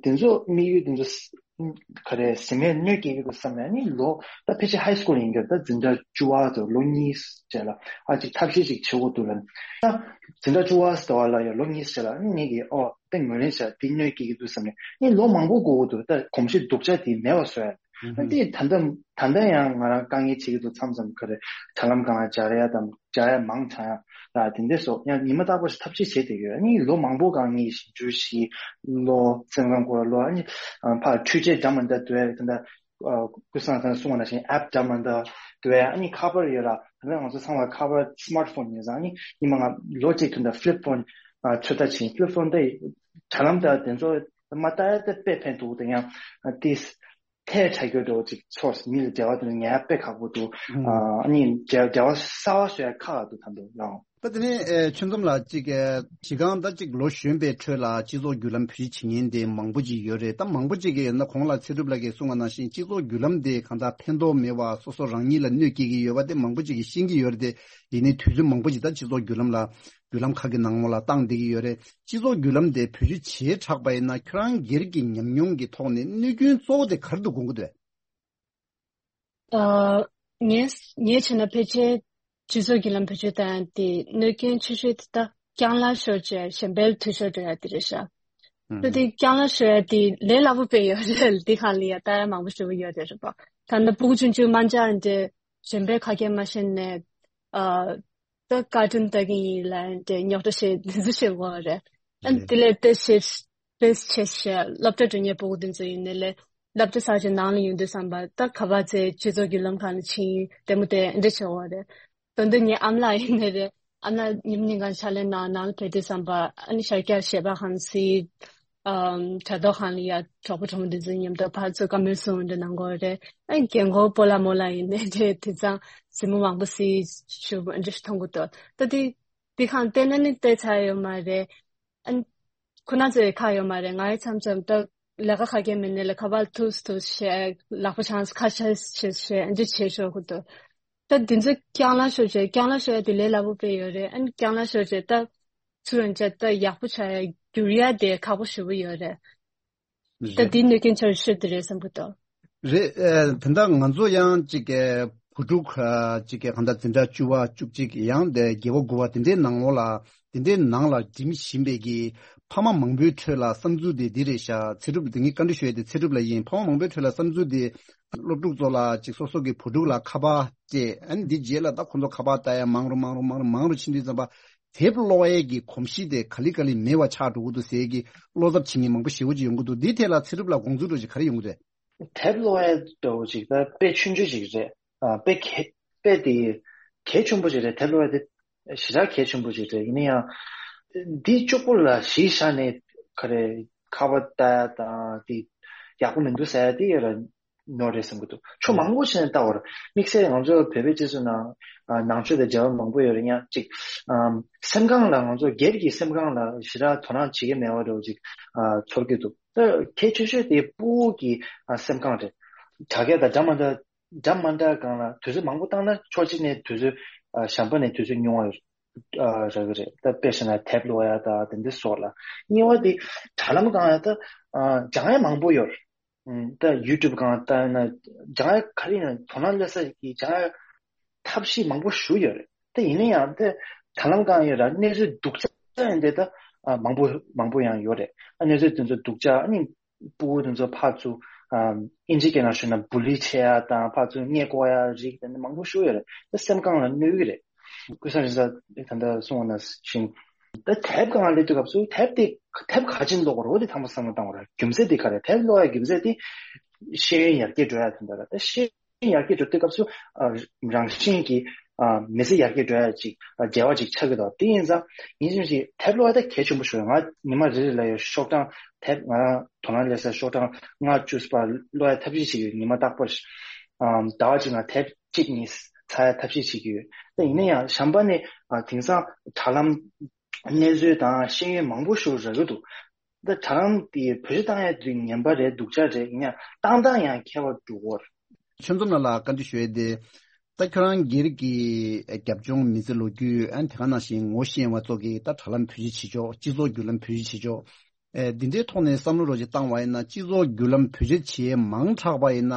དེ་ཚོ་དམིགས་ཡུལ་དེ་ཚོ་ག་རེ་ཟིན་མེད་གནོད་སྐྱེལ་གྱི་འདུག་བསམ་ནས་ཨ་ནི་ལོ་ད་ཕལ་ཆེར་ཧའི་སྐུལ་ཡིན་གྱི་རེད། ད་འཛིན་གྲྭ་བཅུ་པ་དང་ལོ་གཉིས་རྗེས་ལ་ཨ་ཅིག་ཐབས་ཤེས་ཅིག་བྱེད་དགོས་འདུག་ལབ་ནས། ད་འཛིན་གྲྭ་བཅུ་པ་ཟེར་བ་ལ་ཡང་ལོ་གཉིས་རྗེས་ལ་ཨ་ནི་ངེད་ཀྱིས་ཨོ་ད་ངོས་ལེན་བྱས་དེ་གནོད་སྐྱེལ་གྱི་འདུག་བསམ་ནས་ཨ་ནི་ལོ་མང་པོ་འགོར་དགོས་འདུག་ད་གོམས་གཤིས་སྡུག་ཅག་དེ་མེད་པ་བཟོ་ཡ། ཨ་དེ་ད་ལྟ་ད་ལྟ་ཡང་ང་རང་དཀའ་ངལ་འཕྲད་ཀྱི་འདུག་མཚམས་མཚམས་ག་རེ་དྲ་ལམ་སྒང་ལ་སྦྱར་ཡ་དང་སྦྱར་ཡ་མང་དྲགས་ཡ་ལ་དེ་འདྲ་སོགས་ཡང་ཉི་མ་རྟག་པར་ཞིག་ཐབས་ཤེས་བྱེད་བསྡད་ཡོད། ཨ་ནི་ལོ་མང་པོ་སྒང་ངས་ཞིབ་འཇུག་ཞིག་ལོ་སེམས་ཁམས་སྐོར་ལ་ལོ་ཨ་ནི་ཕར་འཕྲུལ་ཆས་འདྲ་མི་འདྲ་འདུག་ད་ལྟ་ཀུན་བཟང་ཚང་གསུངས་པ་ནང་བཞིན་ཨེབ་འདྲ་མི་འདྲ་འདུག་ཨ་ནི་ཁ་པར་ཡོད་ལ་ད་ལྟ་ང་ཚོ་ཚང་མ་ཁ་པར་སི་མཱར་ཕོན་ཡོད་ཙང་ཨ་ནི་ཉི་མ་ང་ལོ་གཅིག་དུས་ད་ཕི་ལིབ་ཕོན་ཚོད་ལྟ་བྱེད། ཕི་ལིབ་ཕོན་དེ་དྲ་ལམ་དང་དེ་ཚོ་མ་ལྟ་ཡ་དེ་དཔེ་ཕན་ཐོགས་དེ་ཡང་དེ། ཐལ་ཆགས་རྒྱུ་འདྲ་བོ་ཅིག་ཚོར། མི་ལ་འབྲེལ་བ་དེ་ལ་ཉར་ཡ་དཔེ་ཁག་པོ་འདུག་ཨ་ནི་འབྲེལ་འབྲེལ་བ་གསར་པ་བཟོ་ཡ་ཁག་འདུག་ད་འདུག་ཡང་ ད་དེ་ནས་ཨེ་ཆོས་འཛོམས་ལགས་གཅིག་ཨེ་གཞི་རྐང་ད་གཅིག་ལོ་གཞོན་པའི་ཁྲོད་ལ་སྤྱི་ཚོགས་བརྒྱུད་ལམ་བེད་སྤྱོད་བྱེད་མཁན་དེ་མང་པོ་ཅིག་ཡོད་རེད། ད་མང་པོ་ཅིག་གིས་ཡིན་ན་གོང་ལ་ཚེ་སྒྲུབ་ལགས་ཀྱིས་གསུངས་པ་ནང་བཞིན་སྤྱི་ཚོགས་བརྒྱུད་ལམ་དེ་གང་ལྟར་ཕན་ཐོགས་མེད་པ་སོ་སོ་རང་ཉིད་ལ་གནོད་སྐྱེལ་གྱི་ཡོད་པ་དེ་མང་པོ་ཅིག་གིས་ཤེས་ཀྱི་ཡོད་རེད་དེ། ཡིན་ནའི་དུས་ཚོད་མང་པོ་ཅིག་ད་སྤྱི་ཚོགས་བརྒྱུད་ལམ་ལ་བརྒྱུད་ལམ་ཁག་གི་ནང་ལོགས་ལ་བཏང་བསྡད་ཀྱི་ཡོད་རེད། སྤྱི་ཚོགས་བརྒྱུད་ལམ་དེ་བེད་སྤྱོད་བྱས་དྲགས་པ་ཡིན་ན་ཁྱོད་རང་སྒེར་གྱི་ཉམས་མྱོང་གི་ཐོག་ནས་གནོད་སྐྱོན་གཙོ་བོ་དེ་ག་རེ་འདུག་དགོངས་ཀྱི་འདུག་ཨ། ངས་ངས་བྱས་ན་ཕལ་ཆེར་སྤྱི་ཚོགས་བརྒྱུད་ལམ་བེད་སྤྱོད་བཏང་ཡ་དེ་གནོད་སྐྱོན་ཆེ་ཤོས་དེ་ད་རྐྱང་ལག་ཤོར་བྱས་གཞན་པའི་འཐུས་ཤོར་འགྲོ་ཡ་དེ་རེད་ཤག་ད་དེ་རྐྱང་ལག་ཤོར་ཡ་དེ་ལས་སླ་པོ་དཔེ་ཡོད་རེད། འདི་སྒང་ལ་ཡ་ལྟ་ཡ་མང་པོ་ཞེ་པོ་ཡོད་རེད་རེད་པ། ད་ནི་སྤུ་གུ་ཆུང་ཆུང་མ་འཇགས་འདྲ་གཞན་པའི་ཁ་སྐད་མ་ཤེས་ནས་ཨ། ད་བཀའ་དྲིན་ལྟ་གི་ཡིན་ལབ་འདྲ་རྙོག་དྲ་བཤད་འདི་ཚོ་བཤད་དགོས་རེད། ཨ་ནི་དེ་ལས་དེ་བཤད་དེ་བཤད་བཤད་སློབ་གྲྭ་འགྲོ་མཁན་སྤུ་གུ་དེ་ཚོ་ཡིན་ནའི་ལས་སློབ་གྲྭ་ཚར་རྗེས་ནང་ལ་ཡོང་དུས་ཙམ་པ་ད་ག་པར་ཚེ་སྤྱི་ཚོགས་བརྒྱུད་ལམ་ཁག་ནས་ཕྱིན་ཡིན་ལྟད་མོ་དེ་འདྲ་བྱེད་དགོས་རེད། དོན་དུ་ངའི་ཨ་མ་ལགས་ཡིན་ནའི་རེད། ཨ་མ་ལགས་ཉིན་ཉིན་གང་ཕྱག་ལས་གནང་ནང་ལ་ཕེབས་དུས་ཙམ་པ་ཨ་ནི་ཤར་རྒྱག་བཞེས་པ་གང་སྲིད། ཨམ། དྲ་ཐོག་ཁང་ལ་ཡ་གྲོགས་པོ་གྲོགས་མོ་འདི་ཚོའི་མཉམ་དུ་ཕར་ཚུར་བཀའ་མོལ་གསུང་འདྲ་གནང་དགོས་རེད། ཨ་རྒན་གོག་སྤོ་ལགས་རྨོ་ལགས་ཡིན་ནའི་རེད། དེང་སང་གཟིགས་མོ་མང་པོ་གཟིགས་ཞུ་འདྲ་ཞིག་མཐོང་གི་འདུག་ད་དེ་དེ་གང་བལྟས་ན་ནི་བལྟས་ཚར་ཡོད་མ་རེད། ཨ་ཁོ་ན་ཚོའི་ཁ་ཡོད་མ་རེད། ང་ཡི་མཚམས་མཚམས་ད་ལས་ཀ་ག་གེ་མེད་ནའི་ལ་ཁ་པར་ཐུག་ཐུག་བྱས་ལག་པ་འཆང་ཁ་ཆེ་ཆེ་བྱས་འདྲ་བྱེད་ཤོར་གི་འདུག་ད་དེ་ཚོ་རྐྱང་ལག་ཤོར་བྱས་རྐྱང་ལག་ཤོར་ཡ་དེ་ལས་སླ་པོ་དཔེ་ཡོད་རེད། ཨ་ནི་རྐྱང་ལག་ཤོར་བྱས་ད་ཚུར་ཡང་བྱས་ད་ཡག་པོ་ཆགས་ཡ་འགྱུར་ཡ་དེ་ཁག་པོ་ཞེ་པོ་ཡོད་རེད། ད་རེད། དེ་གནོད་སྐྱོན་ཆེ་ཤོས་དེ་རེད་བསམ་གི་འདུག་རེད། ཨ། དེ་འདྲ་ང་ཚོ་ཡང་ཅིག་གི་བུ་ཕྲུག་ཨ། ཅིག་གི་གང་ལྟར་འཛིན་གྲྭ་བཅུ་པ་བཅུ་གཅིག་ཡང་དེ་བརྒྱད་པ་དགུ་པ་དེ་འདྲའི་ནང་ལོགས་ལ་དེ་འདྲའི་ནང་ལ་འགྲིམ་བཞིན་པའི་གི་ཕ་མ་མང་པོའི་ཁྲོད་ལ་བསམ་ཚུལ་དེ་འདི་རེད་ཤག་ཚེ་སྒྲུབ་དེ་ངས་བཀའ་འདྲི་ཞུ་ཡ་དེ་ཚེ་སྒྲུབ་ལ་ཡིན། ཕ་མ་མང་པོའི་ཁྲོད་ལ་བསམ་ཚུལ་དེ་སློབ་ཕྲུག་ཚོ་ལ་ཅིག་སོ་སོ་གི་བུ་ཕྲུག་ལ་ཁ་པར་སྤྲད། ཨ་ནི་འདི་རྗེས་ལ་ད་ཁོང་ཚོ་ཁ་པར་ལྟ་ཡ་མང་རུ་མང་རུ་མང་རུ་མང་རུ་ཕྱིན་དུས་ཙམ་པ། དེབ་ཀློག་ཡས་ཀྱི་གོམས་གཤིས་དེ་ག་ལེ་ག་ལེ་མེད་པ་ཆགས་འགྲོ་གི་འདུག་ཟེར་གྱི་བློ་འཚབ་བྱེད་མཁན་མང་པོ་ཞེ་པོ་ཅིག་ཡོང་གི་འདུག་འདིའི་ཐད་ལ་ཚེ་སྒྲུབ་ལ་དགོངས་ཚུལ་འདྲ་ཅིག་ག་རེ་ཡོང་གི་རེད། དེབ་ཀློག་ཡས་འདྲ་བོ་ཅིག་ད་དཔེ་ཆུང་ཆུང་ཅིག་རེད། ཨ། དཔེ་གལ་དཔེ་དེ་གལ་ཆེན་པོ་ཅིག་རེད། དེབ་ཀློག་ཡས་དེ་ཞེ་དྲག་གལ་ཆེན་པོ་ཅིག་རེད། ཡིན་ན་ཡང་འདི་གཅིག་པོ་ལ་གཞི་བཞག་ནས་ག་རེ་ཁ་པར་ལྟ་ཡ་དང་དེ་ཡག་པོ་མི་འདུག་ཟེར་ཡ་དེ་ཡོད་ར། ནོར་རེད་བསམ་གྱི་འདུག་ཕྱོགས་མང་པོ་ཞིག་ནས་ལྟ་བར་དམིགས་བསལ་ང་ཚོ་བོད་པའི་སྤྱི་ཚོགས་ནང་ཨ། ནང་ཆོས་དང་འབྲེལ་བ་མང་པོ་ཡོད་རེད། ཡང་ཅིག་ཨམ། སེམས་ཁམས་ལ་ང་ཚོ་སྒེར་གྱི་སེམས་ཁམས་ལ་ཞེ་དྲག་དོ་སྣང་བྱེད་ཀྱི་མེད་པ་འདྲ་བོ་ཅིག་ཨ། ཚོར་གྱི་འདུག་ད་གལ་ཆེ་ཤོས་དེ་ཕྲུ་གུ་གི་ཨ། སེམས་ཁམས་རེད། དྲ་རྒྱ་དང་འདྲ་མ་འདྲ་འདྲ་མ་འདྲ་སྒང་ལ་དུས་ཚོད་མང་པོ་བཏང་ན་ཕྱོགས་གཅིག་ནས་དུས་ཚོད་ཨ། གཞན་པ་ནས་དུས་ཚོད་ཉུང་བ་ཨ། རག་གི་རེད། ད་དཔེ་བཞག་ན་དེབ་ཀློག་ཡ་དང་དེ་འདྲ་སོགས་ལ། གཉིས་པ་དེ་དྲ་ལམ་སྒང་ལ་ད་ཨ། སྦྱང་ཡ་མང་པོ་ཡོད་རེད། ཨུམ། ད་ཡུ་ཊུབ་སྒང་ལྟ་ན་སྦྱང་ཡ་ག་རེ་ཡིན་ན་དོ་སྣང་སླེབས་ས་ཀྱི་སྦྱང་ཡ་ཐབས་ཤེས་མང་པོ་ཞིག་ཡོད་རེད། ད་ཡིན་ན་ཡང་ད་དྲ་ལམ་སྒང་ཡོད་ར་གནས་ཚུལ་སྡུག་ཅག་ཡིན་དེ་ད་ཨ། མང་པོ་མང་པོ་ཡང་ཡོད་རེད། ཨ། གནས་ཚུལ་དེ་ཚོ་སྡུག་ཅག་ཨ་ནི་ཕྲུ་གུ་དེ་ཚོ་ཕར་ཚུར་ཨ། ཨིན་ཇི་སྐད་ནང་ཞུས་ན་བུ་ལི་བྱེད་ཡ་དང་ཕར་ཚུར་མངལ་ལྐོག་ཡ་རིགས་དེ་འདྲ་མང་པོ་ཞིག་ཡོད་རེད། ད་སེམས་ཁམས་ལ་གནོད་ཀྱི་རེད། ཀུན་བཟང་རིག་གསར་ད་ལྟ་གསུངས་པ་ནང་བཞིན། ད་དེབ་སྒང་སླེབས་དུས་སྐབས་སུ་དེབ་དེ་དེབ་ག་ཅིག་ཀློག་དགོས་རེད། འོ་དེ་ཐེངས་མ་བསམ་བློ་བཏང་བ་རེད། རྒྱུ་མཚན་དེ་ག་རེད། དེབ་ཀློག་ཡ་རྒྱུ་མཚན་དེ་ཤེས་ཡོན་ཡར་རྒྱས་འགྲོ་ཡ་དེ་འདྲ་རེད། ད་ཤེས་ཡོན་ཡར་རྒྱས་འགྲོ་དུས་སྐབས་སུ་ཨ། རང་བཞིན་གྱིས་ཨ། མི་ཚེ་ཡར་རྒྱས་འགྲོ་ཡ་ཅིག་ཨ། འབྲེལ་བ་ཅིག་ཆགས་ཀྱི་འདུག་དེ་ཡིན་ཙང་ཡིན་ཙམ་ཞིག་དེབ་ཀློག་ཡ་ད་གལ་ཆེན་པོ་ཞིག་རེད། ང་ཉི་མ་རེ་རེ་ལ་ཡ་ཤོག་གྲངས་དེབ་ང་རང་དོ་སྣང་སླེབས་ས་ཤོག་གྲངས་ལྔ་བཅུ་བར་ཀློག་ཡ་ཐབས་ཤེས་བྱེད་ཀྱི་ཡོད། ཉི་མ་རྟག་པར་ཨ། ཟླ་བ་གཅིག་ནང་དེབ་གཅིག་གཉིས་ཚར་ཡ་ཐབས་ཤེས་བྱེད་ཀྱི་ཡོད། ད་ཡིན་ན་ཡང་གཞན་པ་ནི་ཨ། དེང་སང་དྲ་ལམ་གནས་ཚུལ་དང་ཤེས་ཡོན་མང་པོ་ཞིག་རག་གི་འདུག་ད་དྲ་ལམ་དེ་བེད་སྤྱོད་བཏང་ཡ་དེ་ངན་པ་རེད་སྡུག་ཅག་རེད། ཡིན་ཡང་བཏང་སྟངས་ཡང་ཁྱད་པར་འགྲོ་གི་ཡོད་རེད། ཆོས་འཛོམས་ལགས་ལ་བཀའ་འདྲི་ཞུ་ཡ་དེ། ད་ཁྱོད་རང་སྒེར་གྱི་རྒྱབ་ལྗོངས་མི་ཚེ་ལོ་རྒྱུས་ཨ་ནི་དེ་ག་ནང་བཞིན་ངོ་ཤེས་པ་ཚོ་གིས་ད་དྲ་ལམ་བེད་སྤྱོད་བྱེད་ཕྱོགས་སྤྱི་ཚོགས་བརྒྱུད་ལམ་བེད་སྤྱོད་བྱེད་ཕྱོགས་ཨེ་འདི་འདྲའི་ཐོག་ནས་བསམ་བློ་རོགས་ཅིག་བཏང་བ་ཡིན་ན་སྤྱི་ཚོགས་བརྒྱུད་ལམ་བེད་སྤྱོད་བྱེད་མང་དྲགས་པ་ཡིན་ན།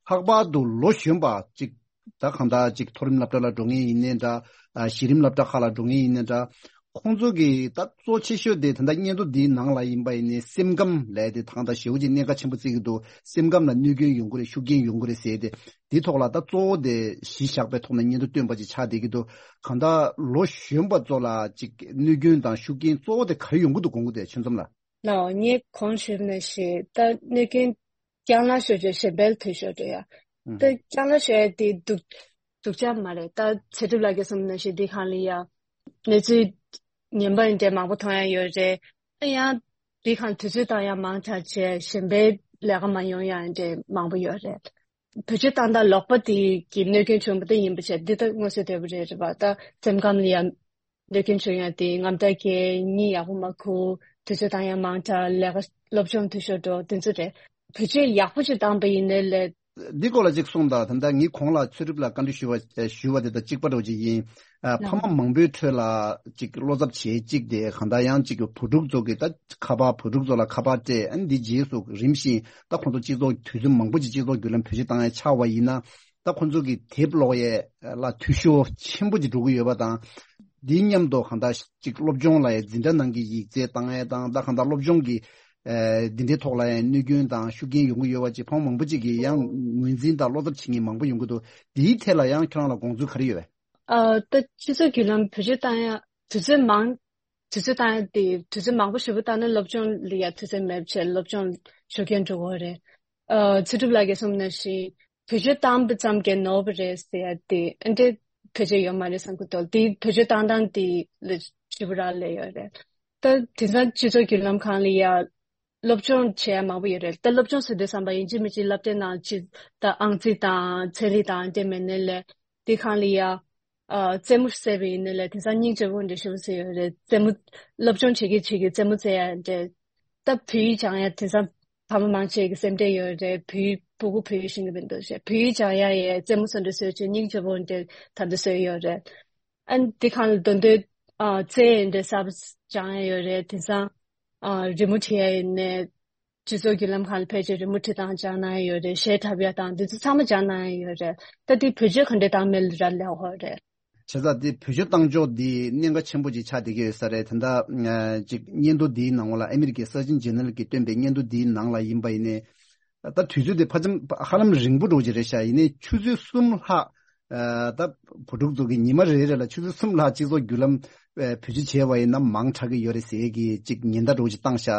ལྷག་པར་དུ་ལོ་གཞོན་པ་ཅིག་ད་གང་ལྟར་ཅིག་མཐོ་རིམ་སློབ་གྲྭ་ལ་འགྲོ་མཁན་ཡིན་ནའི་འདྲ། ཨ་གཞི་རིམ་སློབ་གྲྭ་ཁག་ལ་འགྲོ་མཁན་ཡིན་ནའི་འདྲ། ཁོང་ཚོ་གི་ད་གཙོ་ཆེ་ཤོས་དེ་ད་ལྟ་སྙན་ཐོ་འདིའི་ནང་ལ་ཡིན་པ་ཡིན་ནའི་སེམས་ཁམས་ལབ་དེ་ད་གང་ལྟར་ཞེ་པོ་ཅིག་གནད་འགག་ཆེན་པོ་བརྩི་གི་འདུག་སེམས་ཁམས་ལ་གནོད་སྐྱོན་ཡོང་གི་རེད། ཤུགས་རྐྱེན་ཡོང་གི་རེད་ཟེར་ཏེ། འདིའི་ཐོག་ལ་ད་གཙོ་བོ་དེ་གཞི་བཞག་པའི་ཐོག་ནས་སྙན་ཐོ་བཏོན་པ་ཅིག་ཆགས་བསྡད་ཀྱི་འདུག་གང་ལྟར་ལོ་གཞོན་པ་ཚོ་ལ་ཅིག་གནོད་སྐྱོན་དང་ཤུགས་རྐྱེན་གཙོ་བོ་དེ་ག་རེ་ཡོང་གི་འདུག་དགོངས་ཀྱི་འདུག་ཆོས་འཛོམས་ལགས། ལགས་འོ། ངས་གོང་ཞུས་ནང་བཞིན་ད་གནོད་སྐྱོན་རྐྱང་ལག་ཤོར་བྱས་གཞན་པའི་འཐུས་ཤོར་འགྲོ་ཡ། ཨུམ། ད་རྐྱང་ལག་ཤོར་ཡ་དེ་སྡུག་སྡུག་ཅག་མ་རེད། ད་ཚེ་སྒྲུབ་ལགས་ཀྱིས་གསུངས་ནང་བཞིན་འདི་གང་ལ་ཡ་གནས་ཚུལ་ངན་པ་འདྲ་མང་པོ་མཐོང་ཡ་ཡོད་རེད། ད་ཡང་འདི་གང་དུས་ཚོད་བཏང་ཡ་མང་དྲགས་བྱས་གཞན་པའི་ལས་ཀ་མ་ཡོང་ཡ་འདྲ་མང་པོ་ཡོད་རེད། བེད་སྤྱོད་བཏང་སྟངས་ལོག་པ་དེ་གི་གནོད་སྐྱོན་བྱུང་བ་དེ་ཡིན་པ་བྱས་འདི་ད་མངོན་གསལ་དོད་པོ་རེད་རེད་པ། ད་སེམས་ཁམས་ལ་ཡ་ འདོད་མཁན་བྱུང་ཡ་དེ་རྔམ་སྐྲག་སྐྱེ། གཉིད་ཡག་པོ་མ་ཁུག་དུས་ཚོད་བཏང་ཡ་མང་དྲགས། ལས་ཀ་སློབ་སྦྱོང་འཐུས་ཤོར་འགྲོ། དེ་ཚོ་རེད། བེད་སྤྱོད་ཡག་པོ་ཅིག་བཏང་པ་ཡིན་ནའི་ལས། འདི་སྐོར་ལ་ཅིག་གསུངས་དང་། ད་ལྟ་ངས་གོང་ལ་ཚེ་སྒྲུབ་ལ་བཀའ་འདྲི་ཞུ་བ་ཞུ་བ་དེ་དང་གཅིག་པ་འདྲ་བོ་ཅིག་ཡིན། ཨ། ཕ་མ་མང་པོའི་ཁྲོད་ལ་ཅིག་བློ་འཚབ་བྱེད་ཅིག་དེ་གང་ལྟར་ཡང་ཅིག་བུ་ཕྲུག་ཚོ་གི་ད་ཁ་པར། བུ་ཕྲུག་ཚོ་ལ་ཁ་པར་སྤྲད། ཨ་ནི་འདི་རྗེས་སུ་རིམ་བཞིན་ད་ཁོང་ཚོ་སྤྱི་ཚོགས་དུས་ཚོད་མང་པོ་ཅིག་སྤྱི་ཚོགས་བརྒྱུད་ལམ་བེད་སྤྱོད་བཏང་ཡ་ཆགས་པ་ཡིན་ན། ད་ཁོང་ཚོ་གི་དེབ་ཀློག་ཡས་ལ་འཐུས་ཤོར་ཆེན་པོ་ཅིག་འགྲོ་གི་ཡོད་པ་དང་། འདི་མཉམ་དུ་གང་ལྟར་ཅིག་སློབ་སྦྱོང་ལ་ཡང་འཛིན་གྲྭ་ནང་གི་ཡིག་རྩིས་བཏང་ཡས་དང་། ད་གང་ལྟར་སློབ་སྦྱོང་གི་ཨ་འདི་འདྲའི་ཐོག་ལ་ཡང་གནོད་སྐྱོན་དང་ཤུགས་རྐྱེན་ཡོང་གི་ཡོད་པ་ཅིག་ཕ་མ་མང་པོ་ཅིག་གིས་ཡང་ངོས་འཛིན་དང་བློ་འཚབ་བྱེད་མཁན་མང་པོ་ཡོང་གི་འདུག་འདིའི་ཐད་ལ་ཡང་ཁྱོད་རང་ལ་དགོངས་ཚུལ་ག་རེ་ཡོད་པས། ཨ། ད་སྤྱི་ཚོགས་བརྒྱུད་ལམ་བེད་སྤྱོད་བཏང་ཡ་དུས་ཚོད་མང་། དུས་ཚོད་བཏང་ཡ་དེ་དུས་ཚོད་མང་པོ་ཞེ་པོ་བཏང་ན་སློབ་སྦྱོང་ལ་ཡ་དུས་ཚོད་མེད་པ་བྱས། སློབ་སྦྱོང་ཤུགས་རྐྱེན་འགྲོ་གི་རེད། ཨ། ཚེ་སྒྲུབ་ལགས་ཀྱིས་གསུངས་ནང་བཞིན་བེད་སྤྱོད་བཏང་པ་ཙམ་གྱིས་ནོར་བ་རེད་ཟེར་ཡ་དེ་ཨ་འདྲའི་ཕལ་ཆེར་ཡོད་མ་རེད་བསམ་གྱི་འདུག་དེ་བེད་སྤྱོད་བཏང་སྟངས་དེ་ལ་ཞེ་པོ་རག་ལས་ཡོད་རེད། ད་དེང་སང་སྤྱི་ཚོགས་བརྒྱུད་ལམ་སྒང་ལ་ཡ་སློབ་སྦྱོང་བྱེད་ཡ་མང་པོ་ཡོད་རེད། ད་སློབ་སྦྱོང་ཟེར་དུས་ཙམ་པ་ཡིན་གཅིག་མིན་གཅིག་སློབ་གྲྭའི་ནང་ཅིག་ད་ཨང་རྩིས་དང་ཚན་རིག་དང་དེ་མིན་ནའི་ལས་དེ་སྒང་ལ་ཡ། ཨ། རྩེད་མོ་རྩེ་བ་ཡིན་ནའི་ལས་དེང་སང་སྙིང་རྗེ་པོ་འདྲ་ཞེ་པོ་ཅིག་ཡོད་རེད། རྩེད་མོ་སློབ་སྦྱོང་བྱེད་ཀྱི་བྱེད་ཀྱི་རྩེད་མོ་རྩེ་ཡ་འདྲ། ད་བོད་ཡིག་སྦྱང་ཡ་དེང་སང་ཕ་མ་མང་ཆེ་གི་སེམས་ཁྲལ་ཡོད་རེད། བོད་ཡིག་སྤུ་གུ་བོད་ཡིག་ཤེས་ཀྱི་མི་འདུག་ཟེར། བོད་ཡིག་སྦྱང་ཡ་ཡི་རྩེད་མོ་སོགས་འདྲ་བཟོས་བྱས་སྙིང་རྗེ་པོ་འདྲ་ད་ལྟ་བཟོས་ཡོད་རེད། ཨ་ནི་དེ་སྒང་ལ་མདོ་འདོད། ཨ། རྩེད་འདྲ་གསར་པ་སྦྱང་ཡ་ཡོད་རེད། དེང་སང་། ཨ། རི་མོ་བྲིས་ཡ་ཡིན་ནའི་སྤྱི་ཚོགས་བརྒྱུད་ལམ་སྒང་ལ་ཕལ་ཆེར་རི་མོ་བྲིས་སྟངས་སྦྱང་གནང་ཡ་ཡོད་རེད། གཞས་འཁྲབ་ཡ་དང་འདི་ཚོ་ཚང་མ་སྦྱང་གནང་ཡ་ཡོད་རེད། ད་འདི་བེད་སྤྱོད་ག་འདྲ་བཏང་མིན་ལ་རག་ལས་ཡོད་རེད། བྱས་ཙང་འདི་བེད་སྤྱོད་བཏང་ཕྱོགས་འདི་གནད་འགག་ཆེན་པོ་ཅིག་ཆགས་བསྡད་ཀྱི་ཡོད་ས་རེད། དེ་འདྲ་ཅིག་སྙན་ཐོ་འདིའི་ནང་ལ་ཨ་མི་རི་ཀའི་Surgeon General གྱིས་བཏོན་པའི་སྙན་ཐོ་འདིའི་ནང་ལ་ཡིན་པ་ཡིན་ནའི། ད་དུས་ཚོད་དེ་ཕ་ཙམ་ཧ་ལམ་རིང་པོ་འགྲོ་གི་རེད་ཤག་ཡིན་ནའི་ཆུ་ཚོད་གསུམ་ལྷག་ཨ། ད་བུ་ཕྲུག་ཚོ་གི་ཉི་མ་རེ་རེ་ལ་ཆུ་ཚོད་གསུམ་ལྷག་སྤྱི་ཚོགས་བརྒྱུད་ལམ་ཨ་བེད་སྤྱོད་བྱས་པ་ཡིན་ན་མང་དྲགས་ཀྱི་ཡོད་རེད་ཟེར་གྱི་ཅིག་ཉེན་བརྡ་འདྲ་བོ་ཅིག་བཏང་ཤག་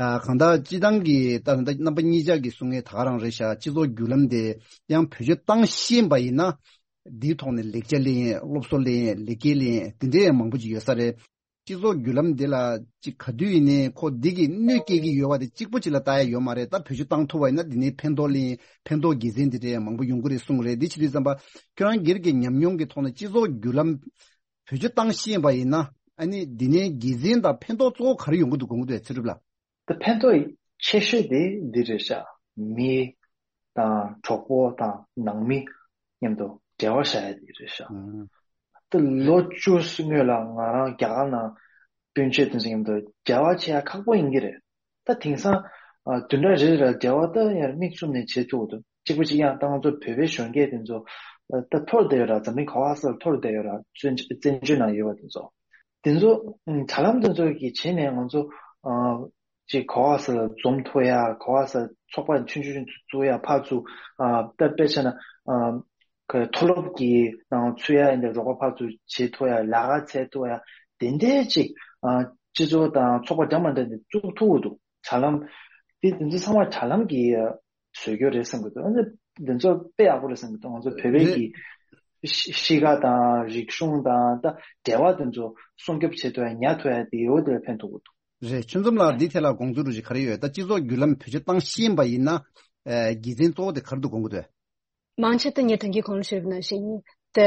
ཨ། གང་ལྟར་སྤྱིར་བཏང་གི་ད་ད་རྣམ་པ་གཉིས་ཆ་གི་གསུང་ཡས་ད་ག་རང་རེད་ཤག་སྤྱི་ཚོགས་བརྒྱུད་ལམ་དེ་ཡང་བེད་སྤྱོད་བཏང་ཤེས་པ་ཡིན་ན། འདིའི་ཐོག་ནས་ལེགས་ཆ་ལེན་ཡས། སློབ་གསོ་ལེན་ཡས། ལེགས་སྐྱེས་ལེན་ཡས། དེ་འདྲའི་ཡང་མང་པོ་ཅིག་ཡོད་ས་རེད། སྤྱི་ཚོགས་བརྒྱུད་ལམ་འདི་ལ་ཅིག་ག་དུས་ཡིན་ནའི་ཁོ་འདི་གིས་གནོད་སྐྱེལ་གྱི་ཡོད་པ་དེ་གཅིག་པོ་ཅིག་ལ་ལྟ་ཡ་ཡོད་མ་རེད། ད་བེད་སྤྱོད་བཏང་ཐུབ་པ་ཡིན་ན་འདི་ནས་ཕན་ཐོགས་ལེན། ཕན་ཐོགས་དགེ་མཚན་འདི་འདྲའི་མང་པོ་ཡོང་གི་རེད་གསུངས་རེད། འདི་བྱེད་དུས་ཙམ་པ་ཁྱོད་རང་སྒེར་གྱི་ཉམས་མྱོང་གི་ཐོག་ནས་སྤྱི་ཚོགས་བརྒྱུད་ལམ་བེད་སྤྱོད་བཏང་ཤེས་པ་ཡིན་ན། ཨ་ནི་འདི་ནས་དགེ་མཚན་དང་ཕན་ཐོགས་གཙོ་བོ་ག་རེ་ཡོང་གི་འདུག་དགོངས་ཀྱི་འདུག་ཚེ་སྒྲུབ་ལགས། ད་ཕན་ཐོགས་ཆེ་ཤོས་དེ་འདི་རེད་ཤག་མི་དང་གྲོགས་པོ་དང་ནང་མི་མཉམ་དུ་འབྲེལ་བ་བཞག་ཡ་དེ་རེད་ཤག་ཨང་། ད་ལོ་བཅུ་སྔོན་ལ་ང་རང་རྒྱ་གར་ནང་སྤུན་མཆེད་དེ་ཚོ་མཉམ་དུ་འབྲེལ་བ་བྱེད་ཡ་ཁག་པོ་ཡིན་གྱི་རེད། ད་དེང་སང་ཨ་བདུན་ཕྲག་རེ་རེ་ལ་འབྲེལ་བ་ད་ཡར་མིག་བཙུམ་ནས་བྱེད་ཐུབ་ཀྱི་འདུག་གཅིག་པ་གཅིག་རྐྱང་ད་ང་ཚོ་བོད་པའི་གཞོན་སྐྱེས་དེ་ཚོ་ཨ་ད་འཐོར་བསྡད་ཡོད་ར། འཛམ་གླིང་ག་པར་ས་ལ་འཐོར་བསྡད་ཡོད་ར། བཙན་བཙན་བྱོལ་ནང་ཡོད་པ་དེ་ཚོ། དེ་ཚོ་ཨ་དྲ་ལམ་དེ་ཚོ་གི་བྱས་ནས་ང་ཚོ་ཨ་ཅིག་ག་པར་ས་ལ་འཛོམས་ཐུབ་ཡ། ག་པར་ས་ཚོགས་པ་ཆུང་ཆུང་ཆུང་ཚོ་བཙུགས་ཡ། ཕར་ཚུར་ཨ་ད་དཔེ་བྱས་ན་ཨ་ག་མཐོ་སློབ་ཀྱི་ནང་ཚུད་ཡ་ཡིན་ཏེ་རོགས་པ་ཕར་ཚུར་བྱེད་ཐུབ་ཡ། ལས་ཀ་འཚོལ་ཐུབ་ཡ། དེ་འདྲའི་ཅིག་ཨ་སྤྱི་ཚོགས་དང་ཚོགས་པ་འདྲ་མ་འདྲ་འདི་བཙུགས་ཐུབ་ཀྱི་འདུག་དྲ་ལམ་དེ་དེ་ཚོ་ཚང་མ་དྲ་ལམ་གྱི་བཟོ་རྒྱུ་རེད་བསམ་གྱི་འདུག་ཨ་ནི་འདི་ཚོ་དཔེ་ཡག་པོ་རེད་བསམ་གྱི་འདུག་ང་ཚོ་བོད་པའི་རེད། གི་གཤིས་ཀ་དང་རིག་གཞུང་དང་ད་འབྲེལ་བ་དེ་ཚོ་སྲུང་སྐྱོབ་བྱེད་ཐུབ་ཡ། ཉར་ཐུབ་ཡ་དེ་ཡོད་དེ་ལ་ཕན་ཐོགས་ཀྱི་འདུག་རེད། ཆོས་འཛོམས་ལགས་འདི་ཐད་ལ་དགོངས་ཚུལ་རུ་ཞིག་ག་རེ་ཡོད། ད་སྤྱི་ཚོགས་བརྒྱུད་ལམ་བེད་སྤྱོད་བཏང་ཤེས་པ་ཡིན་ན་ཨ་དགེ་མཚན་གཙོ་བོ་དེ་ག་རེ་འདུག་དགོངས་ཀྱི་འདུག་མང་ཆེ་ད་ངས་ད་གིན་གོང་ལ་ཞུས་པ་ནང་བཞིན་ཏེ།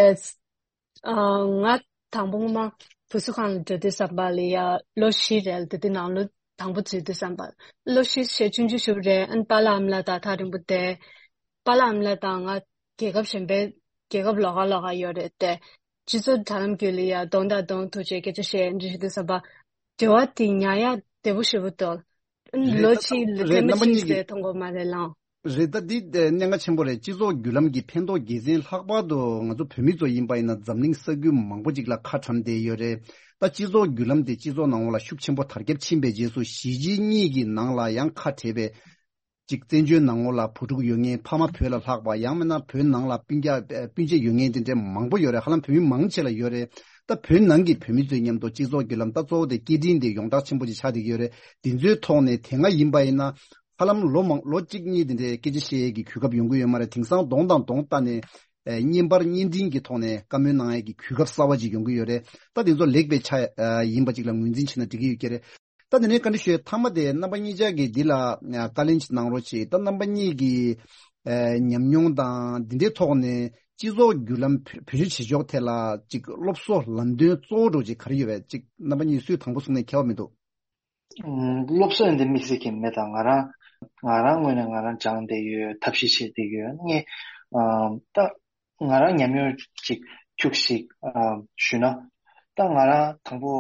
ཨ། ང་དང་པོ་སྔོན་མ་བུ་གསོ་ཁང་ལ་འགྲོ་དུས་ཙམ་པ་ལ་ཡ་ལོ་བཞི་རེད། དེ་དུས་ནང་ལོ་དང་པོ་འཛུལ་དུས་ཙམ་པ་ལོ་བཞི་ཞེ་ཆུང་ཆུང་ཞིག་རེད། ཨ་ནི་པཱ་ལགས་ཨ་མ་ལགས་དང་ཐག་རིང་པོ་བསྡད། པཱ་ལགས་ཨ་མ་ལགས་དང་ང་རྒྱལ་ཁབ་གཞན་པའི་རྒྱལ་ཁབ་ལོགས་ཀ་ལོགས་ཀ་ཡོད་རེད་དེ། སྤྱི་ཚོགས་དྲ་ལམ་བརྒྱུད་ལ་ཡ་གདོང་དང་གདོང་ཐུག་བྱས་སྐད་ཆ་བཤད་འདྲི་ཞུ་དུས་ཙམ་པ་འབྲེལ་བ་དེ་ཉར་ཡ་བདེ་པོ་ཞེ་པོ་འདུག་རེད། ལོ་ད་གཅིག་ལ་རེད། ཐེངས་མ་རྣམ་པ་གཅིག་གཉིས་ཀྱིས་ཟེར་མཐོང་གི་མ་རེད་ལགས། རེད། ད་འདི་གནད་འགག་ཆེན་པོ་རེད། སྤྱི་ཚོགས་བརྒྱུད་ལམ་གྱི་ཕན་ཐོགས་དགེ་མཚན། ལྷག་པར་དུ་ང་ཚོ་བོད་མི་ཚོ་ཡིན་པ་ཡིན་ན་འཛམ་གླིང་ས་ཁུལ་མང་པོ་ཅིག་ལ་ཁ་གྲམ་བསྡད་ཡོད་རེད། ད་སྤྱི་ཚོགས་བརྒྱུད་ལམ་དེ་སྤྱི་ཚོགས་ནང་ལོགས་ལ་ཤུགས་ཆེན་པོ་དར་ཁྱབ་ཕྱིན་པའི་རྗེས་སུ་གཞིས་བྱེས་གཉིས་ཀྱི་ནང་ལ་ཡང་ཁ་བྲལ་བའི་ཅིག་བཙན་བྱོལ་ནང་ལོགས་ལ་བུ་ཕྲུག་ཡོད་མཁན། ཕ་མ་བོད་ལ་ལྷག་པ། ཡང་མིན་ན་བོད་ནང་ལ་སྤུན་ཀྱག་སྤུན་མཆེད་ཡོད་མཁན་དེ་འདྲ་མང་པོ་ཡོད་རེད། ཧ་ལམ་བོད་མི་མང་ཆེ་ལ་ཡོད་རེད། ད་བོད་ནང་གི་བོད་མི་ཚོའི་མཉམ་དུ་སྤྱི་ཚོགས་བརྒྱུད་ལམ་ད་གཙོ་བོ་དེ་སྐད་འཕྲིན་དེ་ཡོངས་གྲགས་ཆེན་པོ་ཅིག་ཆགས་བསྡད་ཀྱི་ཡོད་རེད། དེ་ཚོའི་ཐོག་ནས་དེ་སྔ་ཡིན་པ་ཡིན་ན་ཧ་ལམ་ལོ་མང་ལོ་གཅིག་གཉིས་དེ་འདྲའི་སྐད་ཆ་བཤད་ཡས་ཀྱི་གོ་སྐབས་ཡོང་གི་ཡོད་མ་རེད། དེང་སང་གདོང་དང་གདོང་བལྟས་ནས་ཨ་བརྙན་པར་བརྙན་འཕྲིན་གྱི་ཐོག་ནས་བཀའ་མོལ་གནང་ཡས་ཀྱི་གོ་སྐབས་གསར་པ་ཅིག་ཡོང་གི་ཡོད་རེད། ད་དེ་ཚོ་ལེགས་པའི་ཆ་ཨ་ཡིན་པ་ཅིག་ལ་ངོས་འཛིན་བྱས་ན་འགྲིག་གི་ཡོད་ཀྱི་རེད། ད་དེ་ནས་བཀའ་འདྲི་ཞུ་ཡས་མཐའ་མ་དེ་རྣམ་པ་གཉིས་ཆ་གིས་འདི་ལ་ཨ་བཀའ་ལན་ཅིག་གནང་རོགས་བྱེད། ད་རྣམ་པ་གཉིས་ཀྱི་ཨ་ཉམས་མྱོང་དང་འདི་འདྲའི་ཐོག་ནས་ སྤྱི་ཚོགས་བརྒྱུད་ལམ་བེད་བེད་སྤྱོད་བྱེད་ཕྱོགས་ཐད་ལ་ཅིག་སློབ་གསོ་ལམ་སྟོན་གཙོ་བོ་འདྲ་ཅིག་ག་རེ་ཡོད་པས། ཅིག་རྣམ་པ་གཉིས་སུས་དང་པོ་གསུངས་ནས་ཁྱད་པར་མི་འདུག་ཨུམ། སློབ་གསོ་ཡིན་དེ་དམིགས་བསལ་གྱི་མེད། ད་ང་རང་ང་རང་ངོས་ནས་ང་རང་སྦྱངས་བསྡད་ཡོད། ཐབས་ཤེས་བྱས་བསྡད་ཡོད། ངས་ཨམ། ད་ང་རང་ཉམས་མྱོང་ཅིག་ཁྱུག་ཞིག་ཨམ། ཞུས་ན། ད་ང་རང་དང་པོ་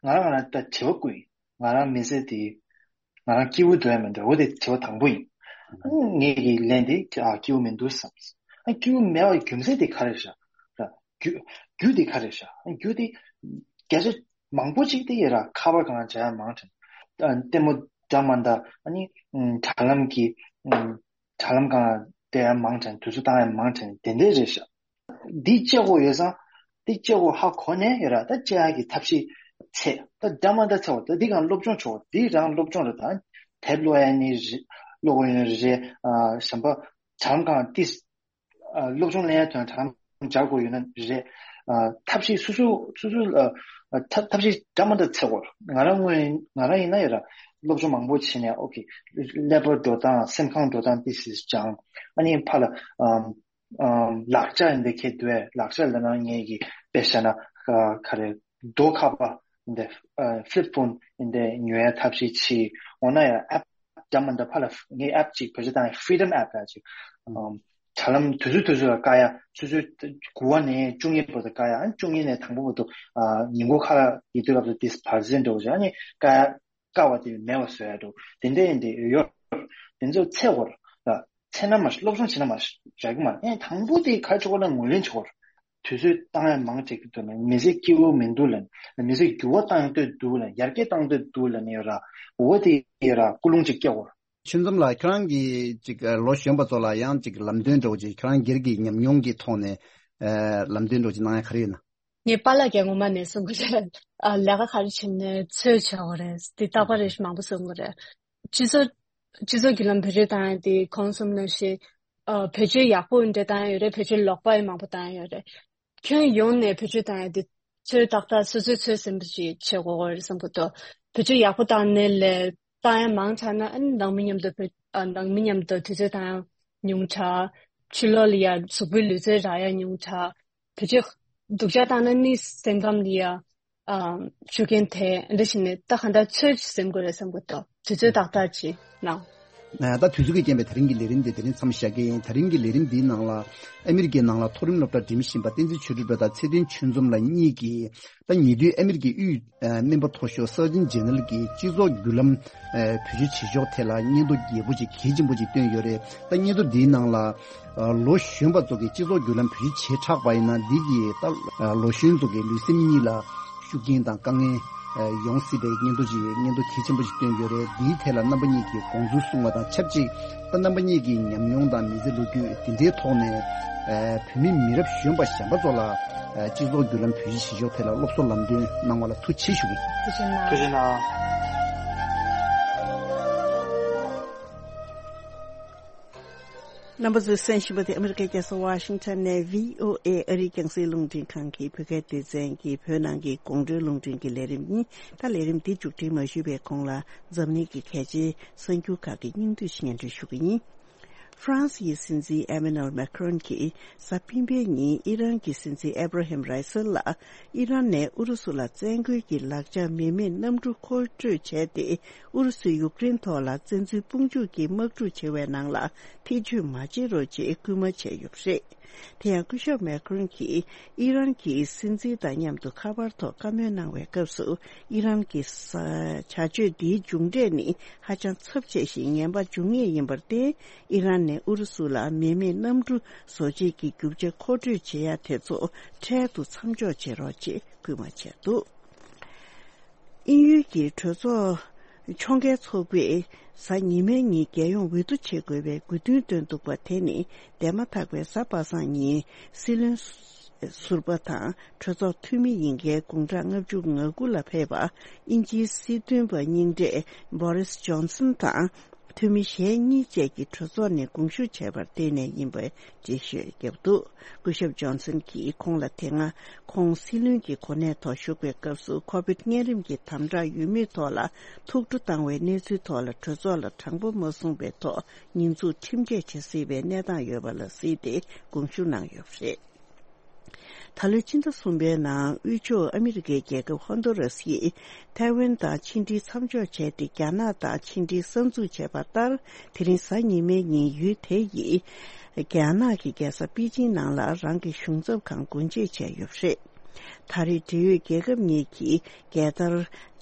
ང་རང་ང་རང་ད་བྱེད་པ་ཀུན་ང་རང་མི་ཚེ་འདི་ང་རང་སྐྱིད་པོ་འདུག་ཡ་མི་འདུག་འོ་དེ་དྲི་བ་དང་པོ་ཡིན། ཨ་ངས་ཀྱི་ལན་དེ་ཨ་སྐྱིད་པོ་མི་འདུག་བསམ། ཨ་སྐྱིད་པོ་མེད་པའི་རྒྱུ་མཚན་དེ་ག་རེ་རེད་ཤག་ར་རྒྱུ་རྒྱུ་དེ་ག་རེ་རེད་ཤག་རྒྱུ་དེ་བརྒྱ་ཆ་མང་པོ་ཅིག་དེ་ཡོད་ར། ཁ་པར་སྒང་ལ་བྱ་ཡ་མང་དྲགས། ཨ་ལྟད་མོ་འདྲ་མ་འདྲ། ཨ་ནི་ཨ་དྲ་ལམ་གྱི་ཨ་དྲ་ལམ་སྒང་ལ་བལྟ་ཡ་མང་དྲགས། དུས་ཚོད་བཏང་ཡ་མང་དྲགས། དེ་འདྲས་རེད་ཤག་འདི་བཅད་དགོས་ཡོད་ཙང་། འདི་བཅད་དགོས་ཧ་གོ་ནས་ཡོད་ར། ད་བཅད་ཡག་གི་ཐབས་ཤེས་འཚོལ། ད་འདྲ་མ་འདྲ་འཚོལ་བ། ད་འདི་གང་སློབ་སྦྱོང་བྱེད་དགོས། འདི་རང་སློབ་སྦྱོང་རེད། ད་དེབ་ཀློག་ཡ་ནི་རེད། ཀློག་དགོས་ཡོད་ནི་རེད། ཨ་གཞན་པ་གྲམ་གང་ཏིས་ཨ་སློབ་སྦྱོང་ལེན་ཡ་དོན་དྲ་ལམ་སྦྱར་དགོས་ཡོད་ན་རེད། ཨ་ཐབས་ཤེས་སོ་སོ་སོ་སོ་ཨ་ཐབས་ཐབས་ཤེས་འདྲ་མ་འདྲ་འཚོལ་དགོས། ང་རང་ངོས་ང་རང་ཡིན་ན་ཡོད་ར། སློབ་སྦྱོང་མང་པོ་བྱས་ནས་ཨོ་ཁེ་ཀླད་པ་འགྲོ་སྟངས་སེམས་ཁམས་འགྲོ་སྟངས་ཏིས་ཏིས་སྦྱངས། ཨ་ནི་ཕར་ལ་ཨམ། ཨམ། ལག་ཆ་ཡིན་དེ་ཁེ་དུས་ལག་ཆ་ལ་ན་ངེད་ཀྱི་དཔེ་བཞག་ན་ཨ་ག་རེ་རྡོ་ཁ་པ་ཡིན་དེ་ཨ་ཕི་ལིབ་ཕོན་ཡིན་དེ་ཉོ་ཡ་ཐབས་ཤེས་བྱས། འོ་ན་ཡང་ཨེབ་འདྲ་མ་འདྲ་ཕར་ལ་ངའི་ཨེབ་ཅིག་བེད་སྤྱོད་བཏང་ཡ་ཕི་རི་ཌམ་ཨེབ་ལ་ཅིག་ཨམ། དྲ་ལམ་དུས་ཚོད་དུས་ཚོད་ལ་བཀག་ཡ། ཆུ་ཚོད་དགུ་པ་ནས་བཅུ་གཉིས་བར་དུ་བཀག་ཡ། ཨ་ནི་བཅུ་གཉིས་ནས་དང་པོ་བར་དུ་ཨ་ཉིན་གུང་ཁ་ལག་ཡི་དུས་སྐབས་སུ་ཏིས་བར་ཟིན་འགྲོ་བྱ། ཨ་ནི་བཀག་ཡ། དཀའ་བ་དེ་མེད་པ་བཟོ་ཡ་འགྲོ། དེ་འདྲ་ཡིན་དེ་ཡོད། དེ་ཚོ་ཚེ་བོར་ལ་ཚེ་ན་མ་སློབ་སྦྱོང་བྱེད་ན་མ་རག་གི་མ་རེད། དང་པོ་དེ་ག་ཆོག་ན་ངོས་ལེན་ཆོག་རེད། དུས་ཚོད་བཏང་ཡ་མང་དྲགས་ཀྱི་འདུག་ན། མི་ཚེ་སྐྱིད་པོ་མི་འདུག་ལ། མི་ཚེ་འགྱུར་བ་བཏང་འདོད་འདུག་ལ། ཡར་རྒྱས་བཏང་འདོད་འདུག་ལ་ནི་ཡོད་ར། འོ་དེ་ཡོད་ར། ཀུན་སློང་ཅིག་སྐྱེ་བོར། ཆོས་འཛོམས་ལགས། ཁྱོད་རང་གིས་ཅིག་ལོ་གཞོན་པ་ཚོ་ལ་ཡང་ཅིག་ལམ་སྟོན་འདྲ་བོ་ཅིག་ཁྱོད་རང་སྒེར་གྱི་ཉམས་མྱོང་གི་ཐོག་ནས་ལམ་སྟོན་འདྲ་བོ་ཅིག་གནང་ཡ་ག་རེ་ཡོད་ན། ངའི་པཱ་ལགས་ཀྱིས་ངོ་མ་ནས་གསུང་གི་རེད། ཨ་ལས་ཀ་ག་རེ་བྱེད་ནས་ཚོད་བྱེད་དགོས་རེད། འདི་རྟག་པར་རེ་ཞིག་མང་པོ་གསུང་གི་རེད། སྤྱི་ཚོགས་སྤྱི་ཚོགས་ཀྱི་ལམ་བེད་སྤྱོད་བཏང་ཡ་དེ་གོང་གསུམ་ནང་བཞིན་ཨ་བེད་སྤྱོད་ཡག་པོ་འདྲ་བཏང་ཡ་ཡོད་རེད། བེད་སྤྱོད་ལོག་པ་ཡང་མང་པོ་བཏང་ཡ་ཡོད་རེད། ཁྱོན་ཡོངས་ནས་བེད་སྤྱོད་བཏང་ཡ་དེ་ཚོད་ཏག་ཏག་སོ་སོའི་ཚོད་ཟིན་པ་ཞིག་བྱེད་དགོས་རེད་བསམ་གི་འདུག་བེད་སྤྱོད་ཡག་པོ་བཏང་ནས་ལས་བཏང་ཡ་མང་དྲགས་ན་ཨ་ནི་ནང་མི་མཉམ་དུ་བེད་ཨ་ནང་མི་མཉམ་དུ་དུས་ཚོད་བཏང་ཡ་ཉུང་དྲགས། ཕྱི་ལོགས་ལ་ཡ་གཟུགས་པོའི་ལུས་རྩལ་རག་ཡ་ཉུང་དྲགས། བེད་སྤྱོད་སྡུག་ཅག་བཏང་ན་ནི་སེམས་ཁམས་ལ་ཡ་ཨ་ཤུགས་རྐྱེན་ཐེབས། འདི་བྱས་ནས་ད་གང་ལྟར་ཚོད་ཟིན་དགོས་རེད་བསམ་གི་འདུག་དུས་ཚོད་ཏག་ཏག་ཅིག་གནང་། ད་དུས་ཚོད་ཀྱི་རྐྱེན་པས་ད་རིང་གི་ལས་རིམ་འདི་དེ་རིང་མཚམས་བཞག་གི་ཡིན། ད་རིང་གི་ལས་རིམ་འདིའི་ནང་ལ་ཨ་མི་རི་ཀའི་ནང་ལ་མཐོ་རིམ་སློབ་གྲྭ་འགྲིམ་བཞིན་པ་བསྟན་འཛིན་ཆོས་སྒྲོན་ལགས་དང་ཚེ་བརྟན་ཆོས་འཛོམས་ལགས་གཉིས་ཀྱིས། ད་ཉེ་དུས་ཨ་མི་རི་ཀའི་དབུས་སྨན་པ་མཐོ་ཤོས་སར་ཇན་ཇེ་ནེ་རལ་གྱི་སྤྱི་ཚོགས་བརྒྱུད་ལམ་བེད་སྤྱོད་བྱེད་ཕྱོགས་ཐད་ལ་སྙན་ཐོ་རྒྱས་པོ་ཅིག་གལ་ཆེན་པོ་ཅིག་བཏོན་ཡོད་རེད། ད་སྙན་ཐོ་འདིའི་ནང་ལ་ལོ་གཞོན་པ་ཚོ་གིས་སྤྱི་ཚོགས་བརྒྱུད་ལམ་བེད་སྤྱོད་བྱེ་བྲག་པ་ཡིན་ན་འདི་གིས་ད་ལོ་གཞོན་ཚོ་གི་ལུས་སེམས་གཉིས་ལ་ཤུགས་རྐྱེན་དང་དཀའ་ངལ་ཡོང་སྲིད་པའི་སྙན་ཐོ་ཅིག་སྙན་ཐོ་གལ་ཆེན་པོ་ཞིག་བཏོན་ཡོད་རེད། འདིའི་ཐད་ལ་རྣམ་པ་གཉིས་ཀྱིས་དགོངས་ཚུལ་གསུངས་པ་དང་ཆབས་ཅིག་ད་རྣམ་པ་གཉིས་ཀྱི་ཉམས་མྱོང་དང་མི་ཚེ་ལོ་རྒྱུས་འདི་འདྲའི་ཐོག་ནས་བོད་མི་མི་རབས་གཞོན་པ་གཞན་པ་ཚོ་ལ་སྤྱི་ཚོགས་བརྒྱུད་ལམ་བེད་སྤྱོད་བྱེད་ཕྱོགས་ཐད་ལ་སློབ་གསོ་ལམ་སྟོན་གནང་བ་ལ་ཐུགས་རྗེ་ཆེ་ཞུ་གི་ཡིན། ཐུགས་རྗེ་གནང་། ཐུགས་རྗེ་གནང་། རྣམ་པ་ཚོས་གསན་བཞིན་པ་དེ་ཨ་མི་རི་ཀའི་རྒྱལ་ས་ཝ་ཤིང་ཊོན་ནས་བྷི་ཨོ་ཨེ་ཨ་རིའི་རྒྱང་སྲིང་རླུང་འཕྲིན་ཁང་གི་བོད་སྐད་སྡེ་ཚན་གྱི་བོད་ནང་གི་དགོང་དྲོའི་རླུང་འཕྲིན་གྱི་ལས་རིམ་ཡིན། ད་ལས་རིམ་འདི་མཇུག་སྒྲིལ་མ་ཞུས་པའི་གོང་ལ་འཛམ་གླིང་གི་གལ་ཆེའི་གསར་འགྱུར་ཁག་གི་སྙིང་བསྡུས་ཤིག་སྙན་སྒྲོན་ཞུ་གི་ཡིན། ཧྥ་རན་སིའི་སྲིད་འཛིན་ཨེ་མེ་ནུ་ཨེལ་མེ་ཁ་རོན་གྱིས་གཟའ་སྤེན་པའི་ཉིན་ཨི་རན་གྱི་སྲིད་འཛིན་ཨེ་བྷ་ར་ཧེམ་རའི་སལ་ལ་ཨི་རན་ནས་ཨུ་རུ་སུ་ལ་བཙན་རྒོལ་གྱི་ལག་ཆ་མེ་མེད་གནམ་གྲུ་མཁོ་སྤྲོད་བྱས་ཏེ། ཨུ་རུ་སུས་ཡུཀ་རེན་ཐོག་ལ་བཙན་འཛུལ་དཔུང་འཇུག་གི་དམག་འཁྲུག་བྱེད་པའི་ནང་ལ་ཐེ་བྱུས་མ་བྱེད་རོགས་ཅེས་སྐུལ་མ་བྱས་ཡོད་པ་རེད། དེ་ཡང་སྐུ་ཞབས་མེ་ཁ་རོན་གྱིས་ཨི་རན་གྱི་སྲིད་འཛིན་དང་མཉམ་དུ་ཁ་པར་ཐོག་བཀའ་མོལ་གནང་བའི་སྐབས་སུ། ཨི་རན་གྱི་ས་བྱ་སྤྱོད་འདིའི་མཇུག་འབྲས་ནི་ཧ་ཅང་ཚབས་ཆེ་ཞིང་ངན་པ་འབྱུང་ངེས་ཡིན་པར་བརྟེན། ཨི་རན་ནས་ཨུ་རུ་སུ་ལ་མེ་མེད་གནམ་གྲུ་བཟོ་བྱེད་ཀྱི་རྒྱུ་ཆ་མཁོ་སྤྲོད་བྱེད་ཡ་དེ་ཚོ་འཕྲལ་དུ་མཚམས་འཇོག་བྱེད་རོགས་ཅེས་སྐུལ་མ་བྱས་འདུག་དབྱིན་ཡུལ་གྱི་གྲོས་ཚོགས་ཕྱོགས་འགལ་ཚོགས་པས་གཟའ་ཉི་མའི་ཉིན་རྒྱལ་ཡོངས་འོས་བསྡུ་བྱེད་དགོས་པའི་དགོས་འདུན་བཏོན་འདུག་པ། དེ་ནི་འདས་མ་ཐག་པའི་གཟའ་པ་སངས་ཉིན་སྲིད་བློན་ཟུར་པ་དང་གྲོས་ཚོགས་འཐུས་མི་ཡིན་མཁན་དགུང་གྲངས་ལྔ་བཅུ་ང་དགུ་ལ་ཕེབས་པ་དབྱིན་ཇིའི་སྲིད་དོན་པ་རྙིང་གྲས་བྷོ་རིས་ཇོན་སན་དང་། འཐུས་མི་གཞན་གཉིས་བཅས་ཀྱི་གྲོས་ཚོགས་ནས་དགོངས་ཞུ་བྱས་པར་བརྟེན་ནས་ཡིན་པའི་འགྲེལ་བཤད་བརྒྱབ་འདུག་སྐུ་ཞབས་ཇོན་སན་གྱིས་ཁོང་ལ་དེ་སྔ་ཁོང་སྲིད་བློན་གྱི་གོ་གནས་ཐོག་བཞུགས་པའི་སྐབས་སུ་ཁོ་བིད་གཉན་རིམས་ཀྱི་དམ་དྲག་ཡོད་མེད་ཐོག་ལ་ཐུགས་ཁྲོ་བཏང་བའི་གནས་ཚུལ་ཐོག་ལ་གྲོས་ཚོགས་ལ་དྲང་པོ་མ་གསུངས་པའི་ཐོག་ཉེས་འཛུགས་ཁྲིམས་འགལ་བྱེད་སྲིད་པའི་གནས་སྟངས་ཡོད་པ་ལ་གཟིགས་ཏེ་དགོངས་ཞུ་གནང་ཡོད་པ་རེད། ད་ལོའི་ཕྱི་ཟླ་གསུམ་པའི་ནང་དབུས་ཕྱོགས་ཨ་མི་རི་ཀའི་རྒྱལ་ཁབ་ཧོན་ཏུ་ར་སིས་ཐའེ་ཝན་དང་ཕྱི་འབྲེལ་མཚམས་འཇོག་བྱས་ཏེ་རྒྱ་ནག་དང་ཕྱི་འབྲེལ་གསར་འཛུགས་བྱས་པ་ལྟར། དེ་རིང་གཟའ་ཉི་མའི་ཉིན་ཡུལ་དེ་ཡི་རྒྱ་ནག་གི་རྒྱལ་ས་པེ་ཅིང་ནང་ལ་རང་གི་གཞུང་ཚབ་ཁང་སྒོ་འབྱེད་བྱས་ཡོད་པ་རེད། ད་རེས་འབྲེལ་ཡོད་རྒྱལ་ཁབ་གཉིས་ཀྱི་རྒྱལ་དར་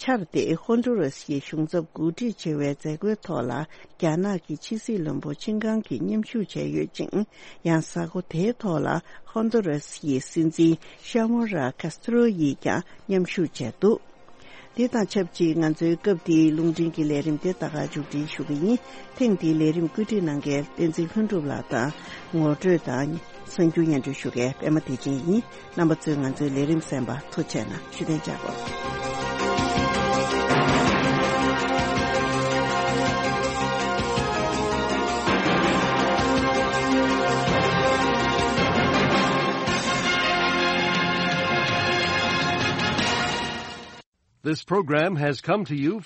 འཕྱར་ཏེ་ཧོན་ཏུ་ར་སིའི་གཞུང་ཚབ་གོ་སྒྲིག་བྱེད་པའི་མཛད་སྒོའི་ཐོག་ལ་རྒྱ་ནག་གི་ཕྱི་སྲིད་བློན་པོ་ཆིན་ཀང་གིས་མཉམ་ཞུགས་བྱས་ཡོད་ཅིང་། ཡང་གཟའ་འཁོར་དེའི་ཐོག་ལ་ཧོན་ཏུ་ར་སིའི་སྲིད་འཛིན་ཤ་མོ་ར་ཁ་སི་ཏྲོ་ཡིས་ཀྱང་མཉམ་ཞུགས་བྱས་འདུག་དེ་དང་ཆབས་ཅིག་ང་ཚོའི་སྐབས་འདིའི་རླུང་འཕྲིན་གྱི་ལས་རིམ་དེ་ད་ག་མཇུག་སྒྲིལ་ཞུ་གི་ཡིན། ཐེངས་འདིའི་ལས་རིམ་བཀོད་སྒྲིག་གནང་མཁན་བསྟན་འཛིན་ལྷུན་གྲུབ་ལགས་དང་། ངོ་སྤྲོད་དང་གསར་འགྱུར་སྙན་སྒྲོན་ཞུ་མཁན་པད་མ་བདེ་ཆེན་ཡིན། རྣམ་པ་ཚོས་ང་ཚོའི་ལས་རིམ་གསན་པར་ཐུགས་རྗེ་གནང་། ཞུ་གཏན་འཇགས་སྒོ། This program has come to you